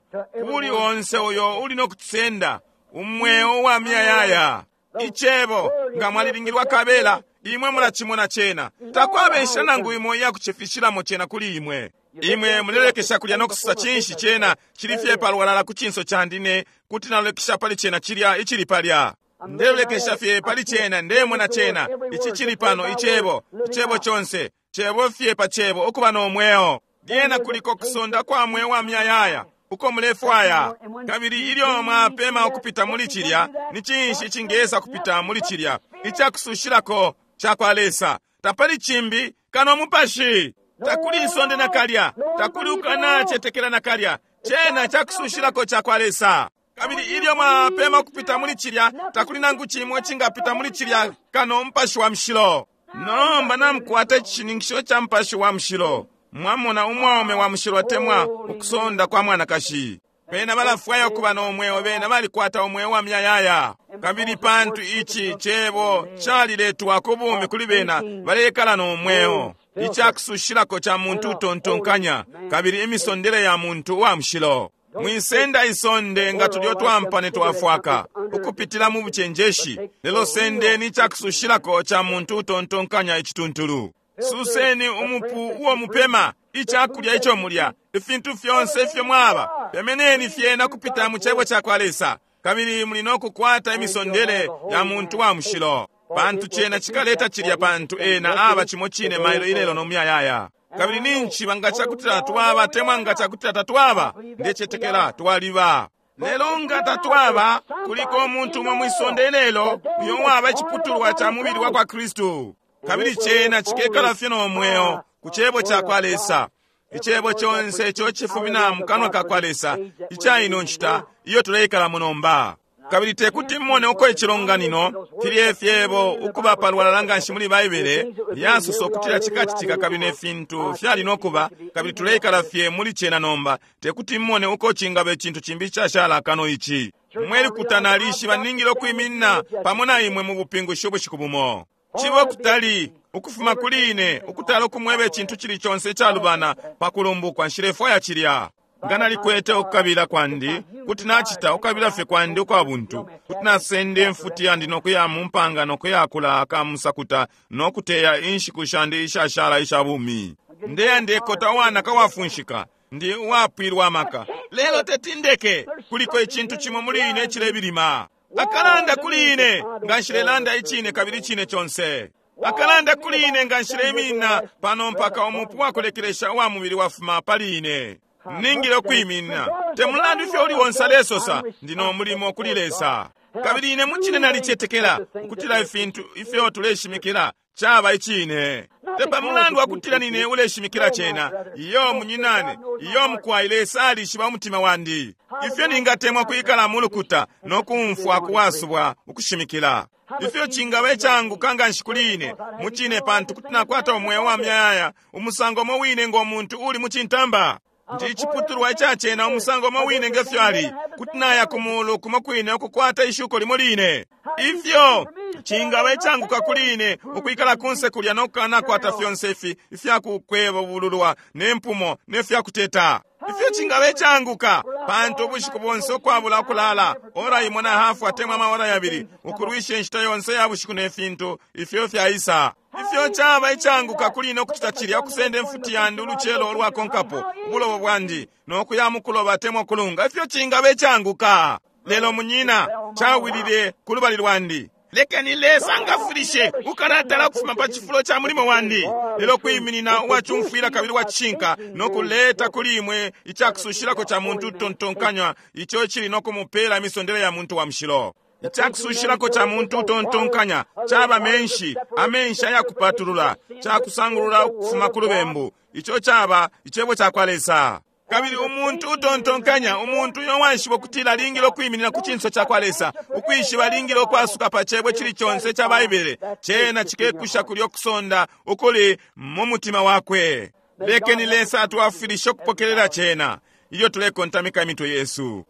kuli onse uyo uli no kucisenda umweo uwa muyayaya. Icebo nga mwalilingilwa kabela, imwe mulacimona cena. Takwaba inshila nangu imo iya kucifishilamo cena kuli imwe. Imwe mulelekesha kulya no kususa cinshi cena cili fye palwalala ku cinso candi ne kuti nalolekesha pali cena cilya icili palya. Ndelolekesha fye pali cena, ndemona cena ici cili pano, icebo, icebo conse, cebo fye pa cebo, ukuba no mweo. Lyena kuliko kusonda kwa mweo wa muyayaya uko mulefwaya. Kabili ilyo mwapema ukupita muli cilya, ni cinshi icingesa kupita muli cilya icakusushilako ca kwa Lesa? Tapali cimbi kano mupashi. Takuli isonde nakalya, takuli ukanacetekela nakalya. Cena cakusushilako ca kwa Lesa. Kabili ilyo mwapema ukupita muli cilya, takuli nangu cimo icingapita muli cilya kano mupashi wa mushilo. Nomba namukwata icishininkisho ca mupashi wa mushilo. Mwamona umwaume wa mushilo atemwa ukusonda kwa mwanakashi. Bena balafwaya ukuba no mweo, bena balikwata umweo wa muyayaya. Kabili pantu ici cebo caliletwa ku bumi kuli bena, balekala no mweo. Icakusushilako ca muntu utontonkanya, kabili imisondele ya muntu wa mushilo. Mwisenda isonde nga tulyo twampane twafwaka ukupitila mu bucenjeshi, lelo sendeni icakusushilako ca muntu utontonkanya icituntulu. Suseni umupu uo mupema, icakulya ico mulya, ifintu fyonse ifyo mwaba, pemeneni fyena kupita mu cebo ca kwa Lesa, kabili muli no kukwata imisondele ya muntu wa mushilo. Pantu cena cikaleta cilya, pantu ena aba cimo cine mailo ilelo no muyayaya. Kabili ninshi nga cakutila twaba temwa nga cakutila tatwaba, ndecetekela twaliba. Lelo nga tatwaba, kuliko umuntu umo mwisonde ilelo uyo waba iciputulwa ca mubili wa kwa Kristu. Kabili cena cikekala fye no mweo ku cebo ca kwa Lesa. Icebo conse ico cifumina mu kanwa ka kwa Lesa ica ino nshita iyo tuleikalamo nomba. Kabili tekuti mmone uko icilonganino filye fyebo ukuba palwalala nganshi muli Baibele yasosa ukutila cikacitika, kabili ne fintu fyali no kuba, kabili tuleikala fye muli cena nomba. Tekuti mmone uko cingaba icintu cimbi icashala kano ici. Mwe lukuta nalishiba ningile ukwiminina pamo na imwe mu bupingushi ubushiku bumo. Cibo kutali ukufuma kuli ine ukutala ukumweba icintu cili conse icalubana pa kulumbukwa, nshilefwaya cilya. Nga nalikwete ukukabila kwandi, kuti nacita ukukabila fye kwandi ukwa buntu, kuti nasenda imfuti yandi nokuya mu mpanga nokuyakula akamusakuta nokuteya inshiku shandi ishashala isha bumi. Ndeya ndekota uwanaka wafunshika, ndi uwapwilwa amaka, lelo tetindeke. Kuliko icintu cimo muli ine icilebilima. Akalanda kuli ine nga nshilelanda icine kabili icine conse. Akalanda kuli ine nga nshileiminina pano mpaka umupu wakulekelesha uwa mubili wafuma pali ine. Ningile ukwiminina. Te mulandu ifyo uli onse alesosa, ndi no mulimo kuli Lesa. Kabili ine mucine nalicetekela ukutila ifintu ifyo tuleshimikila Caba icine. Te pamulandu wakutila nine uleshimikila cena. Iyo munyinane, iyo mukwai, Lesa alishiba umutima wandi. Ifyo ningatemwa kwikala mu lukuta no kumfwa kuwasubwa ukushimikila. Ifyo cingaba icanguka nganshi kuli ine, mucine, pantu kuti nakwata umweo wa myayaya, umusango umo wine ngo muntu uli mucintamba. Ndi iciputulwa icacena umusango umo wine ngefyo ali, kuti naya ku mulu kumo kwine ukukwata ishuko limo line. Ifyo cingaba icanguka kuli ine ukwikala kunse kulya no kukanakwata fyonse ifi ifyakukwebululwa ne mpumo ne fyakuteta. Ifyo cingaba icanguka, pantu ubushiku bonse ukwabula ukulala, ora imo na hafu atemwa amaora yabili, ukulwisha inshita yonse ya bushiku ne fintu ifyo fyaisa. Ifyo caba icanguka kuli ine ukucita cilya, ukusenda imfuti yandi ulucelo olwakonkapo ubulobo bwandi no kuya mukuloba atemwa kulunga. Ifyo cingaba icanguka. Lelo munyina, cawilile ku lubali lwandi. Lekeni Lesa ngafulishe ukalatala ukufuma pa cifulo ca mulimo wandi, lelo kwiminina uwacumfwila kabili uwacishinka no kuleta kuli imwe icakusushilako ca muntu utontonkanywa, ico cili no kumupela imisondele ya muntu wa mushilo. Icakusushilako ca muntu utontonkanya caba menshi, amenshi ayakupatulula, cakusangulula ukufuma ku lubembu. Ico caba icebo ca kwa Lesa. Kabili umuntu utontonkanya, umuntu uyo waishiba ukutila alingile ukwiminina ku cinso ca kwa Lesa, ukwishiba alingile ukwasuka pa cebo cili conse ca Baibele, cena cikekusha kulyo kusonda ukuli mu mutima wakwe. Lekeni Lesa atwafwilishe ukupokelela cena ilyo tulekontamika imitwe yesu.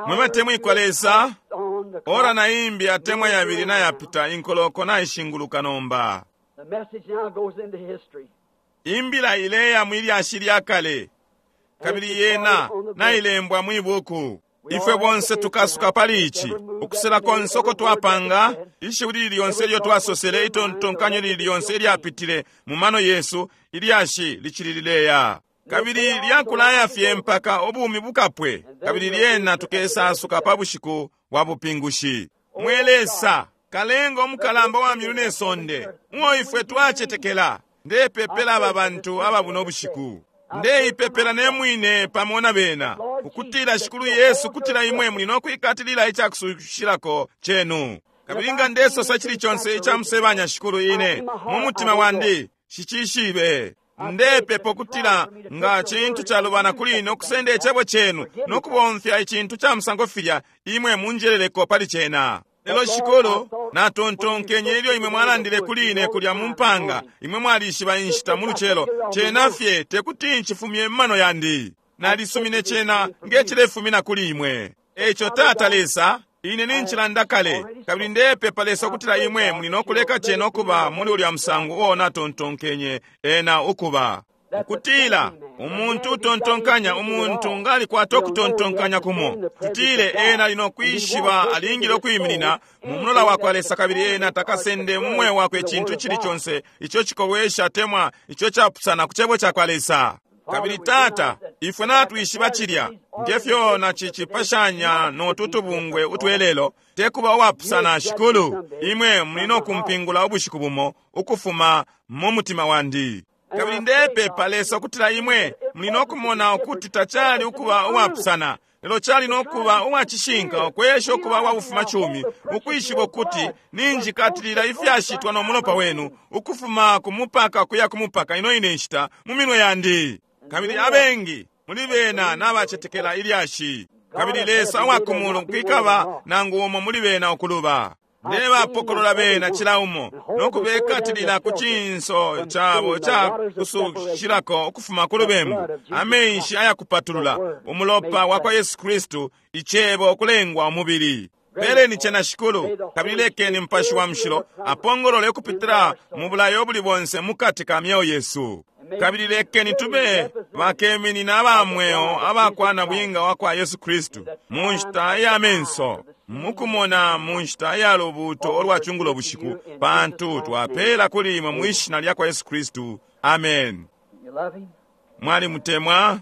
Mwe batemwikwa Lesa, ora na imbi atemwa yabili nayapita, inkoloko naishinguluka nomba. Imbila ileya mwilyashi lya kale, kabili yena nailembwa mwibuku. Ifwe bonse tukasuka pali ici, ukusela konse uko twapanga, ishiwi lili lyonse ilyo twasosele, itontonkanyo lili lyonse ilyapitile mu mano yesu, ilyashi licili lileya. Kabili lyakulaya fye mpaka ubumi bukapwe, kabili lyena tukesasuka pa bushiku bwa bupingushi. Mwe Lesa, kalenga umukalamba wa myulu ne sonde, uo ifwe twacetekela, ndepepela aba bantu aba buno bushiku. Ndeipepela ne mwine pamo na bena, ukutila Shikulu Yesu, kutila imwe muli no kwikatilila icakusushilako cenu. Kabili nga ndesosa cili conse icamusebanya Shikulu ine mu mutima wandi, shicishibe. Ndepepa ukutila nga cintu calubana kuli ine ukusenda icebo cenu no kubomfya icintu ca musango filya, imwe munjeleleko pali cena. Lelo Shikulu, natontonkenye ilyo imwe mwalandile kuli ine kulya mu mpanga, imwe mwalishiba inshita mu lucelo, cena fye tekuti nchifumye mu mano yandi. Nalisumine cena nge cilefumina kuli imwe. Eco Tata Lesa, ine ninchilanda kale, kabili ndepepa Lesa ukutila imwe muli no kuleka cena ukuba muli ulya musango uo natontonkenye ena ukuba. Ukutila umuntu utontonkanya, umuntu ngalikwata ukutontonkanya kumo, tutile ena ali no kwishiba alingile ukwiminina mu mulola wa kwa Lesa, kabili ena takasende mu mweo wakwe icintu cili conse ico cikowesha atemwa ico capusana ku cebo ca kwa Lesa. Kabili Tata, ifwe natwishiba cilya, ngefyo nacicipashanya no tutubungwe utwelelo, tekuba uwapusana Shikulu, imwe muli no kumpingula ubushiku bumo ukufuma mu mutima wandi. Kabili ndepepa Lesa ukutila imwe muli no kumona ukuti tacali ukuba uwapusana, lelo cali no kuba uwacishinka, ukwesha ukuba uwabufumacumi, ukwishiba ukuti ninjikatilila ifyashitwa no mulopa wenu ukufuma ku mupaka kuya ku mupaka ino ine nshita mu minwe yandi. Kabili abengi muli bena nabacetekela ilyashi. Kabili Lesa uwa ku mulu kwikaba nangu umo muli bena ukuluba. Ndebapokolola bena cila umo no kubekatilila ku cinso cabo ca kusushilako ukufuma ku lubembu, amenshi ayakupatulula, umulopa wa kwa Yesu Kristu, icebo ukulengwa umubili. Peleni cena Shikulu, kabili lekeni Mupashi wa Mushilo apongolole ukupitila mu bulayo buli bonse mukati ka myeo yesu. Kabili lekeni tube bakeminina aba mweo abakwana bwinga wa kwa Yesu Kristu mu nshita ya menso, mukumona mu nshita ya lubuuto olwa chungulo bushiku, pantu twapela kuli imwe mu ishina lya kwa Yesu Kristu. Amen. Mwali mutemwa,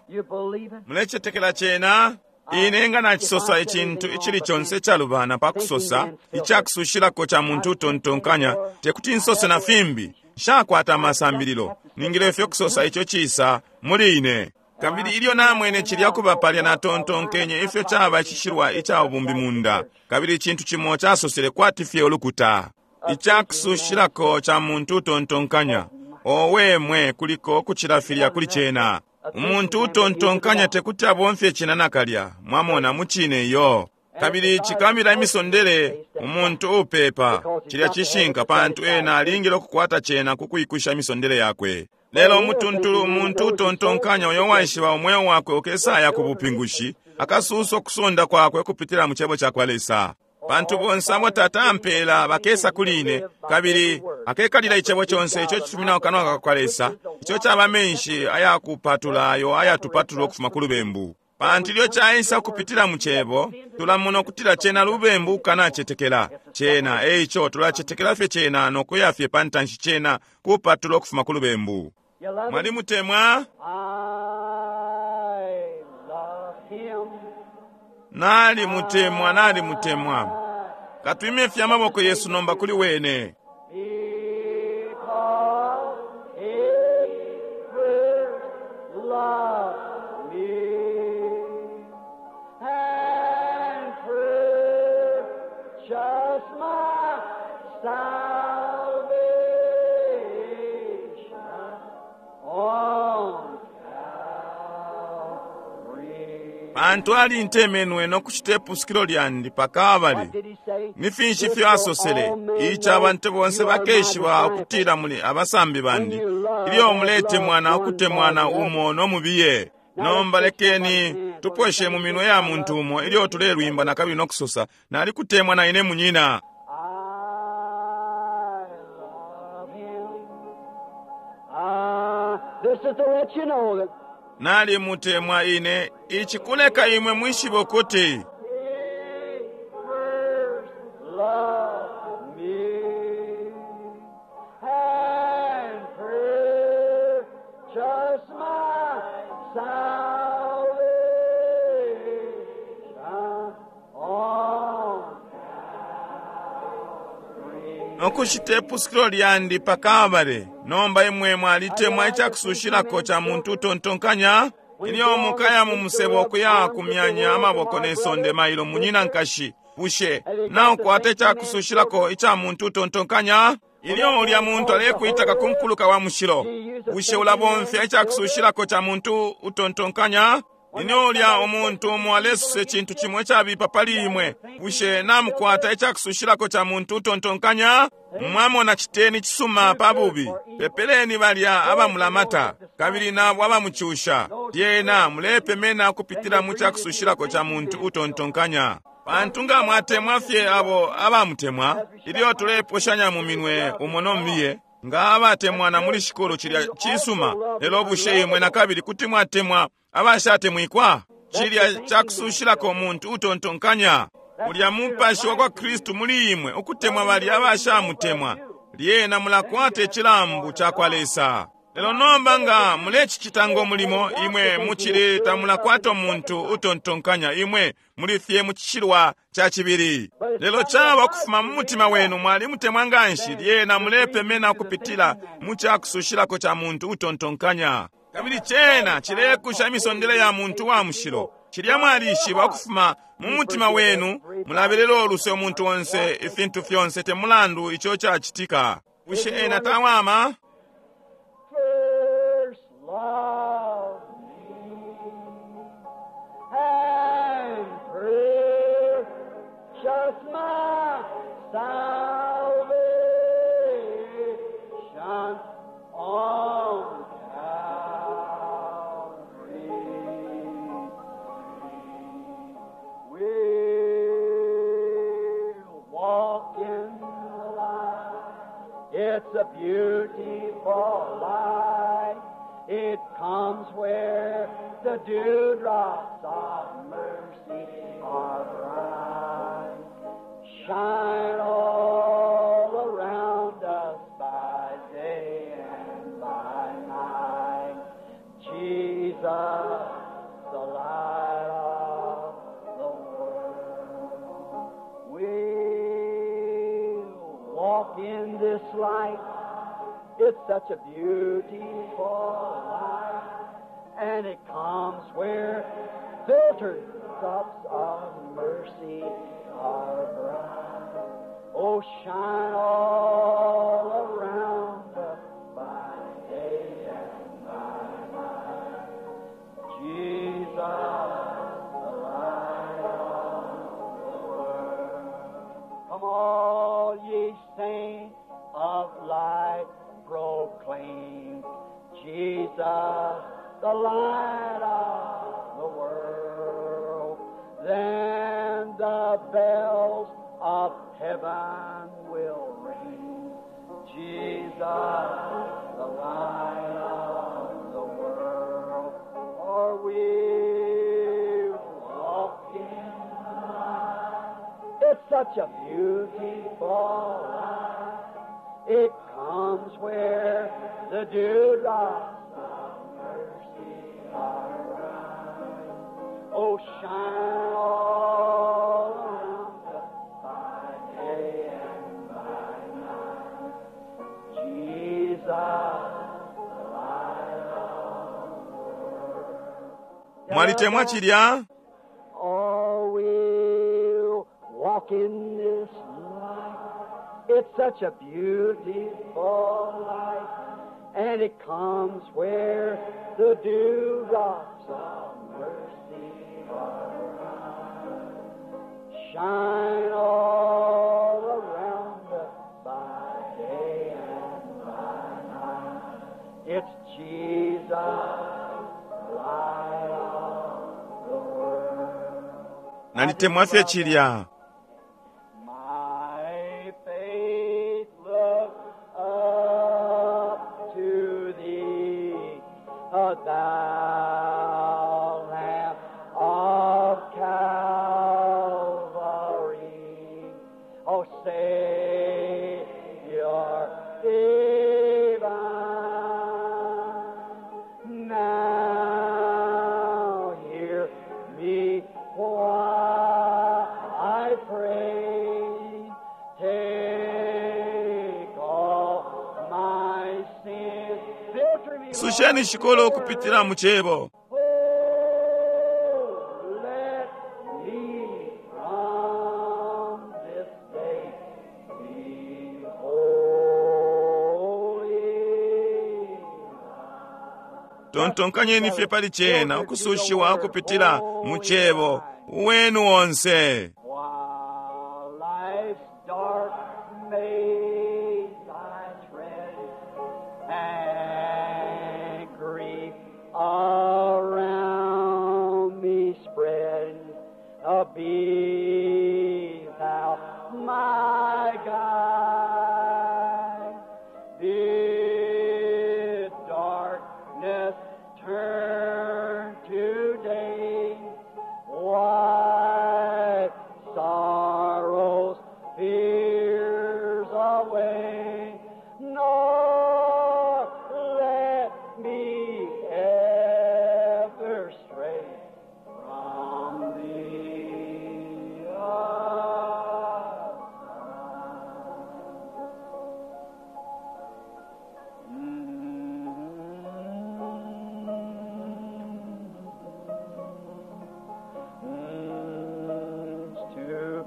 mulecetekela cena. Ine nga nacisosa icintu icili conse icalubana pa kusosa icakusushilako ca muntu utontonkanya, tekuti nsose na fimbi. Nshakwata amasambililo, ningile fye kusosa ico cisa muli ine. Kabili ilyo namwene cilya kuba palya, natontonkenye ifyo caba icishilwa ica bumbimunda, kabili icintu cimo casosele kwati fye ulukuta. Icakusushilako ca muntu utontonkanya. Owe mwe, kuliko kucila filya kuli cena. Umuntu utontonkanya tekuti abomfye cena nakalya, mwamona, mucine iyo. Kabili cikamila imisondele umuntu upepa, cilya cishinka, pantu ena alingile ukukwata cena ku kwikusha imisondele yakwe. Lelo umutuntulu umuntu utontonkanya uyo waishiba umweo wakwe ukesaya ku bupingushi, akasusa ukusonda kwakwe kupitila mu cebo cakwa Lesa. Pantu bonse abo Tata ampela bakesa kuli ine, kabili akekalila icebo conse ico cifumina kukanwa kakwa Lesa, ico caba menshi ayakupatula ayo ayatupatula ukufuma ku lubembu. Pantu ilyo caisa ukupitila mu cebo, tulamona ukutila cena lubembu ukanacetekela cena. Eico tulacetekela fye cena nokuya fye pa ntanshi cena kupatula ukufuma ku lubembu. Mwalimutemwa? I love him. Nalimutemwa, nalimutemwa. Katwime fye amaboko yesu nomba kuli wene. Because he first loved me and purchased my salvation on Calvary. Pantu alintemenwe nokucita ipusukilo lyandi pa Kalbale. What did he say? Ni finshi ifyo asosele? Ici abantu bonse bakeshiba ukutila muli abasambi bandi, ilyo muletemwana ukutemwana umo no mubiye. Nomba lekeni tuposhe mu minwe ya muntu umo ilyo tulelwimba na kabili nokusosa, nalikutemwa na ine munyina. I love him. Ah, this is to let you know that Nalimutemwa ine, ici kuleka imwe mwishibe ukuti he first loved me and purchased my salvation on Calvary. nokushita ipusukilo lyandi pa Kalbale. Nomba imwe mwalitemwa icakusushilako ca muntu utontonkanya. Ilyo mukaya mu musebo okuya kumyanya amaboko ne sonde mailo munyina nkashi, bushe naukwata icakusushilako ica muntu utontonkanya? Ilyo ulya muntu alekuitaka ku nkuluka wa mushilo, bushe ulabomfya icakusushilako ca muntu utontonkanya? Ilyo ulya umuntu umo alesusa icintu cimo icabipa pali imwe, bushe namukwata icakusushilako ca muntu utontonkanya? Mwamona, citeni cisuma pa bubi, pepeleni balya abamulamata kabili nabo abamucusha. Lyena mulepemena ukupitila mu cakusushilako ca muntu utontonkanya. Pantu nga mwatemwa fye abo abamutemwa, ilyo tuleposhanya mu minwe umo no mubiye, nga abatemwana muli Shikulu, cilya cisuma. Lelo bushe imwe nakabili kuti mwatemwa abashatemwikwa? Cilya cakusushilako umuntu utontonkanya. Mulya mupashi wa kwa Kristu muli imwe ukutemwa balya abashamutemwa, lyena mulakwata icilambu ca kwa Lesa. Lelo nomba nga mulecicita ngo mulimo, imwe mucili tamulakwata umuntu utontonkanya, imwe muli fye mu cishilwa ca cibili. Lelo caba ukufuma mu mutima wenu mwalimutemwa nganshi, lyena mulepemena ukupitila mu cakusushilako ca muntu utontonkanya. Kabili cena cilekusha imisondele ya muntu wa mushilo. Cilya mwalishiba ukufuma mu mutima wenu, mulabelela uluse umuntu onse, ifintu fyonse, te mulandu ico cacitika. Bushe ena tawama? First loved me and purchased my salvation on Calvary. We'll walk in the light. It's a beautiful light. It comes where the dewdrops of mercy are bright. Shine all around us by day and by night. Jesus, the light of the world. We'll walk in this light. It's such a beautiful light. And it comes where filtered drops of mercy are bright. Oh, shine all around us by day and by night. Jesus, the light of the world. Come all ye saints of light, proclaim Jesus, the light of the world. Then the bells of heaven will ring. Jesus, the light of the world. For we walk in the light. It's such a beautiful light. It comes where the dewdrops of mercy are bright. Oh, shine all around us by day and by night. Jesus, the light of the world. Mwalitemwa chilya? Oh, we'll walk in this light. It's such a beautiful light, and it comes where the dewdrops of mercy are bright. Shine all around us by day and by night. It's Jesus, the light of the world. Nalitemwa fye chilya. My faith look up to thee, O thou Lamb of Calvary, O Savior divine. Now hear me while I pray. Take all my sins. Filter me, Susheni Lord. shikolo ukupitila mu chebo. Oh, let me from this day be holy. Tontonkanyeni fye pali chena ukusushiwa ukupitila mu chebo wenu onse. While life's dark maze I tread, and grief around me spread, uh, be thou my guide. Bid darkness turn to day. Wipe sorrows, fears away, nor let me ever stray from thee. To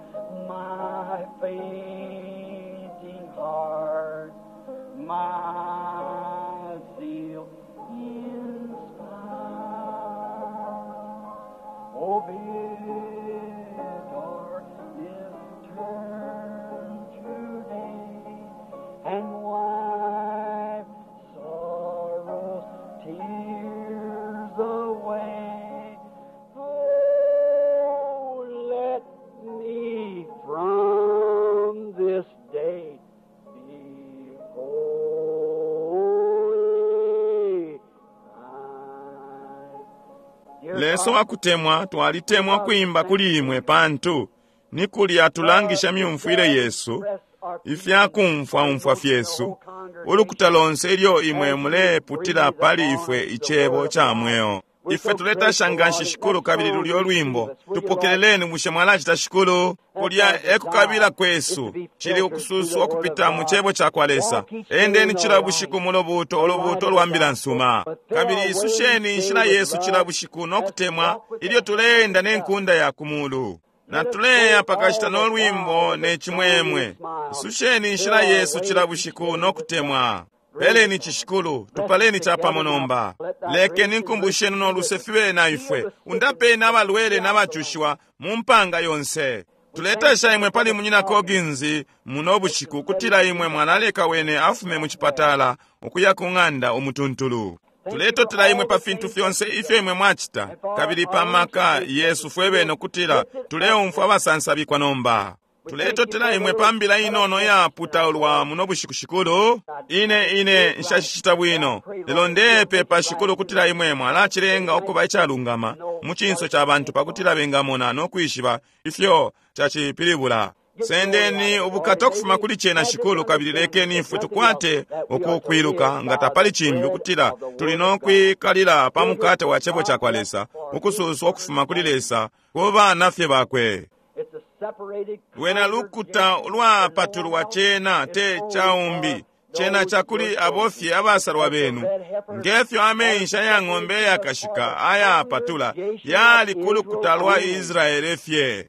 my fainting heart, my zeal inspire. Oh, bid darkness turn to day and wipe sorrow's tears away. Oh, let me from this day be holy. Dear Leso Father, akutemwa twalitemwa kuimba kuli imwe pantu ni kulya tulangisha myumfwile yesu ifyakumfwaumfwa fyesu ulukuta lonse ilyo imwe muleputila pali ifwe icebo ca mweo. Ife tuletasha nganshi Shikulu kabili lulyo lwimbo. Tupokeleleni bushe mwalacita Shikulu? Kulya ekukabila kwesu chili ukususwa kupita mu chebo cha kwa Lesa. Endeni chila bushiku mu lubuuto olubuuto lwa mbila nsuma. Kabili isusheni inshila yesu chila bushiku nokutemwa ilyo tuleenda n'enkunda ya kumulu. Na tuleya pakashita n'olwimbo n'echimwemwe. Isusheni inshila yesu chila bushiku nokutemwa. Peleni chishikulu, tupaleni chapamo nomba. Lekeni nkumbusheni n'oluse fibe na ifwe. Undapeni abalwele n'abachushiwa mu mpanga yonse. Tuletasha imwe pali munyina Coggins muno bushiku kutila imwe mwalaleka wene afume mu chipatala ukuya ku ng'anda umutuntulu. Tuletotela imwe pa fintu fyonse ifyo imwe mwachita kabili pa maka Yesu fwe bene kutila tuleumfwa abasansabikwa nomba. Tuletotela imwe pa mbila inono yaputaulwa muno bushiku Shikulu. Ine ine nshashicita bwino lelo ndepepa Shikulu kutila imwe mwalachilenga ukuba icalungama mu chinso cha bantu pakutila bengamona nokwishiba ifyo chachipilibula. Sendeni ubukata okufuma kuli chena Shikulu kabili lekeni ifwe tukwate ukukwiluka nga tapali chimbi ukutila tuli nokwikalila pa mukate wa chebo cha kwa Lesa ukususwa okufuma kuli Lesa ku bana fye bakwe. Lwena lukuta lwapatulwa chena te chaumbi chena chakuli abofye abasalwa benu ngefyo amensha ya ng'ombe yakashika ayapatula yali kulukuta lwa Israele fye.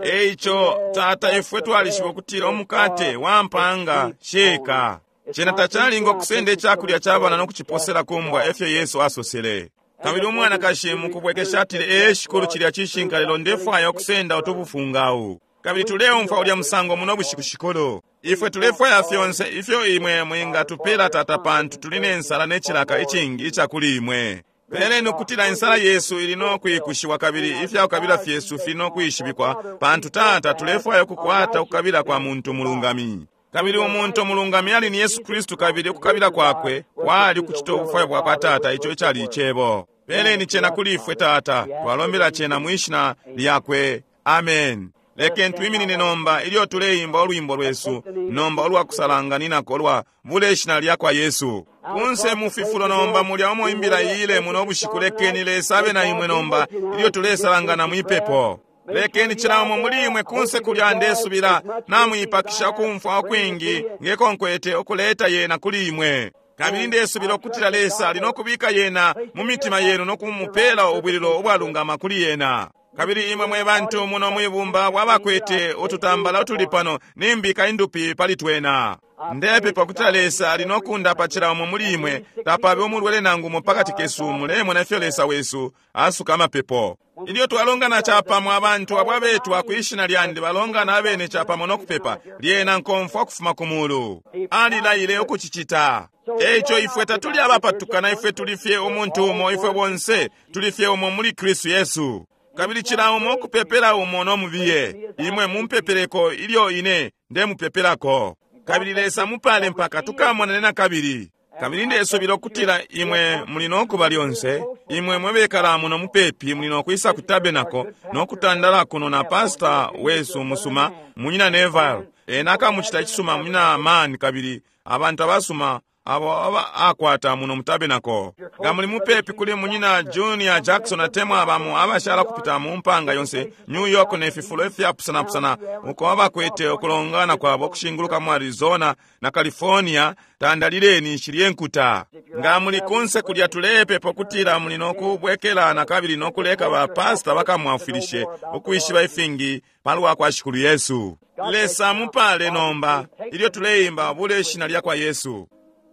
Eicho tata ifwe twalishiba ukutila omukate wa mpanga sheka chena tachalinga okusenda ekyakulya ky'abaana n'okukiposera kumbwa efyo Yesu asosele. Kabili umwanakashi mukubwekesha atile ee Shikulu chilya chishinka lelo ndefwaya okusenda otubufungawu. Kabili tuleumfwa ulya musango muno bushiku Shikulu. Ifwe tulefwaya fyonse ifyo imwe mwingatupela tata pantu tuli n'ensala n'echilaka ichingi ichakuli imwe. Peleni ukutila ensala yesu ili nokwikushiwa kabili ifyakukabila fyesu fili nokwishibikwa pantu tata tulefwaya okukwata okukabila kwa muntu mulungami. Kabili umuntu mulungami ali ni Yesu Kristu kabili okukabila kwakwe kwali ukuchita obufwayo bwa kwa tata icho ichali ichebo. Peleni chena kuli ifwe tata twalombela chena mwishina lyakwe. Amen. Lekeni twiminine nomba ilyo tuleimba olwimbo lwesu nomba olwakusalanganinako olwa bule ishina lya kwa Yesu. Kunse mufifulo nomba mulya omo imbila ile muno bushiku lekeni Lesa abe na imwe nomba ilyo tulesalangana mwipepo. Lekeni chilamo muli imwe kunse kulya ndesubila namwipakisha okumfwa okwingi ngekonkwete okuleta yena kuli imwe. Kabili ndesubila okutila Lesa ali nokubika yena mu mitima yenu nokumupela obwililo obwalungama kuli yena. Kabili imwe mwe bantu muno mwibumba bwabakwete otutambala otuli pano nimbika indupi pali twena. Ndepepa kutila Lesa ali nokundapa chilamo muli imwe tapabe omulwele nangu umo pakati kesu mulemona ifyo Lesa wesu asuka amapepo. Ilyo twalongana chapamo abantu abwabetwa kwishina lyandi balongana abene chapamo nokupepa lyena nkomfwa okufuma ku mulu. Alilayile okuchichita. Eicho ifwe tatuli abapatukana ifwe tuli fye omuntu umo ifwe bonse tuli fye umo muli Kristu Yesu. Kabili chila umo okupepela umo nomubiye imwe mumpepeleko ilyo ine ndemupepelako. Kabili Lesa mupale mpaka tukamonane na kabili. Kabili ndesubila okutila imwe muli nokuba lyonse imwe mwebekala muno mupepi muli nokwisa ku tabernacle nokutandala kuno na pasta wesu musuma munyina Neville. Ena akamuchita ichisuma munyina man kabili abantu abasuma abo aba akwata muno mu tabernacle. Nga muli mupepi kuli munyina Junior Jackson atemwa abamo abashala kupita mu mpanga yonse New York nefifulo ifyapusanapusana uko abakwete okulongana kwabo okushinguluka mu Arizona na California tandalileni nshilye nkuta. Nga muli kunse kulya tulepepa okutila muli nokubwekela na kabili nokuleka ba pasta bakamwafilishe okwishiba ifingi palwa kwa Shikulu Yesu. Lesa mupale nomba ilyo tuleimba bule ishina lya kwa Yesu.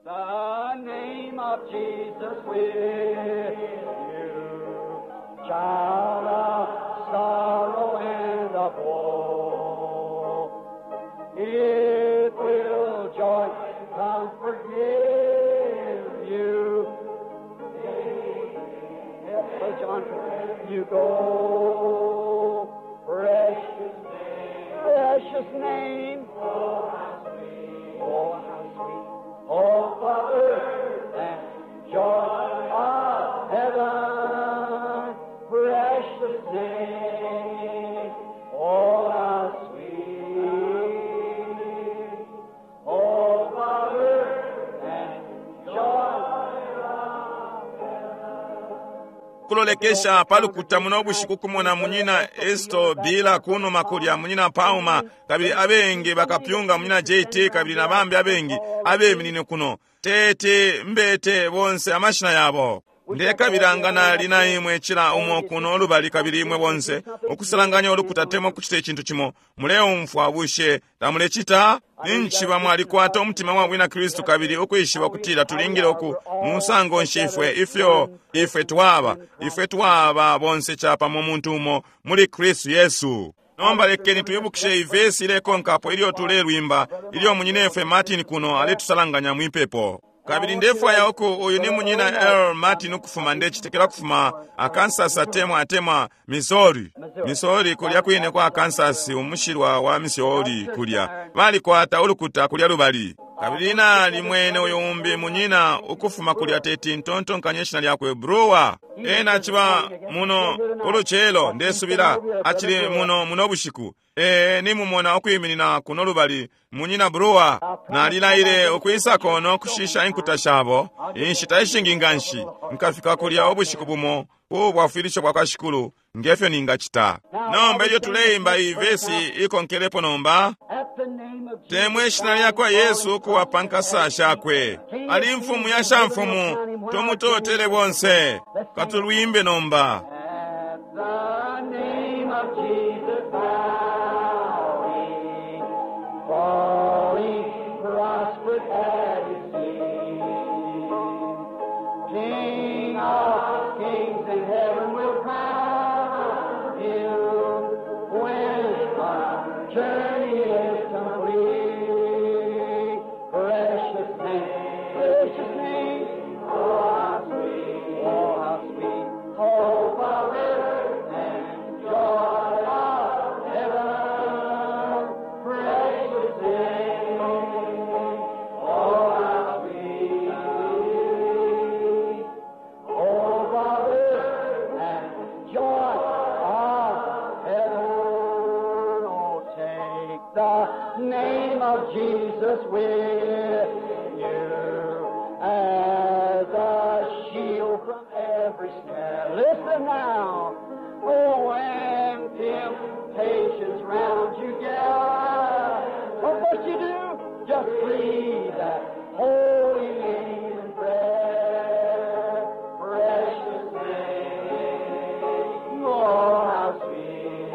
The name of Jesus with you, child of sorrow and of woe. It will joy, comfort, give you. Yes, John, you go, precious name, precious name. Oh, how sweet, oh, how sweet. Oh, Father, and joy of heaven, precious name, oh, how sweet. Oh, Father, and joy of heaven. Ukulolekesha palukuta muno bushiku kumona munyina Esto Bila kunuma kulya munyina Pauma, kabili abengi bakapyunga munyina J T kabili na bambi abengi abeminine kuno. Tete mbete bonse amashina yabo. Ndekabila nali na imwe cila umo kuno lubali kabili imwe bonse ukusalanganya ulukuta temwa kuchita icintu cimo. Muleumfwa bushe tamulecita? Ninchiba mwalikwata umutima wa bwina Kristu kabili ukwishiba kutila tulingile uku musango nshifwe ifyo ifwe twaba ifwe twaba bonse chapamo muntu umo muli Kristu Yesu. Nomba lekeni tuibukishe ivesi ilekonkapo ilyo tulelwimba ilyo munyinefwe Martin kuno aletusalanganya mwipepo. Kabili ndefwaya uku uyu ni munyina Earl Martin ukufuma ndechitekela kufuma Arkansas atemwa atemwa Missouri. Missouri kulya kwine kwa Arkansas umushilwa wa Missouri kulya. Balikwata ulukuta kulya lubali. Kabili nali mwene uyu umbi munyina ukufuma kulya teti ntontonkanye ishina lyakwe Brewer. Ena achiba muno uluchelo ndesubila achili muno muno bushiku. E, nimumona ukwiminina kuno lubali munyina Brewer. Nalilaile ukwisako no kushisha inkuta shabo inshita ishingi nganshi nkafika kulya ubushiku bumo ubwafwilisho bwa kwa Shikulu ngefyo ningachita. Nomba ilyo tuleimba ivesi ikonkelepo nomba temwe ishina lyakwa Yesu ukuwapa nkasa shakwe ali mfumu ya shamfumu tumutotele bonse katulwimbe nomba. At the name of Jesus bowing, falling prostrate at his feet. King of kings in heaven will crown him when our journey is complete. Precious name, precious name, oh how sweet, oh how sweet, hope of earth and joy of heaven. Precious name, oh how sweet, hope of earth and joy of heaven. Oh, take the name of Jesus with you as a shield from every snare. Listen now. Oh, when temptations round you gather, what must you do? Just breathe that holy name in prayer. Precious name, oh, how sweet.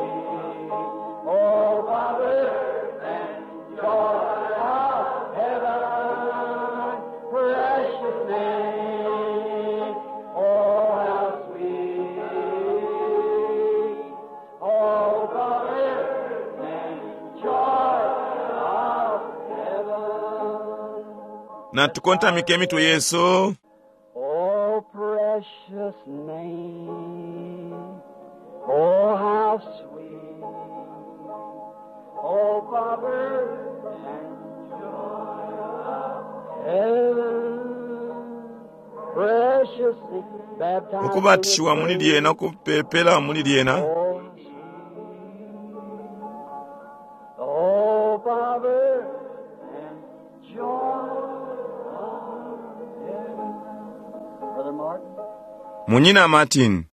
Oh, Father, and joy of heaven, precious name, oh, how sweet. Oh, Father, and joy of heaven. Natukontamike mitwe Yesu. Oh, precious name, oh, how sweet, oh, Father, and joy of heaven, precious name, baptized Ukubatishiwa in muli His lyena ukupepela muli lyena. Oh, oh, Father, and joy of heaven. Brother Martin. Munyina Martin.